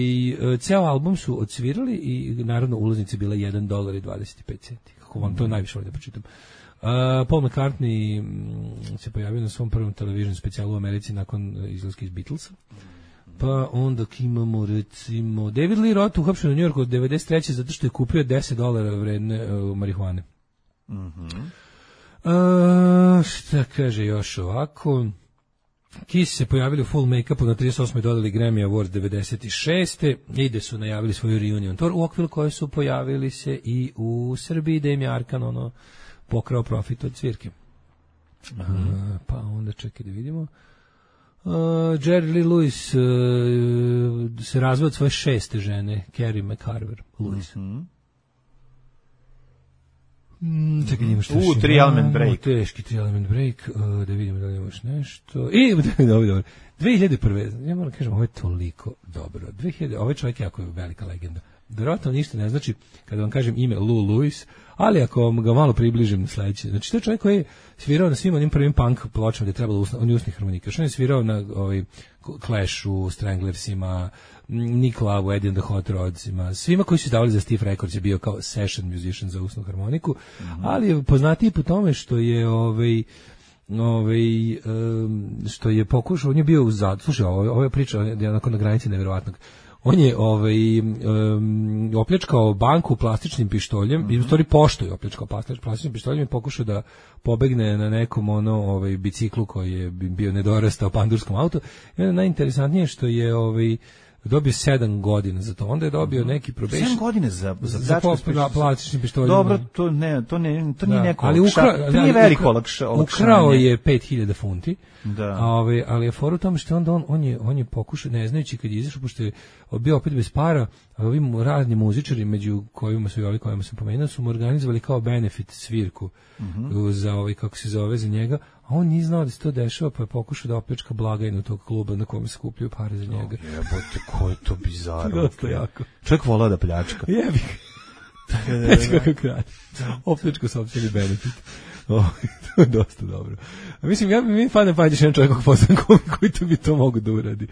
ceo album su odsvirali i naravno ulaznice bila jedan dolar i dvadeset pet centi. Kako vam to najviše volim da pročitam. Uh, Paul McCartney se pojavio na svom prvom television specijalu u Americi nakon izlaska iz Beatlesa. pa onda imamo recimo David Lee Roth uhapšen u Njujorku od devedeset treće zato što je kupio deset dolara vredne uh, marihuane. Mhm. Uh, šta kaže još ovako? Kiss se pojavili u full make-upu na trideset osmoj dodali Grammy Awards devedeset šeste Ide su najavili svoju reunion tour u okviru koje su pojavili se i u Srbiji, da im je Arkan ono pokrao profit od cvirke. Mm-hmm. Uh, pa onda čekaj da vidimo. Uh, Jerry Lee Lewis uh, se razveo od svoje šeste žene, Carrie McCarver Lewis. Mm-hmm. Mm, čekaj, imaš U, uh, tri element break. Teški tri element break, uh, da vidimo da li imaš nešto. I, dobro, dobro. dve hiljade prve ja moram kažem, ovo je toliko dobro. dve hiljade ovaj čovjek je jako velika legenda. Verovatno ništa ne znači kada vam kažem ime Lou Lewis, ali ako ga malo približim sledeće. Znači, to je čovjek koji je svirao na svim onim prvim punk pločama gde je trebalo usna, on je usnih harmonika. Što je svirao na ovaj, Clashu, Stranglersima, Nick Love, Eddie and the Hot Rodsima, svima koji su davali za Stiff Records je bio kao session musician za usnu harmoniku, mm-hmm. ali je poznatiji po tome što je ovaj ovaj um, što je pokušao, on je bio u zad. Slušaj, ovo, ovo je priča je onako na granici neverovatnog. On je ovaj um, opljačkao banku plastičnim pištoljem, mm-hmm. i u stvari poštu je opljačkao plastičnim pištoljem i pokušao da pobegne na nekom ono ovaj biciklu koji je bio nedorastao pandurskom autu. I onda najinteresantnije što je ovaj dobio sedam godina za to. Onda je dobio neki probation. sedam godina za za, za plastični pištolj. Dobro, to ne, to ne, to nije da, neko. Ali ukra, to nije veliko olakšanje. Ukrao je pet hiljada funti. Da. A ovaj, ali je fora u tome što onda on on je on je pokušao, ne znajući kad je izašao, pošto je bio opet bez para, a ovim razni muzičari među kojima su i ovi kojima sam pomenuo su mu organizovali kao benefit svirku mm-hmm. za ovaj kako se zove za njega. A on nije znao da se to dešava, pa je pokušao da opljačka blagajnu tog kluba na kojem se skupljaju pare za njega. Oh, jebote, ko je to bizarno. Dosta jako. Čovjek volao da pljačka. Jebi ga. Znači kako kraj. Opljačka sopstveni benefit. Oh, to je dosta dobro. A mislim, ja bi mi fane pađeš jedan čovjek kako koji to bi to mogu da uradi.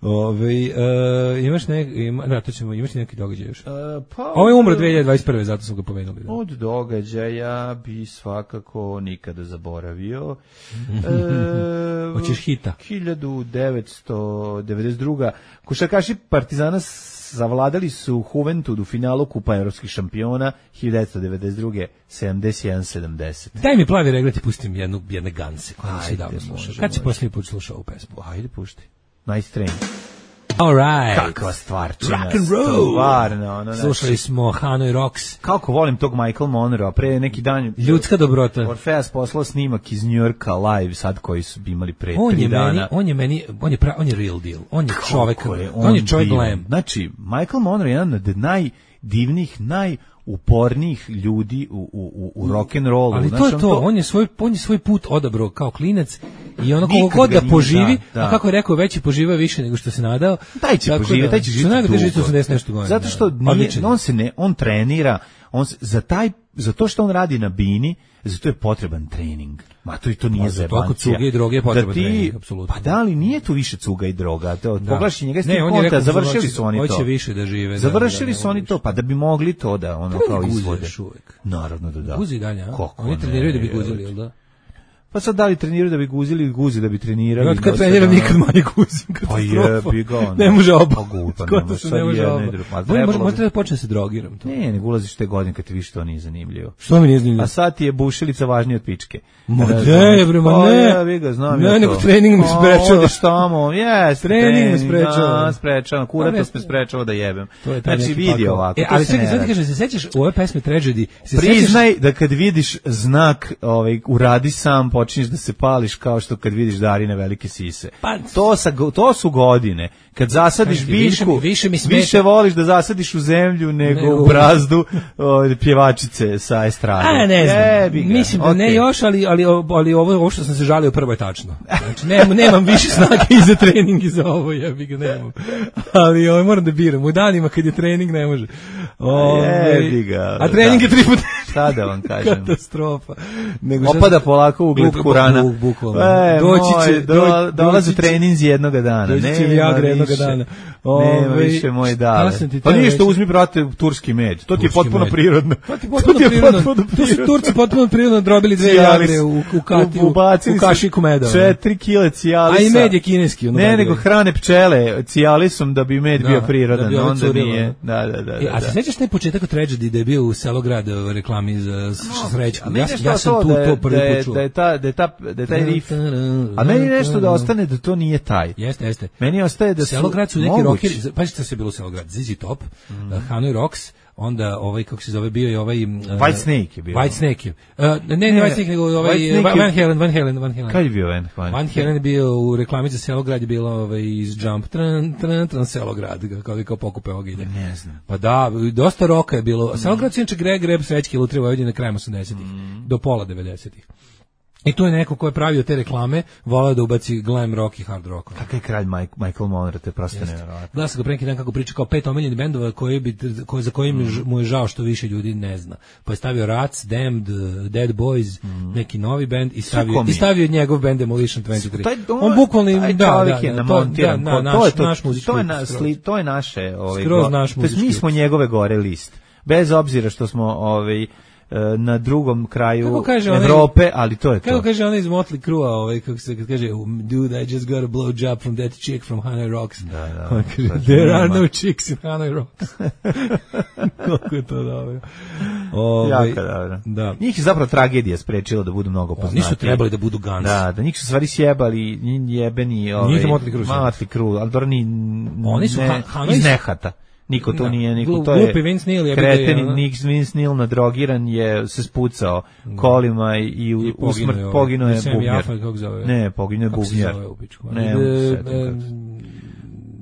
Ove, uh, imaš neki, ima, da, to ćemo, imaš neki događaj još? Uh, pa, Ovo je umro dve hiljade dvadeset prve, zato smo ga pomenuli. Da. Od događaja bi svakako nikada zaboravio. e, Hoćeš hita? hiljadu devetsto devedeset druga košarkaši Partizana zavladali su Juventud u finalu Kupa evropskih šampiona hiljadu devetsto devedeset druge sedamdeset jedan sedamdeset. Daj mi plavi reglet i pustim jednu, jedne ganse koje nisi davno slušao. Kad si posljednji put slušao ovu pesmu? Ajde, pušti. Nice Train. All right. Kakva stvarčina. Rock and roll. Stvarno, ono, slušali smo Hanoi Rocks. Kako volim tog Michael Monroe, pre neki dan ljudska dobrota. Orfeas poslao snimak iz New Yorka live sad koji su imali pre on tri je dana. Meni, on je meni, on je pra, on je real deal. On je čovjek, je on, on je čovjek glam. Znači, Michael Monroe je jedan od najdivnijih, naj upornijih ljudi u, u, u rock and rollu. Ali znači, to je to, to, on je svoj on je svoj put odabrao kao klinac i ono koliko god da poživi, da, da. a kako je rekao, veći poživa više nego što se nadao. Taj će poživjeti, taj će živjeti osamdeset nešto godina. Zato što nije, on se ne, on trenira, on se, za taj, za to što on radi na bini, za to je potreban trening. Ma to i to nije za toliko cuga i droge je potreban trening, apsolutno. Pa da li nije tu više cuga i droga? To poglaši njega sti konta, završili su oni to. Hoće više da žive. Završili da, da, su oni to, pa da bi mogli to da ono kao izvode. Naravno da da. Guzi dalje, a? Oni treniraju da bi guzili, jel da? Pa sad da li treniraju da bi guzili ili guzi da bi trenirali? Ja kad treniram nikad manje guzim. Pa jebi ga. Ne može oba. Pa se ne može oba. Možda da počne se drogiram. To. Ne, ne ulaziš te godine kad ti više to nije zanimljivo. Što mi nije zanimljivo? A sad ti je bušilica važnija od pičke. Ma ne, bre, ma ne. Ja vi ga znam. Ne, nego trening me sprečava. Odeš tamo, jes. Trening me sprečava. Sprečava, kurato me sprečava da jebem. Znači vidi ovako. E, ali čekaj, sad kažeš, se sećaš u ove pesme Tragedy? Priznaj da kad vidiš znak, ovaj uradi sam, počinješ da se pali kao što kad vidiš Darine velike sise. Pa, to, sa, to su godine. Kad zasadiš Kaži, biljku, više, više, više voliš da zasadiš u zemlju nego ne, u brazdu o, pjevačice sa estrade. A, ne znam. Jebiga. Mislim da okay. ne još, ali, ali, ali ovo, ovo što sam se žalio prvo je tačno. Znači, nemam, nemam više snage i za trening i za ovo, jebiga, nemam. Ali ovo, moram da biram. U danima kad je trening ne može. Ove, jebiga. A trening je tri puta šta da vam kažem. Katastrofa. Nego Opada polako ugled Kurana. Buk, bukvalno. E, doći će, moj, do, dolaze treninzi jednoga dana. Doći će Nema Viagra jednoga više. dana. Nema Ove, više moj dale. Pa nije ništa, uzmi, brate, turski med. To ti je Turski potpuno med. prirodno. To ti je potpuno prirodno. To su Turci potpuno prirodno drobili dve Viagre u, u, kati, u, u kašiku meda. Četiri kile cijalisa. A i med je kineski. Ono ne, nego hrane pčele cijalisom da bi med da, bio prirodan. Da bi onda nije. Da, da, da. E, a se sećaš taj početak tragedije da je bio u Selograd reklami za Srećku? No, ja, ja sam tu da, to prvi da, put čuo. Da je, ta, da, je ta, da je taj riff. A meni nešto da ostane da to nije taj. Jeste, jeste. Meni ostaje da su Selograd su neki mogući. rockeri, pa što se bilo u Selograd, Z Z Top, mm. uh, Hanoi Rocks, onda ovaj kako se zove bio i ovaj uh, White Snake je bio. White Snake. je. Uh, ne, ne, ne White Snake nego ovaj Van Halen, Van Halen, Van Halen. Kad je bio Van Halen? Van Halen je bio u reklami za Selograd, je bilo ovaj iz Jump tran tran tran Selograd, kako kao pokupe oginje. Ne znam. Pa da, dosta roka je bilo. Selograd se inače Greg Greb Srećki lutrije Vojvodine krajem osamdesetih mm. do pola devedesetih. I to je neko ko je pravio te reklame, volao da ubaci glam rock i hard rock. Kakav je kralj Mike, Michael Monroe, te prosto nevjerojatno. Gledao sam ga pre neki dan kako priča kao pet omiljenih bendova koji bi, koji, za kojim mm. mu je žao što više ljudi ne zna. Pa je stavio Rats, Damned, Dead Boys, mm. neki novi bend i stavio, i stavio njegov bend Demolition dvadeset tri. Taj, on, on bukvalno, da, da, da, da, to, da, na, naš, to je to, naš muzički. To je, na, sli, to je naše, ovaj, skroz naš muzički. Mi smo njegove gore list. Bez obzira što smo ovaj na drugom kraju Evrope, onaj, ali to je to. Kako kaže ona iz Motley Crue, ovaj, kako se kad kaže, dude, I just got a blow job from that chick from Hanoi Rocks. Da, da. Kaže, there are no chicks in Hanoi Rocks. Kako je to dobro. Ovaj, jako dobro. Da. Njih je zapravo tragedija sprečila da budu mnogo poznati. Nisu trebali da budu Guns. Da, da njih su stvari sjebali, jebeni, ovaj, njih je Motley Crue. Motley Crue, ali dobro ni, oni su ne, Hanoi iz nehata. Niko to da. nije, niko Glup, to je kreten, Nick Vince Neil nadrogiran je se spucao da. kolima i, i u, u smrt poginuo je bubnjar. Ne, poginuo je bubnjar. Ne, ne,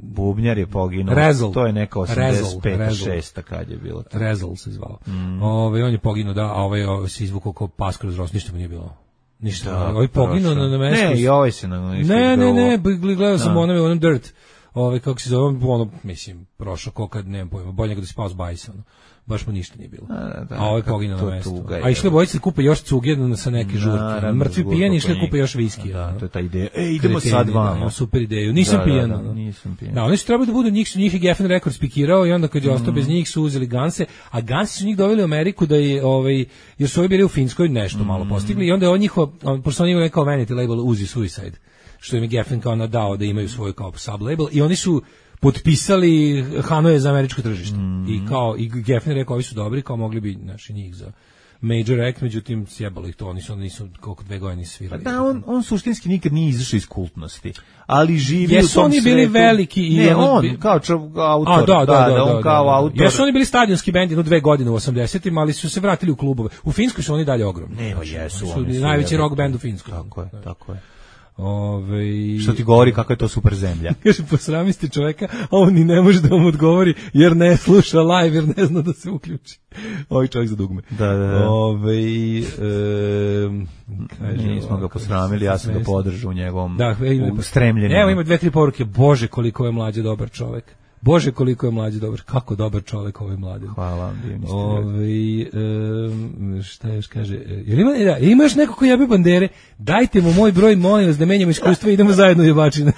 bubnjar je poginuo. Razzle. To je neka osamdeset peta šesta kad je bilo. Razzle se zvao. Mm. Ove, on je poginuo, da, a ovaj, ovaj se izvukao kao pas kroz rost, ništa mu nije bilo. Ništa. Da, ovaj poginuo na, na mestu. Ne, i ovaj se na mestu. Ne, ne, ne, gledao sam onome, onom Dirt. Ove, kako se zove, ono, mislim, prošao ko kad, nemam pojma, bolje nego da si pao s bajsa, ono. Baš mu ništa nije bilo. A, da, a ovaj poginuo na mestu. A išli bojice da kupe još cuge sa neke žurke. Mrtvi pijeni išli kupe još viski. Da, to je ta ideja. E, idemo sad vamo. Super ideju. Nisam da, pijan. Da, da, nisam pijan. Da, oni su trebali da budu, njih su njih i Geffen Records pikirao i onda kad je ostao bez njih su uzeli Ganse, a Gansi su njih doveli u Ameriku da je, ovaj, jer su ovi bili u Finskoj nešto malo postigli i onda je on njihov, pošto oni imaju kao vanity label Uzi Suicide, što im je Geffen kao nadao da imaju svoj kao sublabel i oni su potpisali Hanoje za američko tržište. Mm. I kao i Geffen rekao ovi su dobri, kao mogli bi naši njih za Major Act, međutim sjebalo ih to, oni su, nisu koliko dve godine svirali. Pa da, on, on suštinski nikad nije izašao iz kultnosti, ali živi jesu u tom oni bili svetu. Veliki i ne, on, on kao čov, autor, a, da, da, da, da, on da, kao da, da. autor. Jesu oni bili stadionski bend jedno dve godine u osamdesetima, ali su se vratili u klubove. U Finskoj su oni dalje ogromni. Ne, znači, jesu, su, oni su najveći rock bend u Finskoj. Tako je, tako je. Ove... Što ti govori kako je to super zemlja. Kaže, posrami ste čoveka, a on ni ne može da vam odgovori, jer ne sluša live, jer ne zna da se uključi. Ovaj čovjek za dugme. Da, da, da. Ove, e, kaže, nismo ga posramili, ja sam ga podržao u njegovom da, u stremljenju. Evo ima dve, tri poruke, Bože koliko je mlađe dobar čovjek. Bože koliko je mlađi dobar, kako dobar čovjek ovaj mladi. Hvala vam, ovaj um, šta još kaže, jel ima, da, ima još neko ko jebe bandere, dajte mu moj broj, molim vas da menjamo iskustva i idemo zajedno jebačine.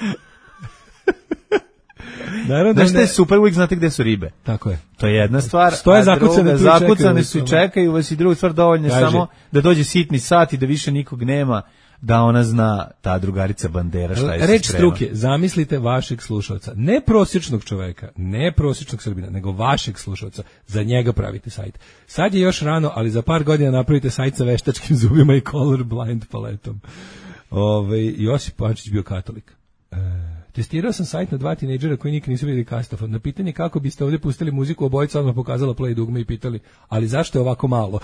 Naravno, znaš šta je super, uvijek znate gde su ribe. Tako je. To je jedna stvar, stoje zakucane, zakucane su i čekaju vas i druga stvar dovoljno samo da dođe sitni sat i da više nikog nema, da ona zna, ta drugarica bandera šta je se reč struke, zamislite vašeg slušalca, ne prosječnog čoveka, ne prosječnog Srbina, nego vašeg slušalca, za njega pravite sajt. Sad je još rano, ali za par godina napravite sajt sa veštačkim zubima i colorblind paletom. Ove, Josip Pančić bio katolik. E, testirao sam sajt na dva tinejdžera koji nikad nisu vidjeli kastofon. Na pitanje kako biste ovdje pustili muziku, obojica odmah pokazala play dugme i pitali, ali zašto je ovako malo?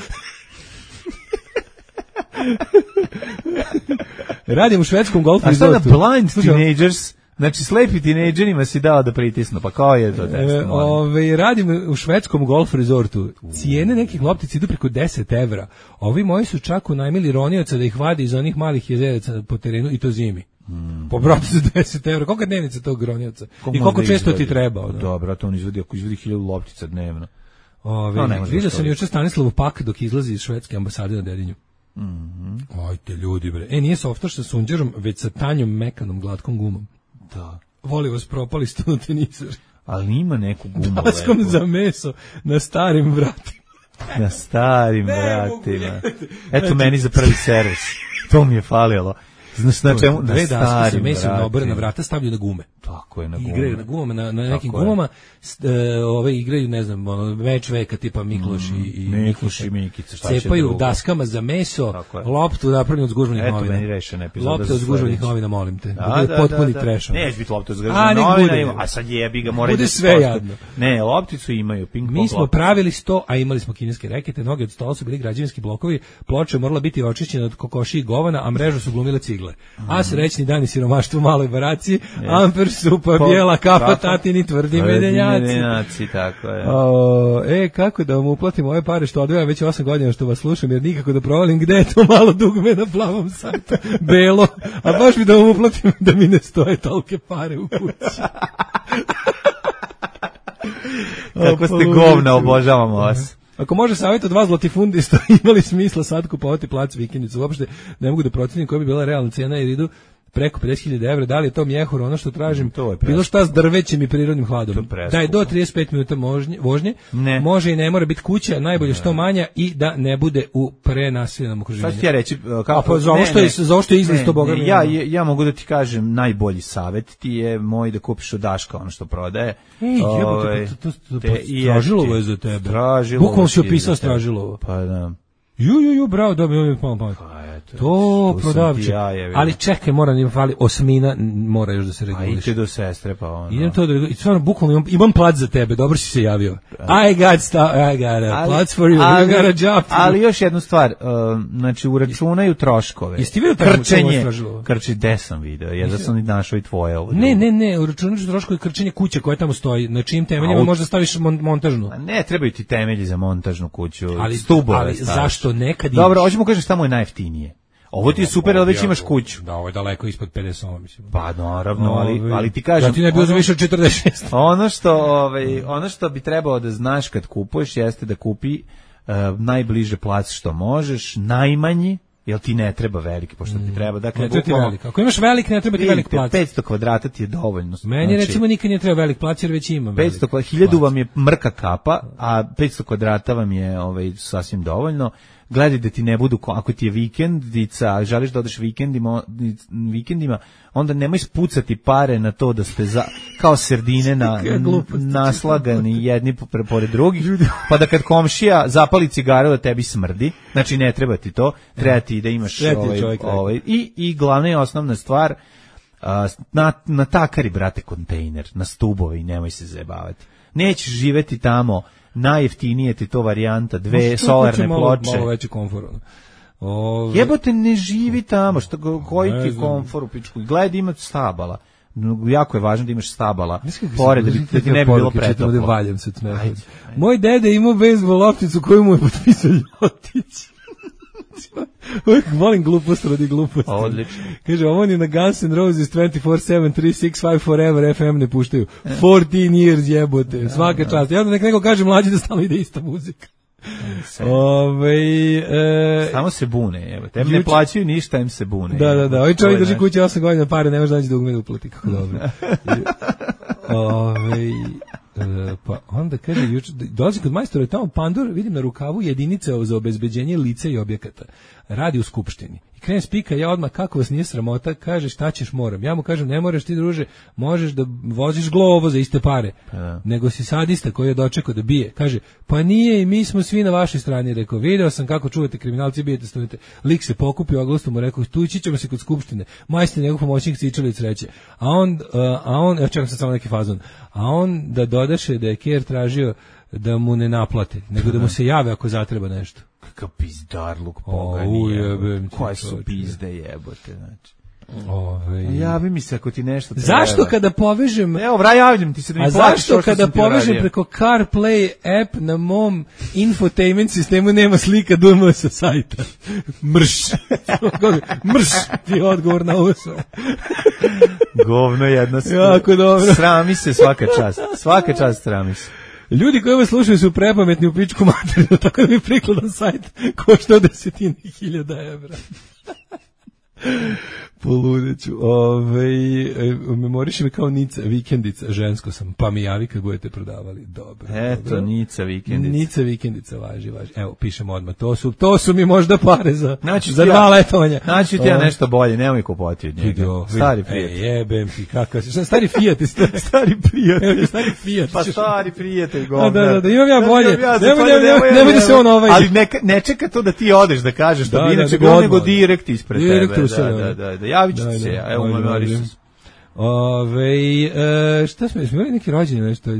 Radim u švedskom golf resortu. A šta da blind teenagers, znači slepi tinejdžerima si dao da pritisnu, pa kao je to test? E, ove, radim u švedskom golf resortu. Cijene nekih loptica idu preko deset evra. Ovi moji su čak unajmili ronioca da ih vadi iz onih malih jezeraca po terenu i to zimi. Hmm. Po bratu za deset evra. Koliko je dnevnica tog ronioca? I koliko često ti treba? Dobro, to on izvodi, ako izvodi hiljadu loptica dnevno. Ove, No, vidio sam juče Stanislavu Pak dok izlazi iz švedske ambasade na Dedinju. Mm-hmm. Ajte ljudi bre. E, nije softaš sa sunđerom, već sa tanjom, mekanom, glatkom gumom. Da. Voli vas propali studenizar. Ali ima neku gumu. Dalaskom za meso na starim vratima. Na starim vratima. Eto meni za prvi servis. To mi je falilo. Znaš na čemu? Na Dve daske sa starim mesom na obrana vratima. vrata stavljaju na gume. Tako je, na gume. Igraju na gumama, na, na nekim Tako je. gumama, s- e, ove igraju, ne znam, ono, meč veka tipa Mikloš i, i Mikloš i Mikica, šta će cepaju drugo? daskama za meso, Tako je. loptu napravljenu od zgužvanih Eto, novina. meni rešena epizoda Lopta za od zgužvanih sledeće. novina, molim te. Da, Da, bude da, potpuni da, da. trash. ono. Neće biti lopta uz A, gržanje nek novina, bude. ima, a sad jebi ga, mora Bude da sve posto- jadno. Ne, lopticu imaju, ping pong Mi smo lopticu. pravili sto, a imali smo kineske rekete, noge od stola su bili građevinski blokovi, ploča je morala biti očišćena od kokoši i govana, a mrežu su glumile cigle. A srećni dani siromaštva u maloj baraci, amper supa, Po- bijela kafa, kafa. tatini tvrdi Tvrdi medenjaci. medenjaci, tako je. O, e, kako da vam uplatim ove pare što odvijam već osam godina što vas slušam, jer nikako da provalim gde je to malo dugme na plavom sajtu, belo, a baš bi da vam uplatim da mi ne stoje tolke pare u kući. Kako ste O, govna, obožavamo vas. Ako može savjet od vas latifundista, imali smisla sad kupovati plac vikendicu, uopšte ne mogu da procenim koja bi bila realna cena jer idu preko pedeset hiljada evra, da li je to mjehur, ono što tražim, To je preskupo. bilo šta s drvećem i prirodnim hladom. To je preskupo. Da je do trideset pet minuta možnje, vožnje, Ne. može i ne mora biti kuća, najbolje što manja i da ne bude u prenaseljenom okruženju. Šta ću ti ja reći? Kako, A pa za ovo što je- za ovo što je izlist, to boga mi ja, ono. ja, ja mogu da ti kažem, najbolji savjet ti je moj da kupiš od Daška ono što prodaje. Ej, jebote, Ovaj, pa to- to- to- te pa i Stražilovo jefti- je za tebe. Stražilovo Bukvalno si ti je opisao za tebe. Stražilovo. Pa da. Ju, ju, ju, bravo, dobro, mi je palo pamet. Pa eto. To tu sam prodavče. ti ja, jebi ga. Ali čekaj, mora ni fali osmina, n- mora još da se Pa reguliše. idite do sestre, pa ono. Idem to da i stvarno bukvalno imam, imam plac za tebe, dobro si se javio. I got sta, I got a plac for you, ali, you got a job. for ali you. još jednu stvar, um, znači uračunaju troškove. Jesi ti vidio tamo- tamo krčenje? istražilo? Krči, gde sam video? Ja da sam i našao i tvoje ovo. Ne, drugo. ne, ne, uračunaš troškovi krčenja kuće koja tamo stoji, na čijim temeljima A, u- možda staviš mon, montažnu. A ne, trebaju ti temelji za montažnu kuću, Ali- stubove ali staviš. zašto nekad Dobro, imaš? hoćemo kažeš šta mu je najjeftinije. Ovo ti je super, ali već imaš kuću. Da, ovo je daleko ispod pedeset osam, mislim. Pa naravno, ali, Ove, ali ti kažem... Da ti ne bilo za ono- više od četrdeset šest. Ono što, ovaj, ono što bi trebalo da znaš kad kupuješ jeste da kupi uh, najbliže plac što možeš, najmanji, jer ti ne treba veliki, pošto ti treba. Dakle, Ne treba ti bukvalno- velik. Ako imaš velik, ne treba ti velik plac. petsto kvadrata ti je dovoljno. Meni Znači, recimo nikad nije treba velik plac jer već imam velik petsto kva- hiljadu vam je mrka kapa, a petsto kvadrata vam je ovaj, sasvim dovoljno. Gledaj da ti ne budu, ko- ako ti je vikendica, želiš da odeš vikendima, vikendima, onda nemoj spucati pare na to da ste za, kao serdine na, Kakve gluposti naslagani jedni po- pre- pored drugih, pa da kad komšija zapali cigaru da tebi smrdi, znači ne treba ti to, treba ti da imaš Sve ti je ovaj, čovjek rekao. ovaj, i, i glavna i osnovna stvar, a, na, na takari, brate, kontejner, na stubove i nemoj se zajebavati. Nećeš živeti tamo, najjeftinije ti to varijanta, dve solarne malo, ploče. Malo veći komfor. ono. Ove, Jebote, ne živi tamo, što, go- koji Ne ti znam. komfor u pičku. Gledaj da ima stabala. No, jako je važno da imaš stabala, Znaš kako pored da, sam- bi, da ti ne bi bilo poruke čitam, ovde pretoplo. valjam se od smeha. Ajde, ajde. Moj deda je imao bejzbol lopticu koju mu je potpisao Ljotić. Uvijek volim glupost radi gluposti. Odlično. Kaže, ovo ni na Guns N' Roses dvajset četiri sedam tri šest pet forever F M ne puštaju. četrnaest years jebote, svaka čast. Ja onda nek neko kaže mlađi da stalno ide ista muzika. Ove, e, Samo se bune, evo. Tem ne Juče- plaćaju ništa, em se bune. Da, da, da. Ovaj To čovjek je drži naš- kuće osam godina, pare ne može naći dugme da uplati. Kako dobro. Ove, e, pa onda kaže, juče, dolazi kod majstora, tamo Pandor, vidim na rukavu jedinice za obezbeđenje lica i objekata. Radi u skupštini. I krenem spika, ja odmah, kako vas nije sramota, kaže, šta ćeš, moram. Ja mu kažem, ne moraš ti, druže, možeš da voziš glovo za iste pare. da. Nego si sadista koji je dočekao da bije. Kaže, pa nije i mi smo svi na vašoj strani. Rekao, video sam kako čuvate kriminalci, bijete, stojite. Lik se pokupio, oglastom mu rekao, tući ćemo se kod skupštine. Majstor njegov pomoćnik cičali sreće. A on, uh, a on, evo čekam sad samo neki fazon, a on da dodaše da je Ker tražio da mu ne naplate, nego da mu se jave ako zatreba nešto. Kakav pizdarluk O, pogani. ujebem jebote. ti, Koje su čovječe. pizde jebote, znači. Ove, Javi mi se ako ti nešto treba. zašto kada povežem Evo, vra, javljam ti se da mi A platiš zašto to što kada sam ti povežem uradio? preko CarPlay app na mom infotainment sistemu nema slika D M sa sajta? Mrš. Mrš ti je odgovor na ovo sve. Govno jedno. Jako dobro. Srami se svaka čast. Svaka čast srami se. Ljudi koji vas slušaju su prepametni u pičku materiju, tako da mi prikladan sajt košta desetine hiljada evra. Poludeću. Ove, memoriši me kao Nica vikendica, žensko sam, pa mi javi kad budete prodavali. Dobro. Eto, dobro. Nica vikendica. Nica vikendica, važi, važi. Evo, pišemo odmah. To su, to su mi možda pare za, Znači, za ja, dva letovanja. Znači ti ja nešto bolje, nemoj kupovati od njega. Stari prijatelj. E, jebem ti, kakav si. Stari Fiat, stari prijatelj. Stari Fiat. Pa stari prijatelj, govnar. Da, da, da, imam ja bolje. Ja nemoj, nemoj, nemoj, nemoj da se on ovaj. Ali ne, ne čeka to da ti odeš da kažeš što bi inače bilo, nego direkt ispred direkt tebe. Da, da, da, da, javit ću ti se, evo memoriš. Ove, e, šta smo, smo imali neki rođenje, nešto,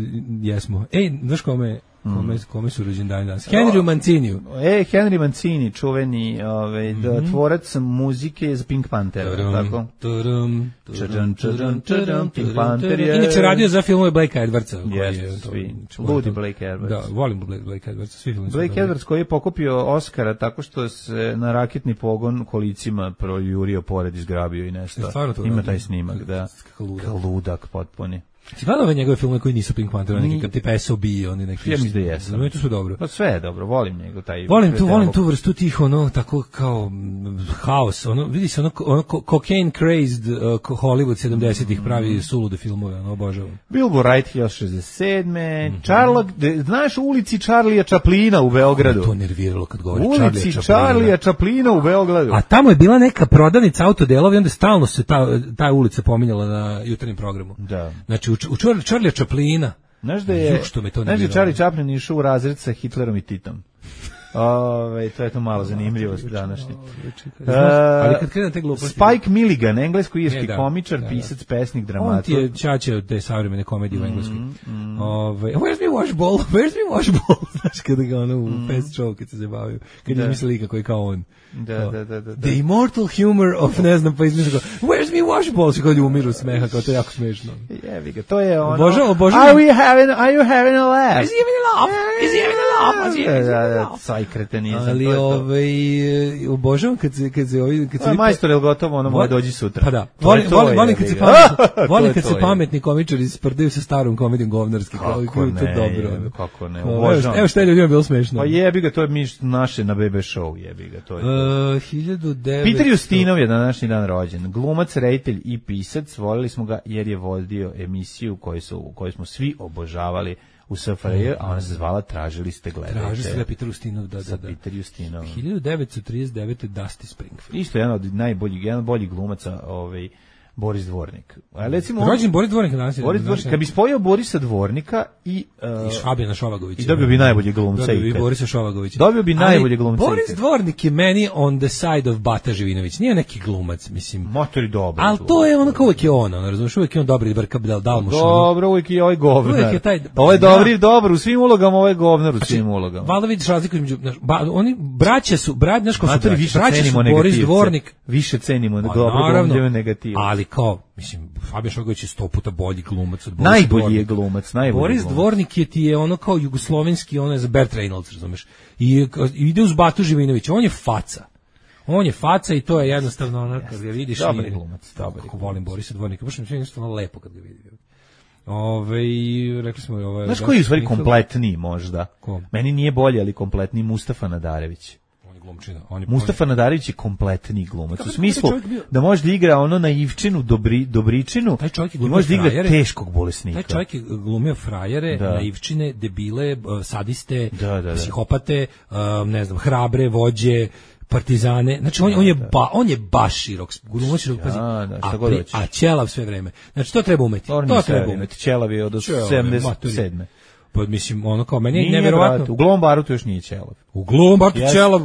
jesmo. Ej, znaš kome, kome, kome su rođendani danas? Henry Manciniju. E, Henry Mancini, čuveni ovaj, mm -hmm. tvorac muzike za Pink Panthera, tako? Turum, turum, turum, turum, Pink Panther je... Inače radio za filmove Blake Edwardsa. Jeste, svi. Ludi Blake Edwards. Da, volim Blake Edwardsa, svi filmi. Blake Edwards koji je pokupio Oscara tako što se na raketni pogon kolicima projurio pored, izgrabio i nešto. Ima taj snimak, da. Ludak potpuni. Si gledao ove njegove filme koji nisu Pink Panther, neki kad tipa S O B, oni neki. Ja mislim da jesam. Znamo, to su dobro. Pa sve je dobro, volim njegov taj. Volim tu, volim tu vrstu tih, ono, tako kao haos, ono, vidi se, ono, ono cocaine crazed uh, Hollywood sedamdesetih pravi sulude filmove, ono, obožavam. Bilbo Wright hiljadu šezdeset sedme. Mm-hmm. Charlotte, de, znaš u ulici Charlija Chaplina u Beogradu? To nerviralo kad govori ulici Charlija Chaplina u Beogradu. A tamo je bila neka prodavnica autodelova i onda stalno se ta, ta ulica pominjala na jutarnjem programu. Da. Znači, u, u Charlija Chaplina. Znaš da je, znaš da je Charlie Chaplin išao u razred sa Hitlerom i Titom. Ove, to je to malo zanimljivost današnje. Uh, ali kad krenu te gluposti... Spike Milligan, englesko-irski da, komičar, da, da. pisac, pesnik, dramatur. On ti je čače od te savremene komedije mm, u engleskoj. Mm. Ove, where's me washball? Where's me washball? Znaš kada ga ono u mm. Fast Show kad se zabavio. Kad da. je izmislili kako je kao on. Da, da, da, da, da. The immortal humor of, ne znam, pa izmišljeno kao, where's me washball? Što kad umiru smeha, kao to je jako smešno. Jebi ga, to je ono... Obožavam, obožavam. Are we having, are you having a laugh? Is he having a laugh? Is he having a laugh? Is he having a laugh? Saj kretenizam. Ali ovaj, obožavam kad se, kad se ovi... Kad se majstor, je li gotovo, ono moje dođi sutra. Pa da, volim, volim, volim kad se pametni, volim kad se pametni komičari sprdaju sa starom komedijom govnarski. Kako ne, dobro, kako ne, obožavam. Evo što je ljudima bilo smešno. Pa jebi ga, to je mi naše na B B show, jebi ga, to je to. hiljadu devetsto Peter Justinov je na današnji dan rođen. Glumac, reditelj i pisac. Volili smo ga jer je vodio emisiju koju, su, koju smo svi obožavali u S F R J, a ona se zvala Tražili ste gledajte. Tražili ste Peter Justinov, da, da, da. Peter Justinov. hiljadu devetsto trideset devete. Dusty Springfield. Isto jedan od najboljih, jedan od boljih glumaca, ovaj, Boris Dvornik. A recimo rođen Boris Dvornik danas. Boris Dvornik, kad bi spojio Borisa Dvornika i uh, i Šabijana Šovagovića. I dobio bi najbolji glumca. Dobio bi Borisa Šovagovića. Dobio bi najbolji glumca. Boris Dvornik je meni on the side of Bata Živinović. Nije neki glumac, mislim. Motor je dobar. Al to je ono kao uvijek je on, ono, razumiješ, uvijek je on dobri brka dal dalmuš. Dobro, uvijek je ovaj govnar. Uvijek je taj. Ovo je dobri, dobro u svim ulogama, ovo je govnar u svim ulogama. Valjda vidiš razliku između, oni braća su, brat, znaš ko su braća. Braća su Boris Dvornik. Više cenimo dobro negativno. Ali kao, mislim, Fabijan Šovagović je sto puta bolji glumac od Borisa Najbolji Dvornika. je glumac, najbolji Boris glumac. Dvornik je ti je ono kao jugoslovenski, ono je za Bert Reynolds, razumeš. I, i ide uz Batu Živinovića, on je faca. On je faca i to je jednostavno ono, kad ga vidiš... Dobar je glumac, dobar je. Kako volim Borisa Dvornika, baš mi je jednostavno lepo kad ga vidim. Ove, rekli smo... Ove, Znaš koji je u stvari kompletniji možda? Ko? Meni nije bolji, ali kompletniji Mustafa Nadarević. Glumčina. On je, Mustafa on je... Nadarević je kompletni glumac. U smislu da može da igra ono naivčinu, dobri, dobričinu i može da igra teškog bolesnika. Taj čovjek je glumio frajere, da. naivčine, debile, sadiste, da, da, da. psihopate, ne znam, hrabre, vođe, partizane. Znači on, on je ba, on je baš širok, glumac širok, pazi. Da, da, a, pri, a ćelav sve vreme. Znači to treba umeti. To, to treba umeti. Ćelav je od sedamdeset sedme Pa mislim ono kao meni je neverovatno. U Glom barutu još nije ćelav. U Glom barutu yes. ćelav,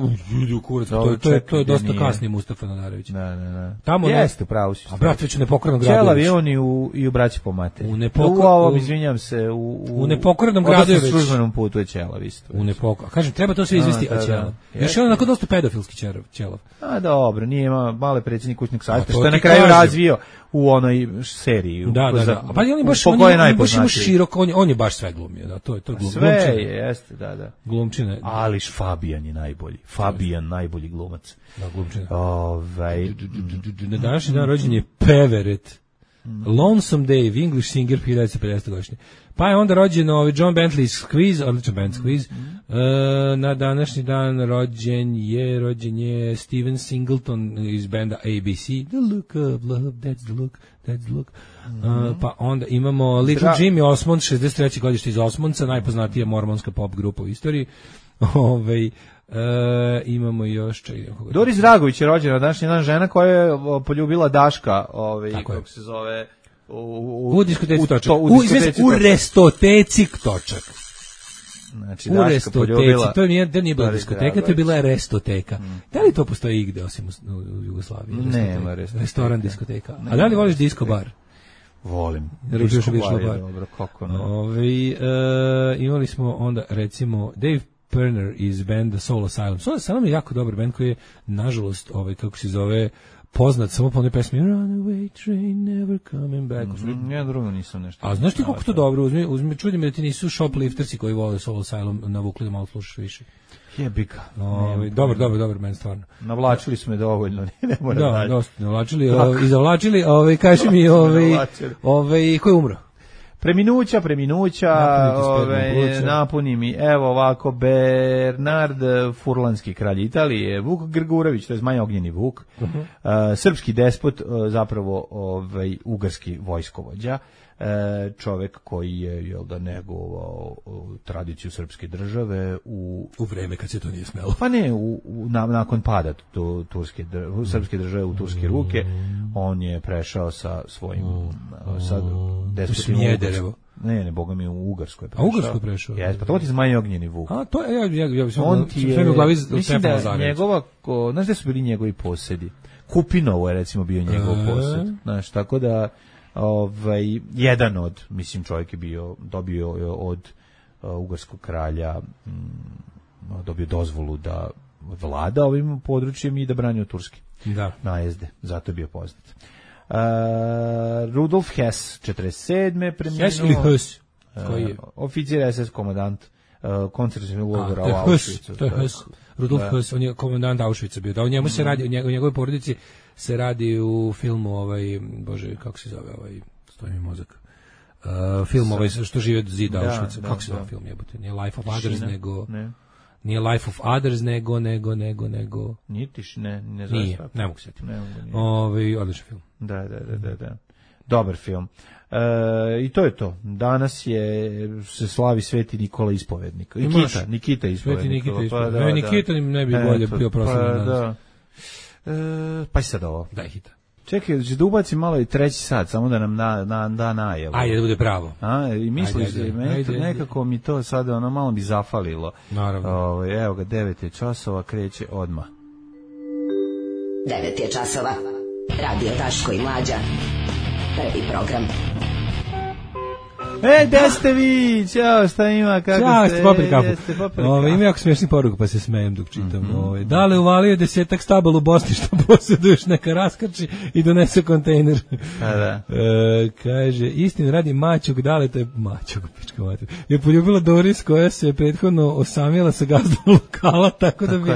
u kurac, to, to, to, je, to je dosta nije. Kasnije Mustafa Nadarević. Da, da, da. Tamo jeste, pravo si. A brat već u Nepokornom gradu. Ćelav je on i u, i u Braći po materi. U Nepokornom, u ovom, izvinjam se, u, u, u Nepokornom gradu je već. U službenom putu je ćelav isto. U Nepokornom. Kažem, treba to sve izvesti, a, a ćelav. Još je on onako dosta pedofilski ćelav. A dobro, nije ima male predsjednik kućnog savjeta, što je na kraju razvio u onoj seriji. Da, da, da. Pa on je baš, on je baš ima široko, on je, on je baš sve glumio, da, to je to glum, sve glumčina. Je, jeste, da, da. Glumčina. Ali Fabijan je najbolji. Fabijan najbolji glumac. Da, glumčina. Ovaj na današnji dan rođen je Peveret. Lonesome Dave, English singer, hiljadu devetsto pedesete godišnje. Pa je onda rođen ovaj John Bentley's Squeeze, odličan band Squeeze. Mm-hmm. E, na današnji dan rođen je, rođen je Steven Singleton iz benda A B C. The look of love, that's the look, that's the look. Mm-hmm. E, pa onda imamo Little Dra- Jimmy Osmond, šezdeset treće godište iz Osmondca, najpoznatija mormonska pop grupa u istoriji. Ove, e, imamo još... Čekaj, Doris Dragović je rođena na današnji dan, žena koja je poljubila Daška, ovaj, kako se zove... U, u, u diskoteci Točak. U, u, diskoteci u, u restoteci Točak. Znači, u restoteci. To nije, to nije bila diskoteka, to je bila restoteka. Mm. Da li to postoji igde osim u, u Jugoslaviji? Nema restoteka. Restoran, diskoteka. A da li voliš disco bar? Volim. Disco bar je dobro, kako ne. Ove, uh, imali smo onda, recimo, Dave Pirner iz benda Soul Asylum. Soul Asylum je jako dobar band koji je, nažalost, ovaj, kako se zove, poznat samo po onoj pesmi Runaway train never coming back. Mm, ja drugo nisam nešto. A znaš ti koliko to dobro? Uzmi, uzmi, čudim da ti nisu shopliftersi koji vole Soul Asylum navukli da malo slušaš više. Jebika. Ovaj dobar, dobar, dobar men stvarno. Navlačili smo je dovoljno, ne mora da. dalje. Da, dosta navlačili, i zavlačili, ovaj kaži mi, ovaj ovaj ko je umro? Preminuća, preminuća, ove, napuni mi, evo ovako, Bernard Furlanski, kralj Italije, Vuk Grgurević, to je Zmaj Ognjeni Vuk, uh-huh. uh, srpski despot, uh, zapravo ovaj, ugarski vojskovođa, uh, čovek koji je, jel da, negovao uh, tradiciju srpske države u... U vreme kad se to nije smelo. Pa ne, u, u, na, nakon pada tu, turske, u srpske države u turske ruke, on je prešao sa svojim, uh, sa despotima Ugarskoj. Ne, ne, boga mi u Ugarskoj prešao. A Ugarskoj prešao? Jes, pa to ti Zmaj Ognjeni Vuk. A, to je, ja, ja, ja, on ti je, u glavi mislim da njegova, ko, znaš gde su bili njegovi posedi? Kupinovo je recimo bio njegov posed. Znaš, tako da, ovaj, jedan od, mislim, čovjek je bio, dobio od uh, ugarskog kralja, um, dobio dozvolu da vlada ovim područjem i da brani od turske da. najezde. Zato je bio poznat. Uh, Rudolf Hess, četrdeset sedme preminuo. Hess ili Hess? Koji je? Uh, oficir S S komandant uh, koncentracionog logora u Auschwitzu. To je Hess. Rudolf da. Hess, on je komandant Auschwitza bio. Da, u njemu mm. se radi, u njegovoj porodici se radi u filmu ovaj, bože, kako se zove ovaj, stoji mi mozak. Uh, film ovaj što žive od zida da, Auschwitza. Da, kako se zove da. Film jebote? Nije Life of Others, Šine. nego ne. Nije Life of Others, nego, nego, nego, nego... Nije tiš, ne, ne zove nije, ne mogu sjetiti. Ove, odličan film. Da, da, da, da, da. Dobar film. E, I to je to. Danas je, se slavi Sveti Nikola Ispovednik. Nikita, Nikita Ispovednik. Sveti Nikita Ispovednik. Pa, da, ne, Nikita da. ne bi bolje bio proslavljen pa, danas. Da. E, pa i sad ovo. Daj hita. Čekaj, da će da ubacim malo i treći sat, samo da nam na, na, da najavu. Ajde, da bude pravo. A, i misliš da nekako mi to sada ono malo bi zafalilo. Naravno. O, evo ga, devet je časova, kreće odmah. Devet je časova. Radio Daško i Mlađa. Prvi program. E, gde ste vi? Ćao, šta ima, kako Ćao, ste? Ćao, popili kafu. Ove, ima jako smiješnih poruka, pa se smejem dok čitam. Mm-hmm. Ove, da li uvalio desetak stabala u Bosni što posjeduješ, neka raskrči i donese kontejner. A da. E, kaže, istin radi Maćog, da li to je Maćog, pička mater, je poljubila Doris koja se prethodno osamila sa gazdom lokala, tako, tako da bi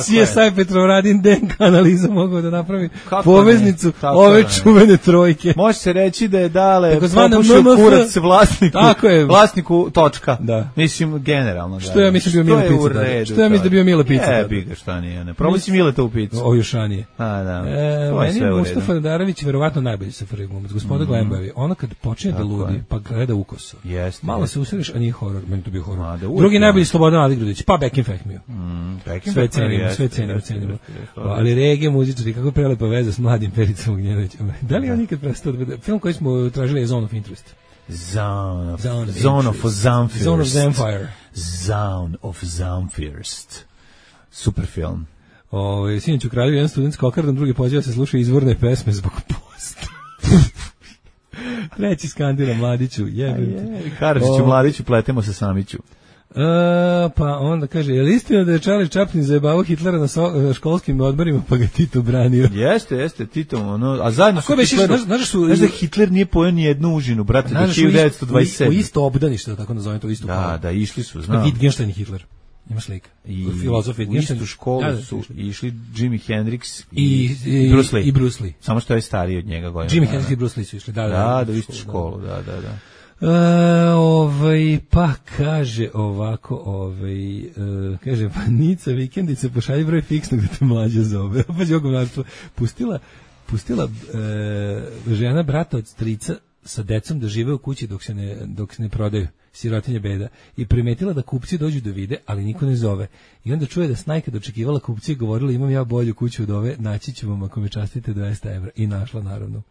C S I Petrovaradin D N K analiza mogao da napravi kako poveznicu ove ne. čuvene trojke. Može se reći da je Dale popušio kurac vlasniku, tako je. vlasniku točka. Da. Mislim, generalno. Što ja mislim bio Mile Pica. Da. Što ja mislim da bio Mile Pica. E, bi ga šta nije. Ne. Probaj si Mile to u picu. O, Jušanije. A, da. E, meni je Mustafa Nadarević verovatno najbolji safari glumac. Gospoda mm. Glembavi. Ona kad počne da ludi, pa gleda ukoso. Jeste. Malo se usreš, a nije horor. Meni to bio horor. A, da, drugi najbolji Slobodan Aligrudić. Pa Beckenfeck mio. Mm, sve cenimo, sve cenimo, cenimo. Ali regije muzičari, kako prelepa veza s mladim Pericom Ognjenovićem. Da li on nikad prestao da bude? Film koji smo tražili je Zone of Interest. Zone of, Zone of, Zone of Zamfirst. Zone of Zamfire. Zone of Zamfirst. Super film. Ove, sinoć u Kraljevu jedan student s kokardom, drugi poziva se sluša izvorne pesme zbog posta. Treći skandira Mladiću, jebem ti. Karadžiću, Mladiću, pletemo se Samiću. Uh, pa onda kaže, je li istina da je Charlie Chaplin zajebavao Hitlera na so, školskim odborima pa ga Tito branio? Jeste, jeste, Tito, ono, a zajedno su Hitleru, znaš, znaš da Hitler nije pojeo ni jednu užinu, brate, do hiljadu devetsto dvadeset sedme. U isto obdanište, da tako nazovem to, isto da, kao. Da, išli su, znam. Wittgenstein i Hitler. Ima slika. I Filozof je u istu školu da, da, su išli Jimi Hendrix i, i, i Bruce Lee. I Bruce Lee. Samo što je stariji od njega godina. Jimi Hendrix i Bruce Lee su išli, da, da. Da, da, u istu školu, da, da, da. E, ovaj, pa kaže ovako, ovaj, e, kaže, pa Nica vikendice, pošalji broj fiksnog da te mlađe zove. Pa je govnarstvo. Pustila, pustila e, žena brata od strica sa decom da žive u kući dok se ne, dok se ne prodaju, sirotinje beda, i primetila da kupci dođu da vide, ali niko ne zove. I onda čuje da Snajka dočekivala kupci i govorila, imam ja bolju kuću od ove, naći ću vam ako mi častite dvesta evra. I našla, naravno.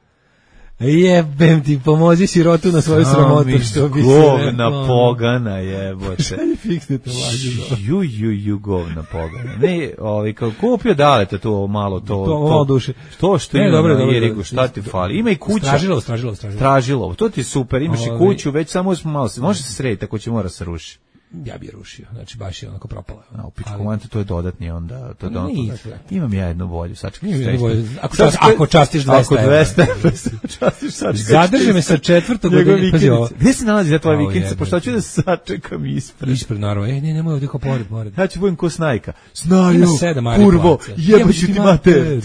Jebem ti, pomozi sirotu na svoju sramotu, što bi se govna pogana, jebote. Šta je fiksne to lađe? Ju, ju, ju, govna pogana. Ne, ovaj, kao kupio dalete to malo, to... To malo duše. To što ne, ima dobro, na dobro, Irigu, šta ti fali? Ima i kuća. Stražilo, stražilo, stražilo. Stražilo, to ti je super, imaš i kuću, već samo malo se, može se srediti, ako će mora se ruši. Ja bi je rušio, znači baš je onako propala. A u pičku mantu to je dodatni onda, to je dodatni. Imam ja jednu bolju, sačekaj. Ako, čast, ako častiš dvesta evra. Ako dvesta evra, častiš sačekaj. Zadrži me sa četvrtog godine. Pazi ovo. Gdje se nalazi za tvoje vikendice, pošto ću da sačekam ispred. Ispred, naravno. E, ne, nemoj ovdje kao pored, pored. Ja ću budem ko Snajka. Snajo, kurvo, jebaću ti mater.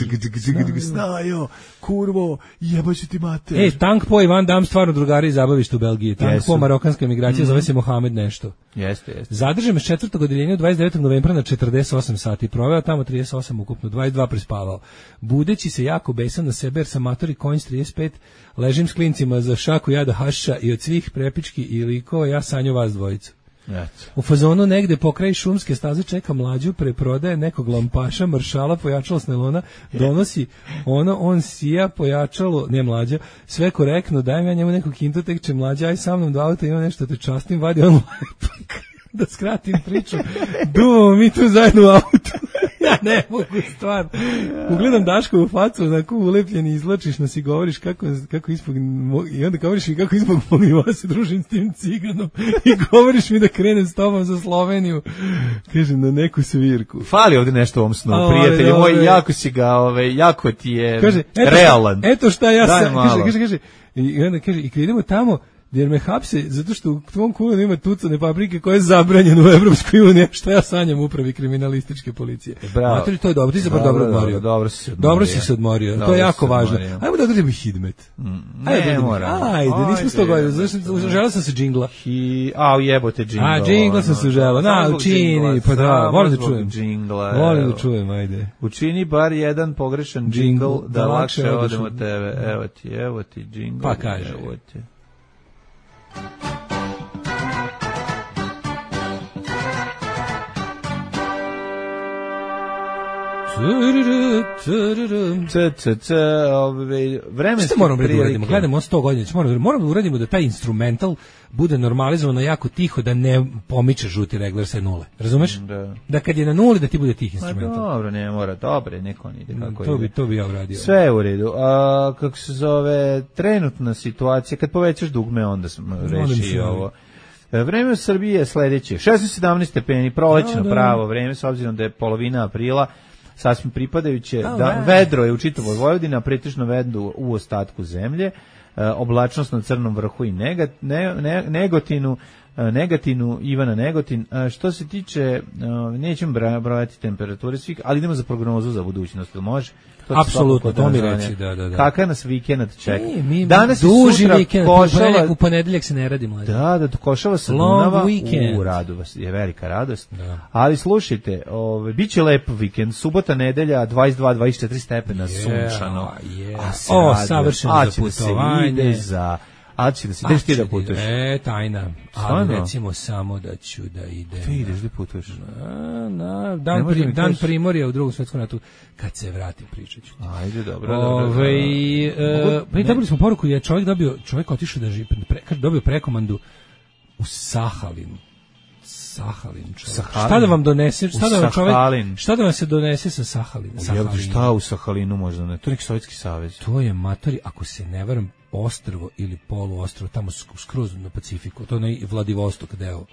Snajo, kurvo, jebaću ti mater. E, Tank Po i Van Damme stvarno drugari i zabavište u Belgiji. Tank Po, marokanska emigracija, zove se Mohamed nešto. Jeste, jeste. Zadržao me s četvrtog odeljenja dvadeset devetog novembra na četrdeset osam sati. Proveo tamo trideset osam ukupno, dvadeset dva prespavao. Budeći se jako besan na sebe jer sam matori konj s trideset pet, ležim s klincima za šaku jada hašiša i od svih prepički i likova ja sanju vas dvojicu. Eto. U fazonu negde pokraj šumske staze čeka mlađu, preprodaje nekog lampaša, maršala, pojačalo s nelona, donosi ono, on sija, pojačalo, ne mlađa, sve korektno, dajem ja njemu nekog kintu, tek će mlađa, aj sa mnom do auta, ima nešto te častim, vadi on lepak. Da skratim priču, duvamo mi tu zajedno u autu. Ja ne mogu stvar. Ugledam Daško u facu, onako ulepljen i izlačiš nas i govoriš kako, kako ispog, i onda govoriš mi kako ispog mogu se družim s tim ciganom i govoriš mi da krenem s tobom za Sloveniju. Kažem, na neku svirku. Fali ovdje nešto u ovom snu, prijatelju moj, jako si ga, ove, jako ti je kaže, eto realan. Šta, eto šta ja sam, kaže, kaže, kaže, i onda kaže, i kad idemo tamo, jer me hapse, zato što u tvom kulenu ima tucane paprike koje je zabranjeno u Evropskoj uniji, što ja sanjam upravi kriminalističke policije. Bravo. Matori, to je dobro, ti se bar dobro odmorio. Dobro si se odmorio. Dobro si se odmorio, dobro to je jako važno. Ajmo da odradimo hidmet. Mm, ajde, ne mora. Ajde, nismo sto godina, želeo sam se džingla. Hi, a jebote džingla. A, džingla sam se želeo, na, učini, pa da, volim da čujem. Džingla. Volim da čujem, ajde. Učini bar jedan pogrešan džingl da lakše odemo tebe. Evo ti, evo ti džingl. Pa kaže. Evo ti. C, c, c, vremenski što moramo da uradimo? Gledamo sto godina, moramo, moramo da uradimo da taj instrumental bude normalizovano jako tiho, da ne pomiče žuti regler sa nule. Razumeš? Da. Da kad je na nuli da ti bude tih instrumental. Ma dobro, ne mora, dobro, neko on ide kako to ide. Bi, to bi ja uradio. Sve je u redu. A, kako se zove, trenutna situacija, kad povećaš dugme, onda smo reši ovo. Vreme u Srbiji je sledeće. šesnaest sedamnaest stepeni, prolećno pravo vreme, s obzirom da je polovina aprila, sasvim pripadajuće, da, da vedro je u čitavoj Vojvodini, a pretežno vedro u ostatku zemlje, e, oblačnost na Crnom vrhu i negat, ne, ne, Negotinu, e, Negatinu, Ivana Negotin. E, što se tiče, e, nećemo brojati temperature svih, ali idemo za prognozu za budućnost, ili može? Apsolutno, to mi reći, da, da, da. Kakav nas vikend čeka? Mi, mi, danas duži vikend, Košava, u ponedeljak se ne radi mlađe. Da, da, Košava sa Dunava, u radu vas je velika radost. Da. Ali slušajte, ove, bit će lep vikend, subota, nedelja, dvadeset dva dvadeset četiri stepena, yeah, sunčano. Yeah. A se o, radi, savršeno a za putovanje. Da se za... A će da se, ideš ti da putuješ? E, tajna. Ali recimo samo da ću da idem. Ti ideš da putuješ? Na, na, dan, prim, dan Primorja u drugom svetskom ratu, kad se vratim pričat ću. Ajde, dobro, Ove, dobro. E, pa i dobili smo poruku, je čovjek dobio, čovjek otišao da živi, pre, dobio prekomandu u Sahalin. Sahalin, Sahalin. Šta da vam donese, šta da vam čovjek, šta da vam se donese sa Sahalina? Sahalin. Šta u Sahalinu možda ne? To je neki Sovjetski savez. To je matori, ako se ne varam, ostrvo ili poluostrvo, tamo skroz na Pacifiku, to je Vladivostok deo.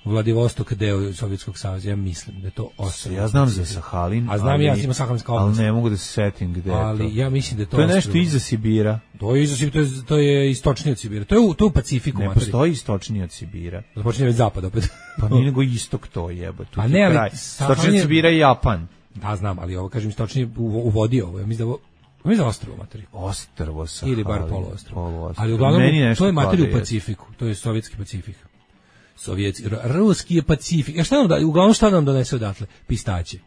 Vladivostok deo Sovjetskog saveza, ja mislim da je to ostrvo. Ja znam za Sahalin, a znam ali, ja ima Sahalinska oblast. Ali ne mogu da se setim gde ali je to. Ja mislim da je to. To je nešto iza Sibira. To je iza Sibira, to je, to je istočnije od Sibira. To je u, to je u Pacifiku. Ne materi. postoji istočnije od Sibira. Započinje već zapad opet. Pa nije nego istok to jebe. Tu a ne, ali istočnije od Sibira je Japan. Da, znam, ali ovo kažem istočnije u, u vodi ovo. Ja mislim da ovo mislim da ostrvo materi. Ostrvo Sahalin. Ili bar poluostrvo. poluostrvo. Ali uglavnom to je materi u Pacifiku. To je sovjetski Pacifik. Sovjetski, ruski je Pacifik. Ja šta nam da, uglavnom šta nam donese odatle? Pistaće.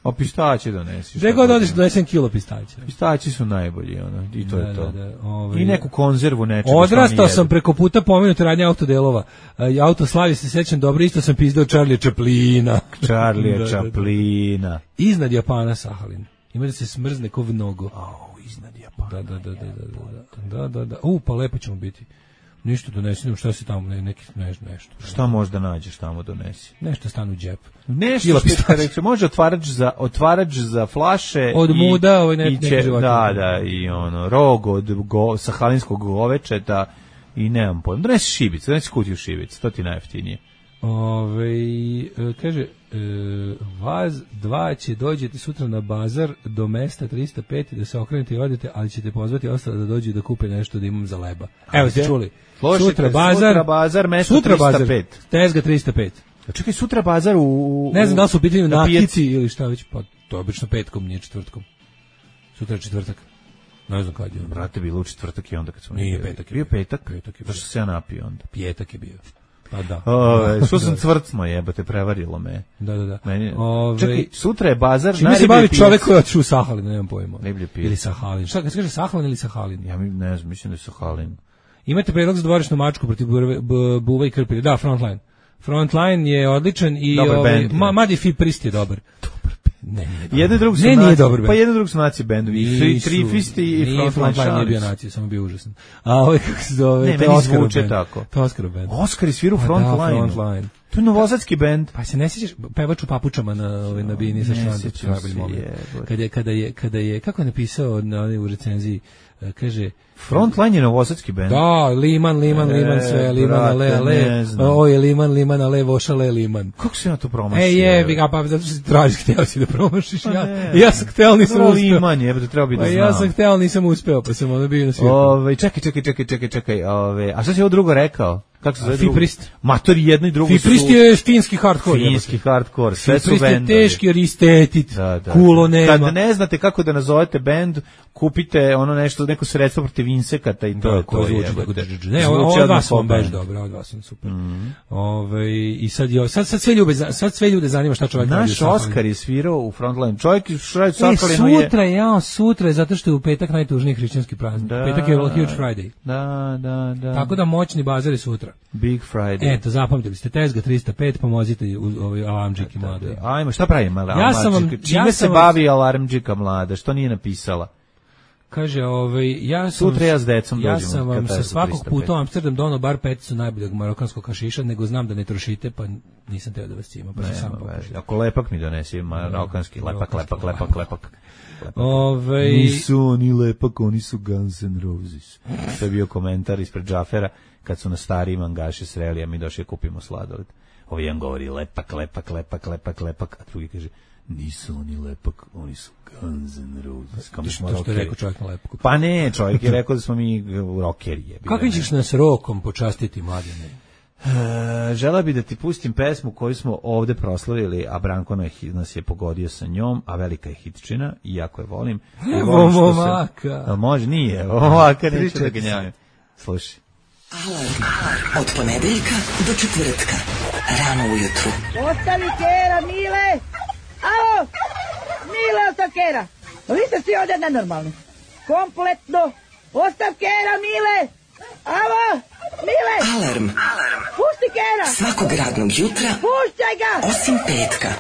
A pistaće donesi. Gde god odeš donesem kilo pistaća. Pistaći su najbolji, ono, i to da, je to. Da, da, ovaj, I neku konzervu nečega. Odrastao sam preko puta pomenute radnje autodelova. Auto slavi se sećam dobro, isto sam pizdao Charlie Chaplina. Charlie da, Chaplina. Da, da. Iznad Japana Sahalin. Ima da se smrzne ko mnogo. Au, iznad Japana. Da, da, da, da, da, da, da, da. U, pa lepo ćemo biti. Ništa donesi, šta se tamo, ne, neki, ne, nešto. Šta možda nađeš tamo donesi? Nešto stane u džep. Nešto što reče, može otvarač za, otvarač za flaše. Od i, muda, ovaj ne, i će, neki da, da, i ono, rog od go, sahalinskog govečeta i nemam pojma. Donesi šibicu, donesi kutiju šibicu, to ti najjeftinije. Ove, kaže, e, Vaz dva će dođete sutra na bazar do mesta trista pet da se okrenete i odete, ali ćete pozvati ostale da dođu da kupe nešto da imam za leba. Evo ste čuli. Slušajte, sutra bazar, sutra bazar, mesto sutra trista pet. Bazar, tezga trista pet. A čekaj, sutra bazar u... u ne znam da li su u pitanju na nakici ili šta već, pa to je obično petkom, nije četvrtkom. Sutra je četvrtak. Ne znam kad je. Brate, bilo u četvrtak i onda kad smo... Nije petak. Bio petak? Petak je bio. Zašto se ja napio onda? Pjetak je bio. Pa da. Ove, što sam cvrcno jebate, prevarilo me. Da, da, da. Meni, Ove, čekaj, sutra je bazar čime na se bavi čovjek koji je otišao u Sahalin, nemam pojma. Riblje pijac. Ili Sahalin. Šta, kad se kaže Sahalin ili Sahalin? Ja mi ne znam, mislim da je Sahalin. Imate predlog za dvorišnu mačku protiv buva i krpilja. Da, Frontline. Frontline je odličan i ovaj, ma, Madi Fi Prist je dobar. Dobar Ne, nije jedan drug su ne, naci, nije dobar bend. Pa jedan drug su naci bendovi. I Trifisti i Frontline. Frontline nije bio naci, samo bio užasan. A ovaj kako se zove, ne, to je Oscar bend. Tako. To je Oscar bend. Oscar sviru Frontline. Da, Frontline. To je novosadski bend. Pa se ne sjećaš pevač u papučama na ovaj na bini sa Šanom. Kada je kada je kada je kako je napisao na onoj u recenziji, kaže Frontline je novosadski bend. Da, Liman, Liman, e, Liman, sve, Liman, ale, ale, o je Liman, Liman, ale, vošale, Liman. Kako se ja to promašio? E, je, a pa zato što si tražiš, htio si da promašiš, ja, ja sam htio, nisam uspeo. Liman je, to treba bi da znam. Ja sam htio, nisam uspeo, pa sam ono bio na svijetu. Ove, čekaj, čekaj, čekaj, čekaj, čekaj, ove, a šta si ovo drugo rekao? Kako se zove drugo? Fiprist. Mator jedno i drugo su... Fiprist je finski hardcore. Finski hardcore, sve su bendovi. Fiprist je teški, ristetit, da, da, kulo nema. Kad ne znate kako da nazovete bend, kupite ono nešto, neko sredstvo protiv insekata i to da, je to. Zvuči, je, ne, od vas vam baš dobro, od vas vam super. Mm. Ove, I sad, jo, sad, sad, sve ljube, sad sve ljude zanima šta čovjek radi. Naš Oskar je svirao u Frontline. Čovjek šraj Sahalinu je... Sutra, ja, sutra je zato što je u petak najtužniji hrišćanski praznik. Da, petak je Huge Friday. Da, da, da. Tako da moćni bazar je sutra. Big Friday. Eto, zapamtili ste, tezga trista pet, pomozite u ovoj alarmdžiki mladoj. Ajmo, šta pravim alarmdžika? Ja sam vam, čime ja se sam bavi alarmdžika mlada? Što nije napisala? Kaže, ovaj, ja sam, sutra ja s decom ja dođemo. sam vam sa svakog puta u Amsterdam donao bar peticu najboljeg marokanskog hašiša, nego znam da ne trošite, pa nisam teo da vas cima, pa ne, sam pokušao. Ako lepak mi donesi, marokanski, lepak, lepak, lepak, lepak. Ove... Nisu oni lepak, oni su Guns N' Roses. To je bio komentar ispred Džafera, kad su na stariji mangaše sreli, a mi došli kupimo sladoled. Ovo jedan govori lepak, lepak, lepak, lepak, lepak, a drugi kaže, nisu oni lepak, oni su Guns N' Roses. Kao smo to što je rekao čovjek na lepku. Pa ne, čovjek je rekao da smo mi rockeri. Kako ćeš nas rokom počastiti, mladine? E, žela bi da ti pustim pesmu koju smo ovde proslavili, a Branko nas je pogodio sa njom, a velika je hitčina, i jako je volim. Evo momaka. Se, može, nije, momaka, neću da ganjavim. Slušaj. Alarm od ponedeljka do četvrtka, rano ujutru. Ostavi kera, Mile! Alo! Mile, ostav kera! Vi ste svi ovdje nenormalni. Kompletno! Ostav kera, Mile! Alo! Mile! Alarm. Alarm. Pusti kera! Svakog radnog jutra. Puštaj ga! Osim petka.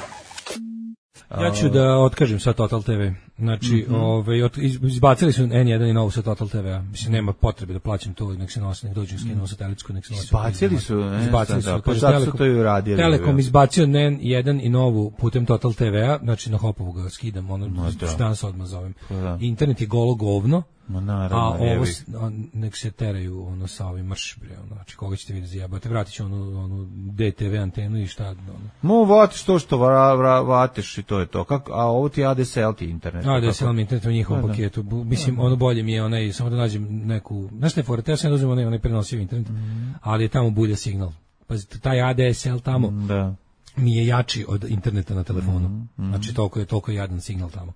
Ja ću da otkažem sa Total te ve. Znači, mm-hmm. ovaj, izbacili su en jedan i novu sa Total te ve. Mislim, nema potrebe da plaćam to, nek se nosi, nek dođu skinu satelitsku, nek se nosi. Izbacili su, ne, izbacili su. Da, pa zato su to i uradili. Telekom izbacio en jedan i novu putem Total te ve-a, znači na Hopovu ga skidam, ono, danas odmah zovem. Da. Internet je golo govno. Ma naravno, a ovo jebi. s- on, nek se teraju ono sa ovim marš bre, ono, znači koga ćete vidjeti zajebate, vratit ću onu, onu D T V antenu i šta, ono. Mo vatiš to što vra, vra, vatiš i to je to. Kako, a ovo ti A D S L ti internet. A, da kako? se vam internet u njihovom Da, da. paketu. Bu- Mislim, ono bolje mi je onaj, samo da nađem neku, znaš šta je fora, teo sam da uzmem onaj, onaj prenosiv internet, ali je tamo bulja signal. Pazite, taj A D S L tamo Da. mi je jači od interneta na telefonu. Znači, toliko je, toliko je jadan signal tamo.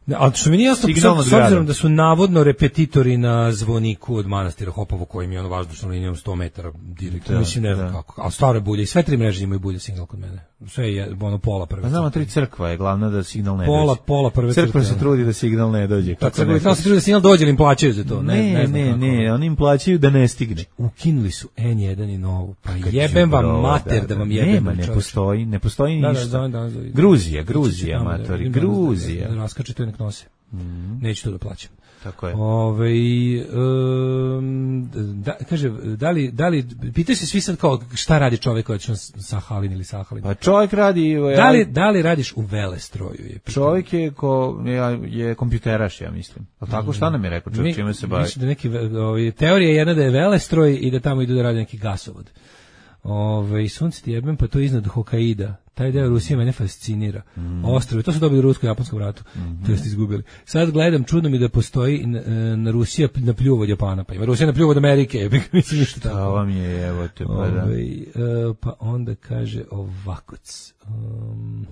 Ne, ali što mi nije jasno, Signal s nad s obzirom gradom. da su navodno repetitori na zvoniku od manastira Hopovo, koji mi je ono vazdušnom linijom sto metara direktno, Da, mislim, ne znam da. kako. Ali stare bulje, i sve tri mreže imaju bulje signal kod mene. Sve je, ono, pola prve. Pa znamo, crte. tri crkva je glavna da signal ne Pola, dođe. pola prve Crkva crte, se ono. trudi da signal ne dođe. Pa kako crkva ne bi trebalo se hoće. trudi da signal dođe, ali im plaćaju za to. Ne, Ne, ne, znam ne, kako. ne, oni im plaćaju da ne stigne. Ukinuli su N jedan i novu. Pa Kad jebem vam đubrova, mater da vam jebem. Nema, ne čoveče. postoji, ne postoji Da, da, ništa. da, da, da. Gruzija, Ići ću Gruzija, tamo da- matori, idem danas da- Gruzija. Da raskače to i nek nose. Neću to da plaćam. Tako je. Ove, um, da, kaže, da li, da li, pitaju se svi sad kao šta radi čovjek koji je Sahalin ili Sahalin. Pa čovjek radi... Da li, da li radiš u velestroju? Je pitanje. Čovjek je, ko, je, je kompjuteraš, ja mislim. A tako šta nam je rekao čovjek, Mi- čime se bavi? mislim da neki, ve- ovaj, teorija je jedna da je velestroj i da tamo idu da radi neki gasovod. Ove, sunce ti jebem, pa to je iznad Hokaida. Taj deo Rusije mene fascinira. Mm. Ostrove, to su dobili u rusko-japanskom ratu. Mm-hmm. To ste izgubili. Sad gledam, čudno mi da postoji na, na Rusija na pljuv od Japana. Pa ima Rusija na pljuv od Amerike. jebem, mislim ništa tako. To vam je, evo te, pa da. Ovaj, e, pa onda kaže ovakoc. Um,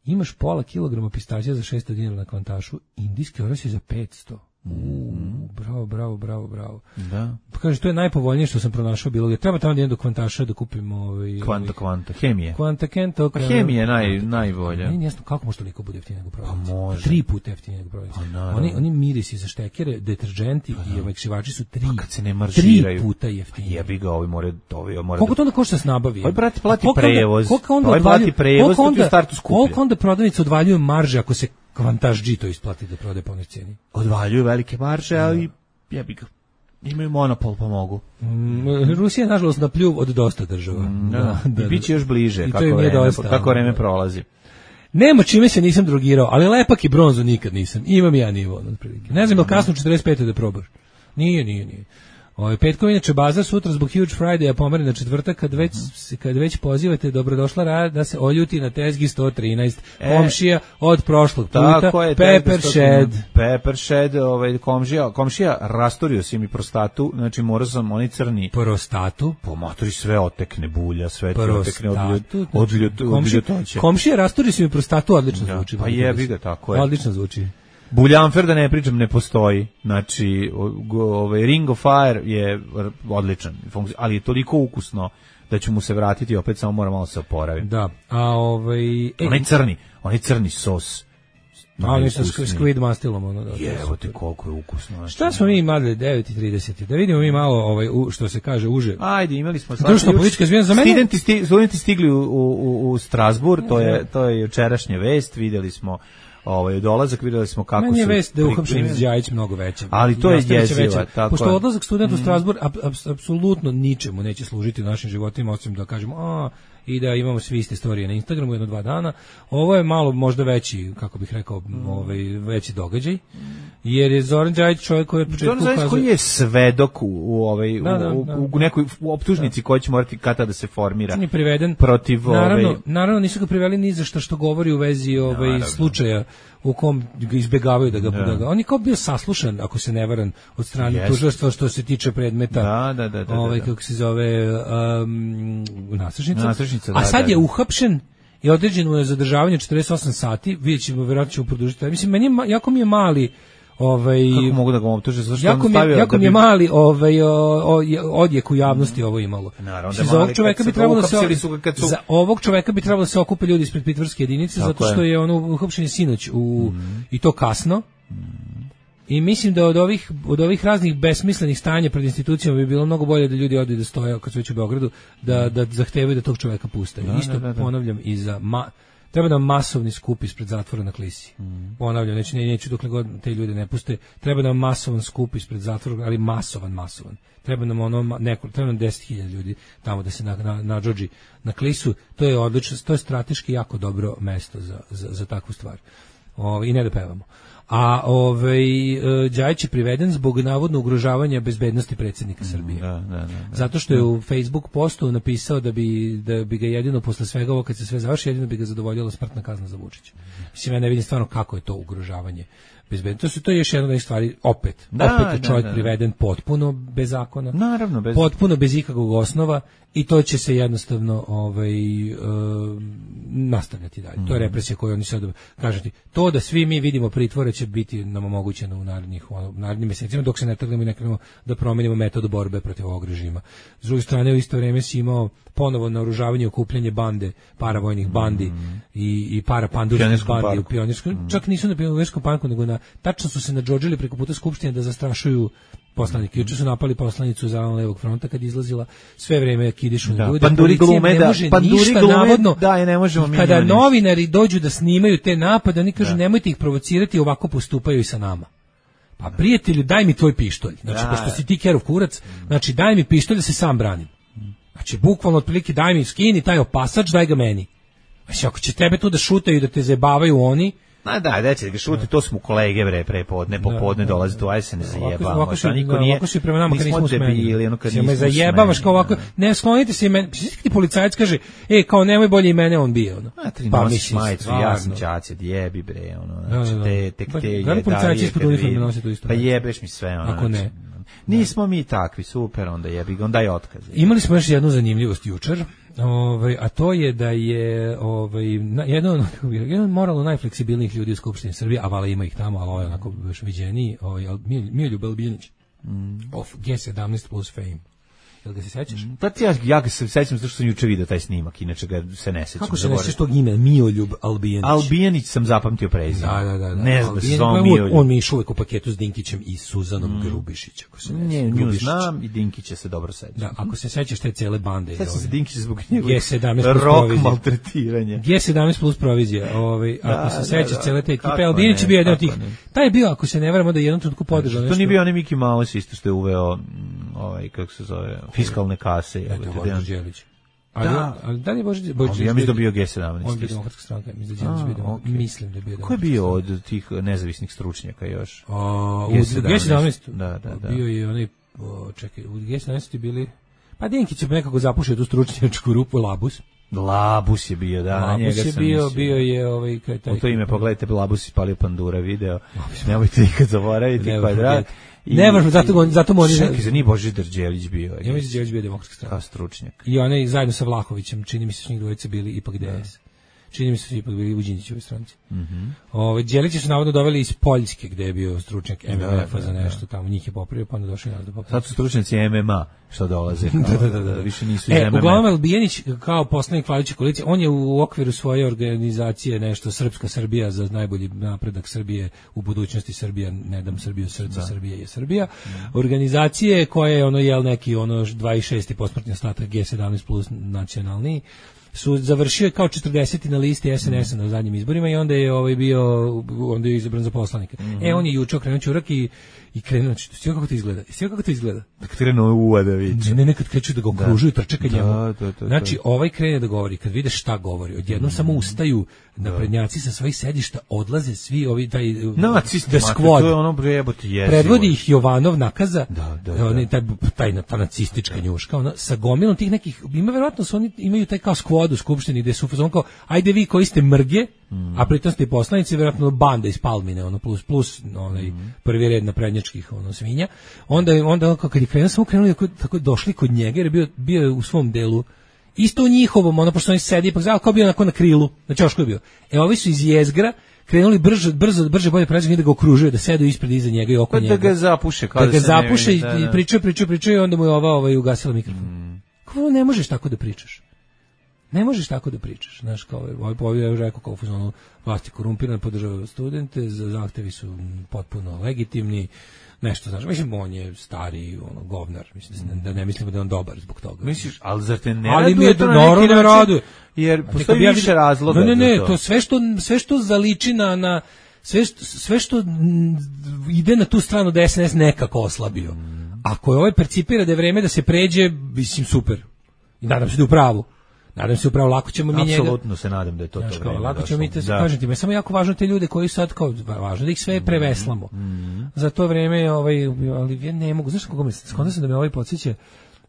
imaš pola kilograma pistaća za šesto dinara na kvantašu, indijski oros je za petsto. U, bravo, bravo, bravo, bravo. Da. Pa kaže, to je najpovoljnije što sam pronašao bilo. Treba tamo da idem do kvantaša da kupim ovaj... Kvanta, kvanta, hemije. Kvanta Kento. Pa hemija je naj, najbolja. Nije jasno kako može toliko bude jeftinije nego prodavnici. Pa može. Tri puta jeftinije nego prodavnici. Pa naravno. Oni, oni mirisi za štekere, deterdženti i ovaj kšivači su tri, Kad se ne maržiraju. tri puta jeftinije. Jebi ga, ovi more, ovi more. Koliko to onda košta s nabavi? Ovaj, brate, plati A koliko onda- prevoz. Koliko onda Ovaj plati odvaljuju- prevoz, koliko to ti u onda- startu skuplje. Koliko onda prodavnici odvaljuju marže ako se kvantaž G to isplati da prodaje po onoj cijeni? Odvaljuju velike marže, ali jebi ga. Imaju monopol, pa mogu. Mm, Rusija je nažalost na pljuv od dosta država. Da, I bit će još bliže, I to kako im je vreme, dosta, kako vreme da. prolazi. Nema čime se nisam drogirao, ali lepak i bronzu nikad nisam. Imam ja nivo, otprilike. Ne znam, je li kasno u četrdeset pete da probaš? Nije, nije, nije. Ovaj petkom inače bazar sutra zbog Huge Friday, a pomeri na četvrtak, kad već kad već pozivate dobrodošla rad da se oljuti na tezgi sto trinaest, E, komšija od prošlog puta, Tako je, Pepper Shed. Pepper Shed, ovaj komšija, komšija rastorio si mi prostatu, znači morao sam oni crni Prostatu. po motori sve otekne bulja, sve ti otekne od ljut, Prostatu. od ljut, od Komši- ljutoće. Komšija rasturi su mi prostatu, odlično Da, zvuči. pa moram jebi reći. ga, tako je. Odlično zvuči. Buljanfer, da ne pričam, ne postoji. Znači, o- go- ovaj Ring of Fire je r- odličan, funkci- ali je toliko ukusno da ću mu se vratiti, opet samo moram malo se oporaviti. Da. A ovaj e, Onaj crni, onaj crni sos. a oni sa najukusniji. squid mastilom ono da. Jevo ti koliko je ukusno. znači. Šta smo mi imali devet i trideset? Da vidimo mi malo ovaj u, što se kaže uže. Ajde, imali smo Društveno politička izmjena za mene. Studenti, sti, studenti stigli u, u, u Strasbourg, to je, to je jučerašnja vest, vidjeli smo ovaj dolazak, videli smo kako Meni je su vest da je pri- uhapšen primljeni. Đajić mnogo veća. Ali to je Nastavit će jeziva, veća. tako Pošto je. odlazak studenta u Strasbourg ap, ap, apsolutno ničemu neće služiti u našim životima, osim da kažemo a i da imamo svi iste storije na Instagramu jedno dva dana. Ovo je malo možda veći, kako bih rekao, ovaj veći događaj. Jer je Zoran Đajić čovjek koji je od početka Zoran Đajić koji ukazao- je svedok u, u ovaj Da, da, u, da. u, u nekoj u optužnici koja će morati kata da se formira. On je priveden protiv naravno, ovaj naravno nisu ga priveli ni za što što govori u vezi ovaj Naravno. slučaja u kom ga izbegavaju da ga, Da. da ga on je kao bio saslušan, ako se ne varam, od strane Jeste. tužilaštva što se tiče predmeta. Da, da, da, da, da, Ovaj da. kako se zove um, naslušnica. Naslušnica, da, A sad da, je da. uhapšen i određeno je zadržavanje četrdeset osam sati. Vidjet ćemo, vjerojatno ćemo produžiti. Mislim, meni je, ma- jako mi je mali ovaj kako mogu da ga optuže zato što jako on mi, je- stavio jako da mi je bi- mali ovaj, o, o, odjek u javnosti ovo imalo. Naravno da Znači, je za ovog mali, čoveka kad bi su ga trebalo da se uhapsili su ga kad su- za ovog čoveka bi trebalo da se okupe ljudi ispred pritvorske jedinice, Tako zato što je. je ono uhapšen je sinoć u i to kasno. I mislim da od ovih od ovih raznih besmislenih stanja pred institucijama bi bilo mnogo bolje da ljudi odu i da stoje kad su već u Beogradu, da da zahtevaju da tog čoveka puste. Da, Isto da, da, da. ponavljam i za ma, treba nam masovni skup ispred zatvora na Klisi. Ponavljam, neću, ne, neću dokle god te ljude ne puste. Treba nam masovan skup ispred zatvora, ali masovan, masovan. Treba nam ono ma- neko, treba nam deset hiljada ljudi tamo da se na na na Džodži na Klisu. To je odlično, to je strateški jako dobro mesto za za za takvu stvar. O, i ne da pevamo. A ovaj Đajić je priveden zbog navodno ugrožavanja bezbednosti predsjednika Srbije. Da, da, da, da. Zato što je u Facebook postu napisao da bi da bi ga jedino posle svega ovo kad se sve završi jedino bi ga zadovoljila smrtna kazna za Vučića. Mislim ja ne vidim stvarno kako je to ugrožavanje bezbednosti. To su to je još jedna od stvari opet. Da, opet je čovjek da, da. priveden potpuno bez zakona. Naravno, bez potpuno bez ikakvog osnova i to će se jednostavno ovaj uh, nastavljati dalje. Mm. To je represija koju oni sad kažete. To da svi mi vidimo pritvore će biti nam omogućeno u narednih ono, narednim mjesecima dok se ne trgnemo i ne krenemo da promenimo metod borbe protiv ovog režima. S druge strane u isto vrijeme si imao ponovo naoružavanje i okupljanje bande, paravojnih bandi mm. i, i parapanduških bandi u Pionirskom. Mm. Čak nisu na Pionirskom parku, nego na, tačno su se nadžodžili preko puta Skupštine da zastrašuju poslanike. Juče su napali poslanicu za levog fronta kad izlazila, sve vreme kidišu na ljude. Panduri glume, ne može da, panduri ništa glume, navodno. Da, je ne možemo mi. Kada novinari dođu da snimaju te napade, oni kažu da. Nemojte ih provocirati, ovako postupaju i sa nama. Pa prijatelju, daj mi tvoj pištolj. Znači, da. pošto si ti Kerov kurac, znači daj mi pištolj da se sam branim. Znači, bukvalno otprilike daj mi skini taj opasač, daj ga meni. Znači, ako će tebe tu da šutaju i da te zajebavaju oni, Ma da, da će da ga šuti, to smo kolege bre prepodne, popodne dolaze tu, aj se ne zajebamo. Ovako su, niko nije, ovako su prema nama kad nismo debili, ono kad nismo. Me zajebavaš kao ovako, ne sklonite se i meni. Ti policajac kaže, ej, kao nemoj bolje i mene on bije, ono. Pa mislim, majicu, ja sam đaci, jebi bre, ono, znači te, tek te je. Da li policajac ispod uniforme nosi to isto? Pa jebeš mi sve, ono. Ako ne. Nismo mi takvi, super, onda jebi ga, onda je otkaz. Imali smo još jednu zanimljivost jučer, ovaj, a to je da je ovaj, jedan, jedan moralno najfleksibilnijih ljudi u Skupštini Srbije, a vala ima ih tamo, ali ovo je onako još viđeniji, ovaj, Miroljub Albijanić, mm. of G sedamnaest plus fame. Jel ga se sećaš? Pa ti ja, ja ga se sećam zato što sam juče vidio taj snimak, inače ga se ne sećam. Kako se ne sećaš tog imena? Miroljub Albijanić. Albijanić sam zapamtio prezime. Da, da, da. da. Ne znam da se zove Miroljub. On mi je išao uvek u paketu s Dinkićem i Suzanom mm. Grubišić, ako se ne sećam. Nju znam i Dinkića se dobro sećam. Da, ako se sećaš te cele bande. Sećam se Dinkića zbog njegovog G sedamnaest plus rock provizija. maltretiranja. G sedamnaest plus provizija. Ovaj, ako se sećaš cele te ekipe, Albijanić je bio jedan od tih. Taj je bio, ako se ne varam, da jednom trenutku podržao nešto. To nije bio onaj Mickey Mouse isto što je uveo ovaj, kako se zove, fiskalne kase. Eto, Boris Đelić. Ali, da. Ali da li je Boris Đelić? Ja mislim da bio G sedamnaest. On je bio demokratska stranka. Mislim da je bio, okay. Mislim da je bio. Ko je bio od tih nezavisnih stručnjaka još? A, u G sedamnaest. Da, da, da. Bio je onaj, o, čekaj, u G sedamnaest je bili, pa Dinkić je nekako zapušio tu stručnjačku rupu, Labus. Labus je bio, da, Labus njega je sam bio, mislio. bio je ovaj, kaj taj. U to ime pogledajte, Labus ispalio Pandura video. Nemojte nikad zaboraviti Kvadrat. Ne možemo, zato, zato mu oni... Čekaj, za nije Božidar Đelić bio. Ja mislim da Đelić bio demokratska stranka. Kao stručnjak. I onaj zajedno sa Vlahovićem, čini mi se s njih dvojica bili ipak D S. Čini mi se su ipak bili u Đinđićevoj stranci. Mm-hmm. Ove, Đelića su navodno doveli iz Poljske, gde je bio stručnjak M M F-a za nešto tamo. Njih je popravio, pa onda došli nas da popravio. Sad su stručnjaci M M A što dolaze. da, da, da, da. Više nisu iz e, M M A. Uglavnom, Albijanić, kao poslanik vladajuće koalicije, on je u okviru svoje organizacije nešto Srpska Srbija za najbolji napredak Srbije u budućnosti Srbija, ne dam Srbiju srca, Srbija je Srbija. Mm. Organizacije koje je ono jel neki ono dvadeset šesti posmrtni ostatak G sedamnaest plus nacionalni su završio kao četrdeseti na listi S N S-a na zadnjim izborima i onda je ovaj bio onda je izabran za poslanika. Mm-hmm. E on je juče okrenuo ćurak i i krenuo, sve kako to izgleda. Sve kako to izgleda. Da krenuo u Uvadović. Ne, ne, nekad kreću da ga okružuju, trče ka njemu. Da, da, da, znači, ovaj krene da govori, kad vide šta govori, odjednom mm. samo ustaju naprednjaci sa svojih sedišta, odlaze svi ovi taj nacisti, the squad. To je ono brejebote jezivo. Predvodi ih Jovanov Nakaza, da, da, da. Oni, taj, taj, ta nacistička da. njuška, ona, sa gomilom tih nekih, ima verovatno su oni imaju taj kao squad u skupštini gde su on kao, ajde vi koji ste mrge, mm. a pritom ste poslanici, verovatno banda iz Palmine, ono plus plus onaj mm. prvi red naprednjačkih ono svinja. Onda onda kad je krenuo samo krenuli tako, tako došli kod njega jer je bio bio u svom delu isto u njihovom, ono pošto oni sedi ipak kao bio onako na krilu, na ćošku je bio. E ovi su iz jezgra krenuli brže brzo brže bolje pređe da ga okružuju, da sedu ispred iza njega i oko pa njega. Da ga zapuše kao da, da ga se zapuše ne vidi, i pričaju, pričaju, pričaju i onda mu je ova ovaj ugasila mikrofon. Mm. Kako ne možeš tako da pričaš? Ne možeš tako da pričaš, znaš, kao ovaj povijel je rekao kao fuzonu vlasti korumpirane, podržavaju studente, zahtevi su potpuno legitimni, nešto, znaš, mislim, on je stari, ono, govnar, mislim, da ne mislimo da je on dobar zbog toga. Misliš, ali zar te ne ali raduje mi je to na naravno neki ne način? raduje. Jer postoji ja više razloga. Ne, ne, ne, to. to sve što, sve što zaliči na, na sve što, sve što ide na tu stranu da S N S nekako oslabio. Ako je ovaj percipira da je vreme da se pređe, mislim, super. I nadam se da je u pravu. Nadam se upravo lako ćemo mi njega. Apsolutno se nadam da je to Znaš, to kao, vreme. lako ćemo mi te, da. kažem ti, me samo jako važno te ljude koji sad kao važno da ih sve preveslamo. Mm. Za to vreme ovaj ali ja ne mogu, znaš kako me skonto sam da me ovaj podsjeća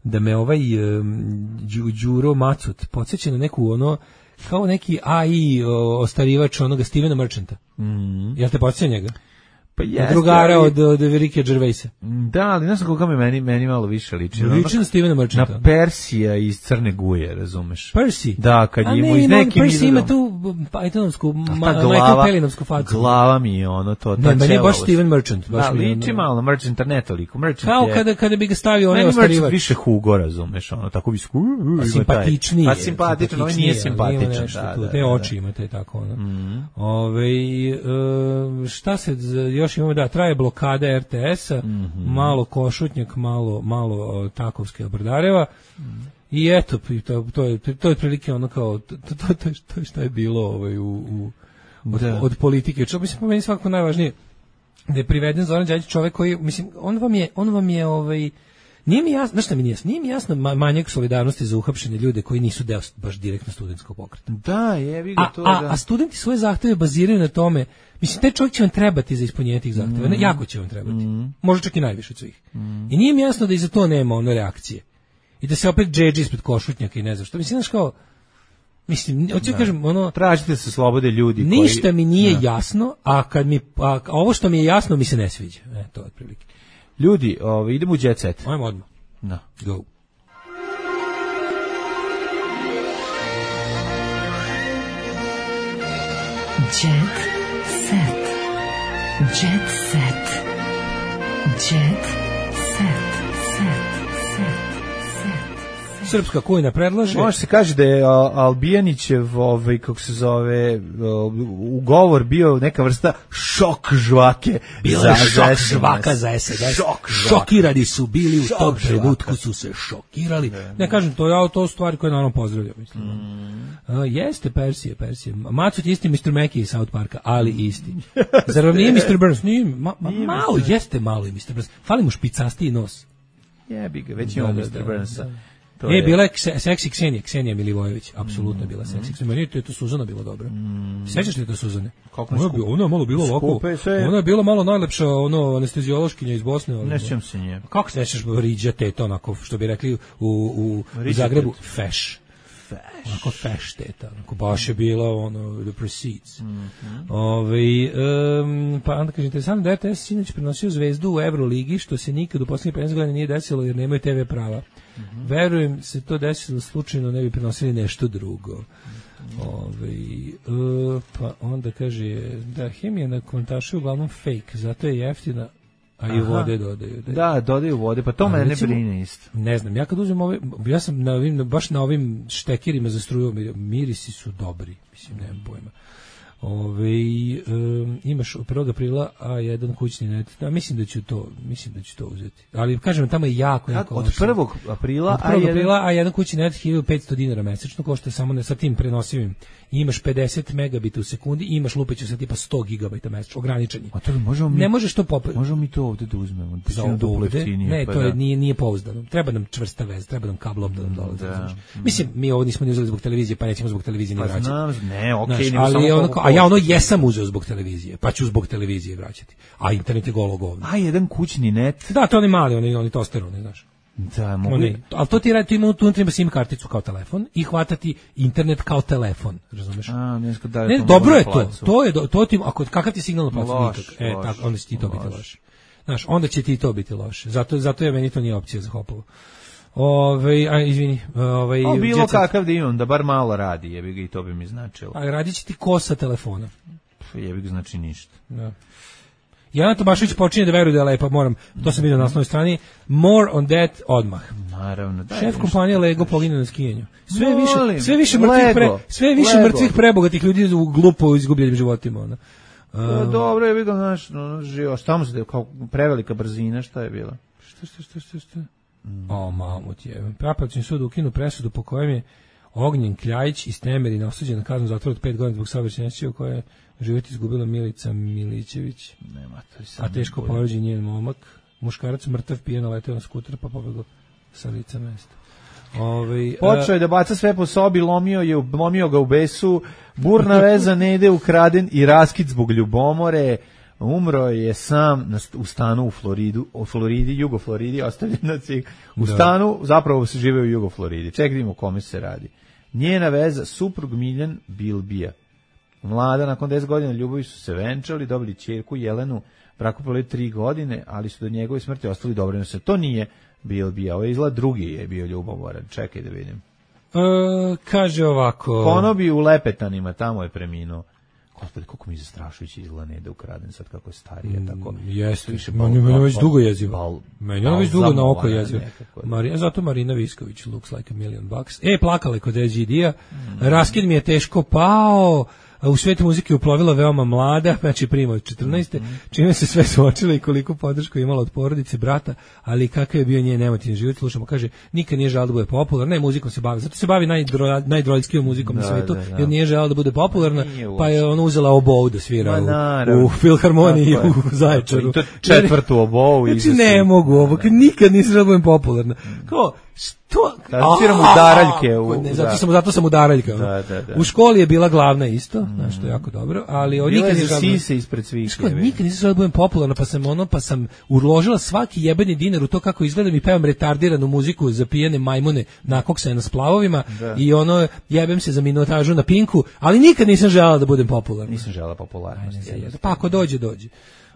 da me ovaj um, Đuro Macut podsjeća na neku ono kao neki A I o, ostarivač onoga Stevena Merchanta. Mm. Jel te podsjeća njega? Pa jeste, drugara ali- od, od Ricka Gervaisa. Da, ali ne znam koga me meni, meni malo više liči. Liči na Stevena Merchanta. Na Persija iz Crne Guje, razumeš? Percy. Da, kad A je mu ne, iz ima on nekim Percy ima izgledom- tu Pythonovsku, A ma, ta Michael Pellinovsku facu. glava mi je ono to. ta Ne, meni je baš ćelavost. Steven Merchant. Baš Da, mi je liči ono- malo na Merchanta, ne toliko. Merchant Kao je... kada, kada bi ga stavio onaj Meni Merchant ostarivač. više Hugo, razumeš, ono, tako bi sku... ima taj- Simpatičniji. Pa je, simpatičan, ovaj nije simpatičniji, ali ima simpatičan, nešto da, tu, da, te da, oči da. imate tako ono. Mhm. Ove, e, šta se z- još imamo, da, traje blokada R T S-a, Mhm. malo Košutnjak, malo, malo o, Takovske Brdareva, i eto, i to, to, je, to je otprilike ono kao, to, to, to, to, je- to je šta je bilo ovaj, u, u, od, Da. od politike. Čo, mislim, po meni svakako najvažnije, da je priveden Zoran Đađić čovek koji, mislim, on vam je, on vam je, ovaj, nije mi jasno, znaš šta mi nije jasno, nije mi jasno ma- manjak solidarnosti za uhapšene ljude koji nisu deo baš direktno studentskog pokreta. Da, jebi ga A, to, a, da. a studenti svoje zahteve baziraju na tome, mislim, taj čovjek će vam trebati za ispunjenje tih zahteva, Mm. ne, jako će vam trebati, možda čak i najviše od svih. I nije mi jasno da i za to nema ono reakcije. I da se opet džedži ispred Košutnjaka i ne znam što, mislim, znaš kao, mislim, hoću da kažem, ono, Tražite se slobode ljudi koji... ništa mi nije jasno, a kad mi, a, a ovo što mi je jasno mi se ne sviđa. E, to je otprilike. Ljudi, ovaj, idemo u jet set. Ajmo odmah. Da. Go. Jet set. Jet set. Jet set. Set. Set. Srpska kujna predlaže. Može se kaže da je a, Albijanićev, ovaj, kako se zove, a, ugovor bio neka vrsta šok žvake. Bilo za- je za šok S N S. žvaka za S N S. Šok žvake. Šokirani su bili u Šok tom žvaka. trenutku, su se šokirali. Ne kažem, to je to stvari koje naravno pozdravljam. Mislim. A, jeste Persije, Persije. Macut je isti mister Mackey iz South Parka, ali isti. Zar vam nije mister Burns? Nije, ma, ma, Nije malo, mister jeste malo i mister Burns. Fali mu špicastiji nos. Jebi ga, već Da, imamo da, mister da, Burnsa. da. To E, bila je kse- seksi Ksenija, Ksenija Milivojević, apsolutno je bila Mm. seksi. Meni je to, je to Suzana bila dobra. Sećaš li to Suzane? Kako Ona je, skup- bila- ona je malo bila ovako, skupa je sve. ona je bila malo najlepša ono anesteziološkinja iz Bosne. ali- Ne sjećam se nje. Kako se nećeš Riđa teta, onako, što bi rekli u, u, u Riđa Zagrebu, teta. feš. Onako feš teta, onako baš je bila ono, the proceeds. Ovaj, em, pa onda kaže, interesantno da R T S sinoć prenosio Zvezdu u Euroligi, što se nikad u posljednjih petnaest godina nije desilo jer nemaju te ve prava. Verujem se to desilo slučajno, ne bi prenosili nešto drugo. Ovaj, e, pa onda kaže da hemija na kontašu je uglavnom fake, zato je jeftina, a i Aha. vode dodaju. Da, Da, dodaju vode, pa to Ali mene ne recimo- brine isto. ne znam, ja kad uzmem ove, ja sam na ovim, baš na ovim štekirima za struju, mir- mirisi su dobri, mislim, nemam pojma. Ove, um, imaš od prvog aprila A jedan kućni net, da, mislim da ću to, mislim da ću to uzeti. Ali kažem, tamo je jako, jako Od loše. prvog aprila, Od prvog a jedan- aprila, a jedan kućni net hiljadu petsto dinara mesečno, košta samo ne, sa tim prenosivim. I imaš pedeset megabita u sekundi i imaš lupeću sa tipa sto gigabajta mesečno, ograničeni. A to možemo mi, Ne možeš to popet. možemo mi to ovde da uzmemo. Da Za će nam duplo ovde, jeftinije, ne, pa to da. je, nije, nije pouzdano. Treba nam čvrsta veza, treba nam kablom da nam dolazi. Da. znaš. Mislim, mi ovo nismo ni uzeli zbog televizije, pa nećemo zbog televizije ni Pa vraćati. znam, ne, okej, Znaš, nego ali samo ono, koliko kao- a ja ono košta. jesam uzeo zbog televizije, pa ću zbog televizije vraćati. A internet je golo govno. A jedan kućni net. Da, to oni mali, oni, oni tosteroni, znaš. Da, mogu. Oni, ali to ti radi, tu ima, tu unutra ima sim karticu kao telefon i hvatati internet kao telefon, razumeš? A, ne znam da li Ne, to dobro mogu je na to. placu. To je do- to ti ako kakav ti signal na placu Loš, nikak. E, loš, tako onda će ti to biti loš. loše. Znaš, onda će ti to biti loše. Zato zato je meni to nije opcija za Hopovo. Ovaj, a izvini, ovaj A bilo jet set. kakav da imam, da bar malo radi, jebi ga i to bi mi značilo. A radit će ti ko sa telefona. Pff, Jebi ga znači ništa. Da. Jana Tomašević počinje da veruje da je lepa, moram, to sam vidio na naslovnoj strani, more on that odmah. Naravno, da. Šef kompanije Lego pogine na skijenju. Sve Molim, više, sve više mrtvih pre, Lego, sve više Lego. mrtvih prebogatih ljudi u glupo izgubljenim životima, ona. Pa, dobro, jebi ga, znaš, no, živo, šta mu se da kao prevelika brzina, šta je bila? Šta, šta, šta, šta, šta? O, mamut je. Apelacioni sud ukinu presudu po kojem je Ognjen Kljajić iz Temerina osuđen na kaznu zatvora od pet godina zbog saobraćajne nesreće u kojoj je život izgubila Milica Milićević, Nema, to je samo a teško bolje. povređen njen momak. Muškarac mrtav pijen naleteo na skuter pa pobegao sa lica mesta. Ovaj Počeo je da baca sve po sobi, lomio je, lomio ga u besu, burna veza Nede ukraden i raskid zbog ljubomore. Umro je sam na, u stanu u Floridu, u Floridi, Jugo Floridi, ostavljen na cig. U da. stanu, zapravo se žive u Jugo Floridi. Ček, vidimo o kome se radi. Njena veza, suprug Miljan Bilbija. Mlada, nakon deset godina ljubavi su se venčali, dobili ćerku Jelenu, braku proveli tri godine, ali su do njegove smrti ostali dobri. To nije Bilbija, ovo je izgleda drugi je bio ljubomoran. Čekaj da vidim. E, kaže ovako. Konobi u Lepetanima, tamo je preminuo. Gospodи, koliko mi zastrašujući izgleda Neda ukraden sad kako je starija, tako. Jeste, meni je već dugo jezivo. Meni je već dugo na oko jezivo. Marina, zato Marina Visković looks like a million bucks. E, plakala je kod E G D-a. Raskid mi je teško pao. U svijetu muzike uplovila veoma mlada, znači prima od četrnaeste, čime se sve suočila i koliko podršku imala od porodice, brata, ali kakav je bio njen emotivni život, slušamo, kaže, nikad nije želala da bude popularna, ne, muzikom se bavi, zato se bavi najdro, najdroljskijom muzikom da, na svijetu, da, da. jer nije želala da bude popularna, pa je ona uzela obou da svira u, u filharmoniji u Zaječaru. I to četvrtu obou. Znači, ne mogu ovo, nikad nisam želala da budem popularna. Kao, što? Kada sviramo udaraljke. U, ne, zato, sam, zato sam udaraljka. Da, da, da. U školi je bila glavna isto, mm. znači to je jako dobro, ali od nikad nisam sise ispred svih. Nikad nisam želala da budem popularna, pa sam ono, pa sam uložila svaki jebeni dinar u to kako izgledam i pevam retardiranu muziku za pijene majmune nakoksane na splavovima da. i ono, jebem se za minutažu na Pinku, ali nikad nisam želala da budem popularna. Nisam želala popularnost. Pa ako dođe, dođe.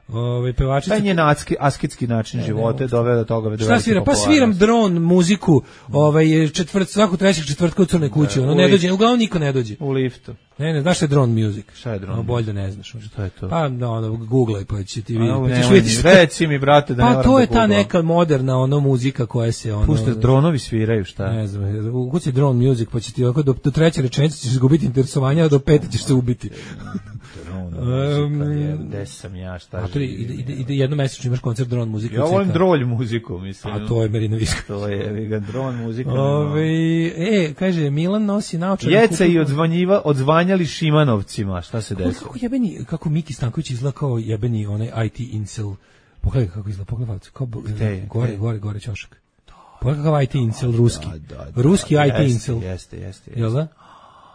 Ove pevačica. Taj njen asketski način ne, života doveo do toga da. Šta svira? Pa sviram dron muziku, ovaj četvrt svaku trećeg četvrtka u Crnoj kući, ono ne dođe, uglavnom niko ne dođe. U liftu. Ne, ne, znaš šta je drone music? Šta je drone? No, bolje da ne znaš. Šta je to? Pa, da, ono, googlaj pa će ti vidjeti. Pa ćeš vidjeti. Reci mi, brate, da ne pa, moram to je da ta neka moderna ono muzika koja se ono. Pušta dronovi sviraju, šta? Ne znam, ukuci drone music pa će ti ovako do, do treće rečenice ćeš izgubiti interesovanje, a do pete ćeš se ubiti. Um, gde sam ja, šta živim? Ide, ide, ide jednomesečno imaš koncert drone muzike. Ja volim drolj muziku, mislim. A to je Marina Visković. To je, vega, drone muzika. Ove, e, kaže, Milan nosi naočare. Jeca i odzvanjiva, odzvanjali Šimanovcima, šta se desilo? Kako jebeni, kako Miki Stanković izgleda kao jebeni onaj I T incel. Pogledaj kako izgleda, pogledaj kao gde, gore, gde? gore, gore ćošak. Pogledaj kakav I T incel ruski. Da, da, da, ruski da, I T jeste, incel. Jeste, jeste, jeste. Jel da?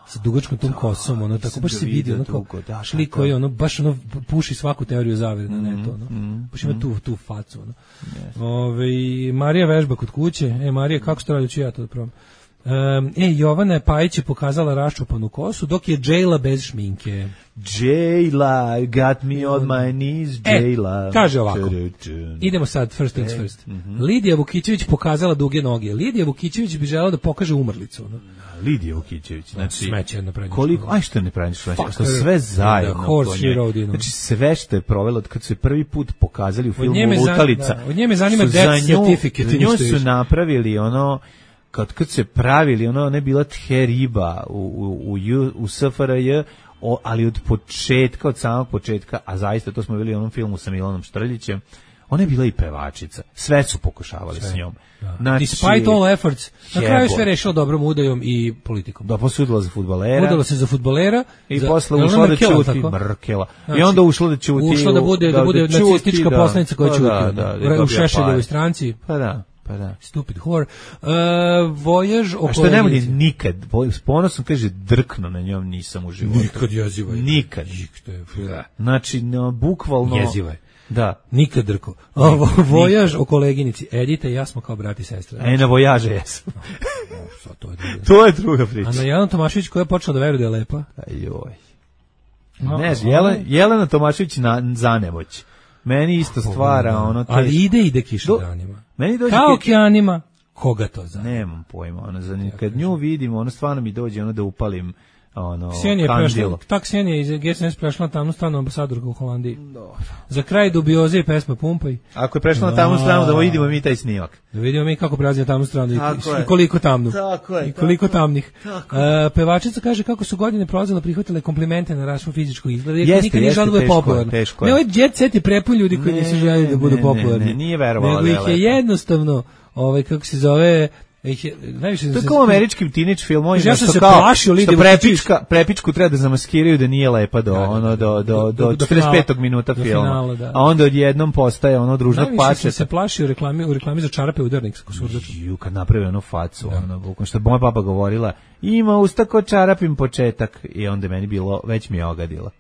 Sa dugačkom tom kosom, ono tako baš se vidi, ono kao da, šli koji ono baš ono puši svaku teoriju zavere na netu, ono. Mm, baš ima mm. tu tu facu, ono. Yes. Ove Marija vežba kod kuće. E Marija, kako što radiš ja to da probam. Um, e Jovana Pajić je pokazala raščupanu kosu, dok je Jayla bez šminke. Jayla, got me on my knees, Jayla. E, kaže ovako. Idemo sad, first things first. Mm -hmm. Lidija Vukićević pokazala duge noge. Lidija Vukićević bi želela da pokaže umrlicu, ono. Lidija Vukićević, znači smeće jedno prednje. Koliko, aj što ne prednje smeće, što sve zajedno. Znači sve što je provelo od kad su je prvi put pokazali u filmu Lutalica. Da, od njeme zanima death certificate. Nju su napravili ono kad kad se pravili ono ne bila the riba u u u, u S F R J, o, ali od početka, od samog početka, a zaista to smo vidjeli u onom filmu sa Milanom Štrljićem. Ona je bila i pevačica. Sve su pokušavali sve s njom. Da. Znači, despite all efforts, na kraju sve rešilo dobrom udajom i politikom. Da, posudila za fudbalera. Udala se za fudbalera. I za, posle ušla da ćuti Merkela. Znači, I onda ušla da ćuti. Ušla da bude, da, da bude da nacistička da, poslanica koja ćuti. Da, da, da, u Šešeljevoj stranci. Pa da. Pa da. Stupid whore. Uh, vojaž oko... A što ne voli nikad, s ponosom kaže drkno na njom nisam u životu. Nikad jeziva je. Nikad. Nikad. Znači, no, bukvalno... Jeziva je. Da. Nikad drko. Ovo, vojaž o koleginici. Edita i ja smo kao brat i sestra. E, na vojaže jesam. No, to, je druga. to je druga priča. A na Jelena Tomašević koja je počela da veruje da je lepa. Ajoj. Ne, Jelena, Jelena Tomašević na zanemoć. Meni isto stvara ono... Teš... Ali ide, ide kiša danima. Meni dođe... Kao okeanima. Koga to zna? Nemam pojma. Ono, za, kad nju vidim, ono stvarno mi dođe ono da upalim ono Ksenija je prešla, tak Ksenija iz G S N S prešla na tamnu stranu ambasadorka u Holandiji. Dobro. Za kraj dubioze i pesma Pumpaj. Ako je prešla na tamnu stranu, da vidimo mi taj snimak. Da vidimo mi kako prelazi na tamnu stranu i, i koliko tamnu. Tako je. I koliko tako, tamnih. Tako. Uh, pevačica kaže kako su godine prolazile, prihvatile komplimente na račun fizičkog izgleda. Jer nikad nije želila da bude popularna. Ne, ovaj jet set je prepun ljudi koji nisu željeli da budu popularni. Ne, ne, nije verovala. Nego ih je jednostavno, ovaj, kako se zove, Ih, najviše To je kao u američkim teenage filmovima, ja sam što se kao, plašio što Lidija prepička, prepičku treba da zamaskiraju da nije lepa do, ono, do, do, do, do četrdeset petog minuta do filma. finala, da. A onda odjednom postaje ono družnog Najviše sam pačeta. se plašio u reklami, u reklami za čarape udarnik sa kosurdačom. Ju, kad napravi onu facu, ono, bukvalno, što je moja baba govorila, ima usta ko čarapim početak, i onda je meni bilo, već mi je ogadila.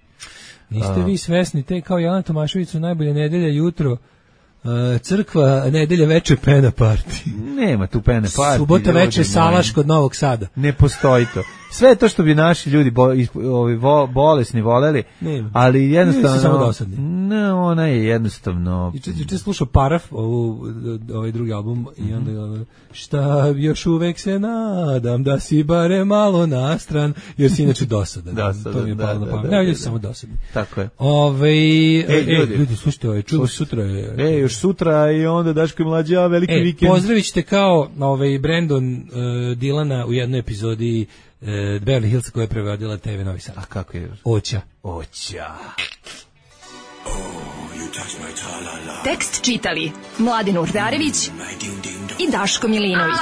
Niste vi svesni, te kao Jelena Tomašević su najbolje nedelje jutro, uh, crkva, nedelje veče pena party. Nema tu pene party. Subota ljudi veče moji. salaš kod Novog Sada. Ne postoji to. Sve to što bi naši ljudi bo, is, ovi, vo, bolesni voleli, Nema. ali jednostavno... Nisu samo dosadni. Ne, ona je jednostavno... Juče juče slušao Paraf, ovu, ovaj drugi album, i onda mm-hmm. šta još uvek se nadam da si bare malo nastran, jer si inače dosadan. Dosadan, to mi je da, palo na da, pamet. da, Ne, da, ljudi su da. samo dosadni. Tako je. Ove, Ej, e, ljudi. ljudi, slušajte, ovaj, ču, sutra je... E, još sutra i onda Daško i Mlađa, veliki E, vikend. pozdravit ćete kao ovaj, Brandon uh, Dilana u jednoj epizodi uh, Beverly Hillsa koja je prevodila te ve Novi Sad. A kako je? Oća. Oća. Tekst čitali Mladin Urdarević i Daško Milinović.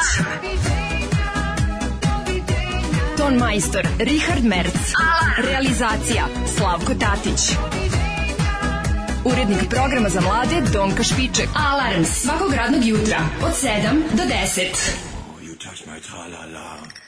Ton majstor Richard Merc. Realizacija Slavko Tatić. Urednik programa za mlade Donka Špiček. Alarms svakog radnog jutra od sedam do deset. You touch my tra-la-la.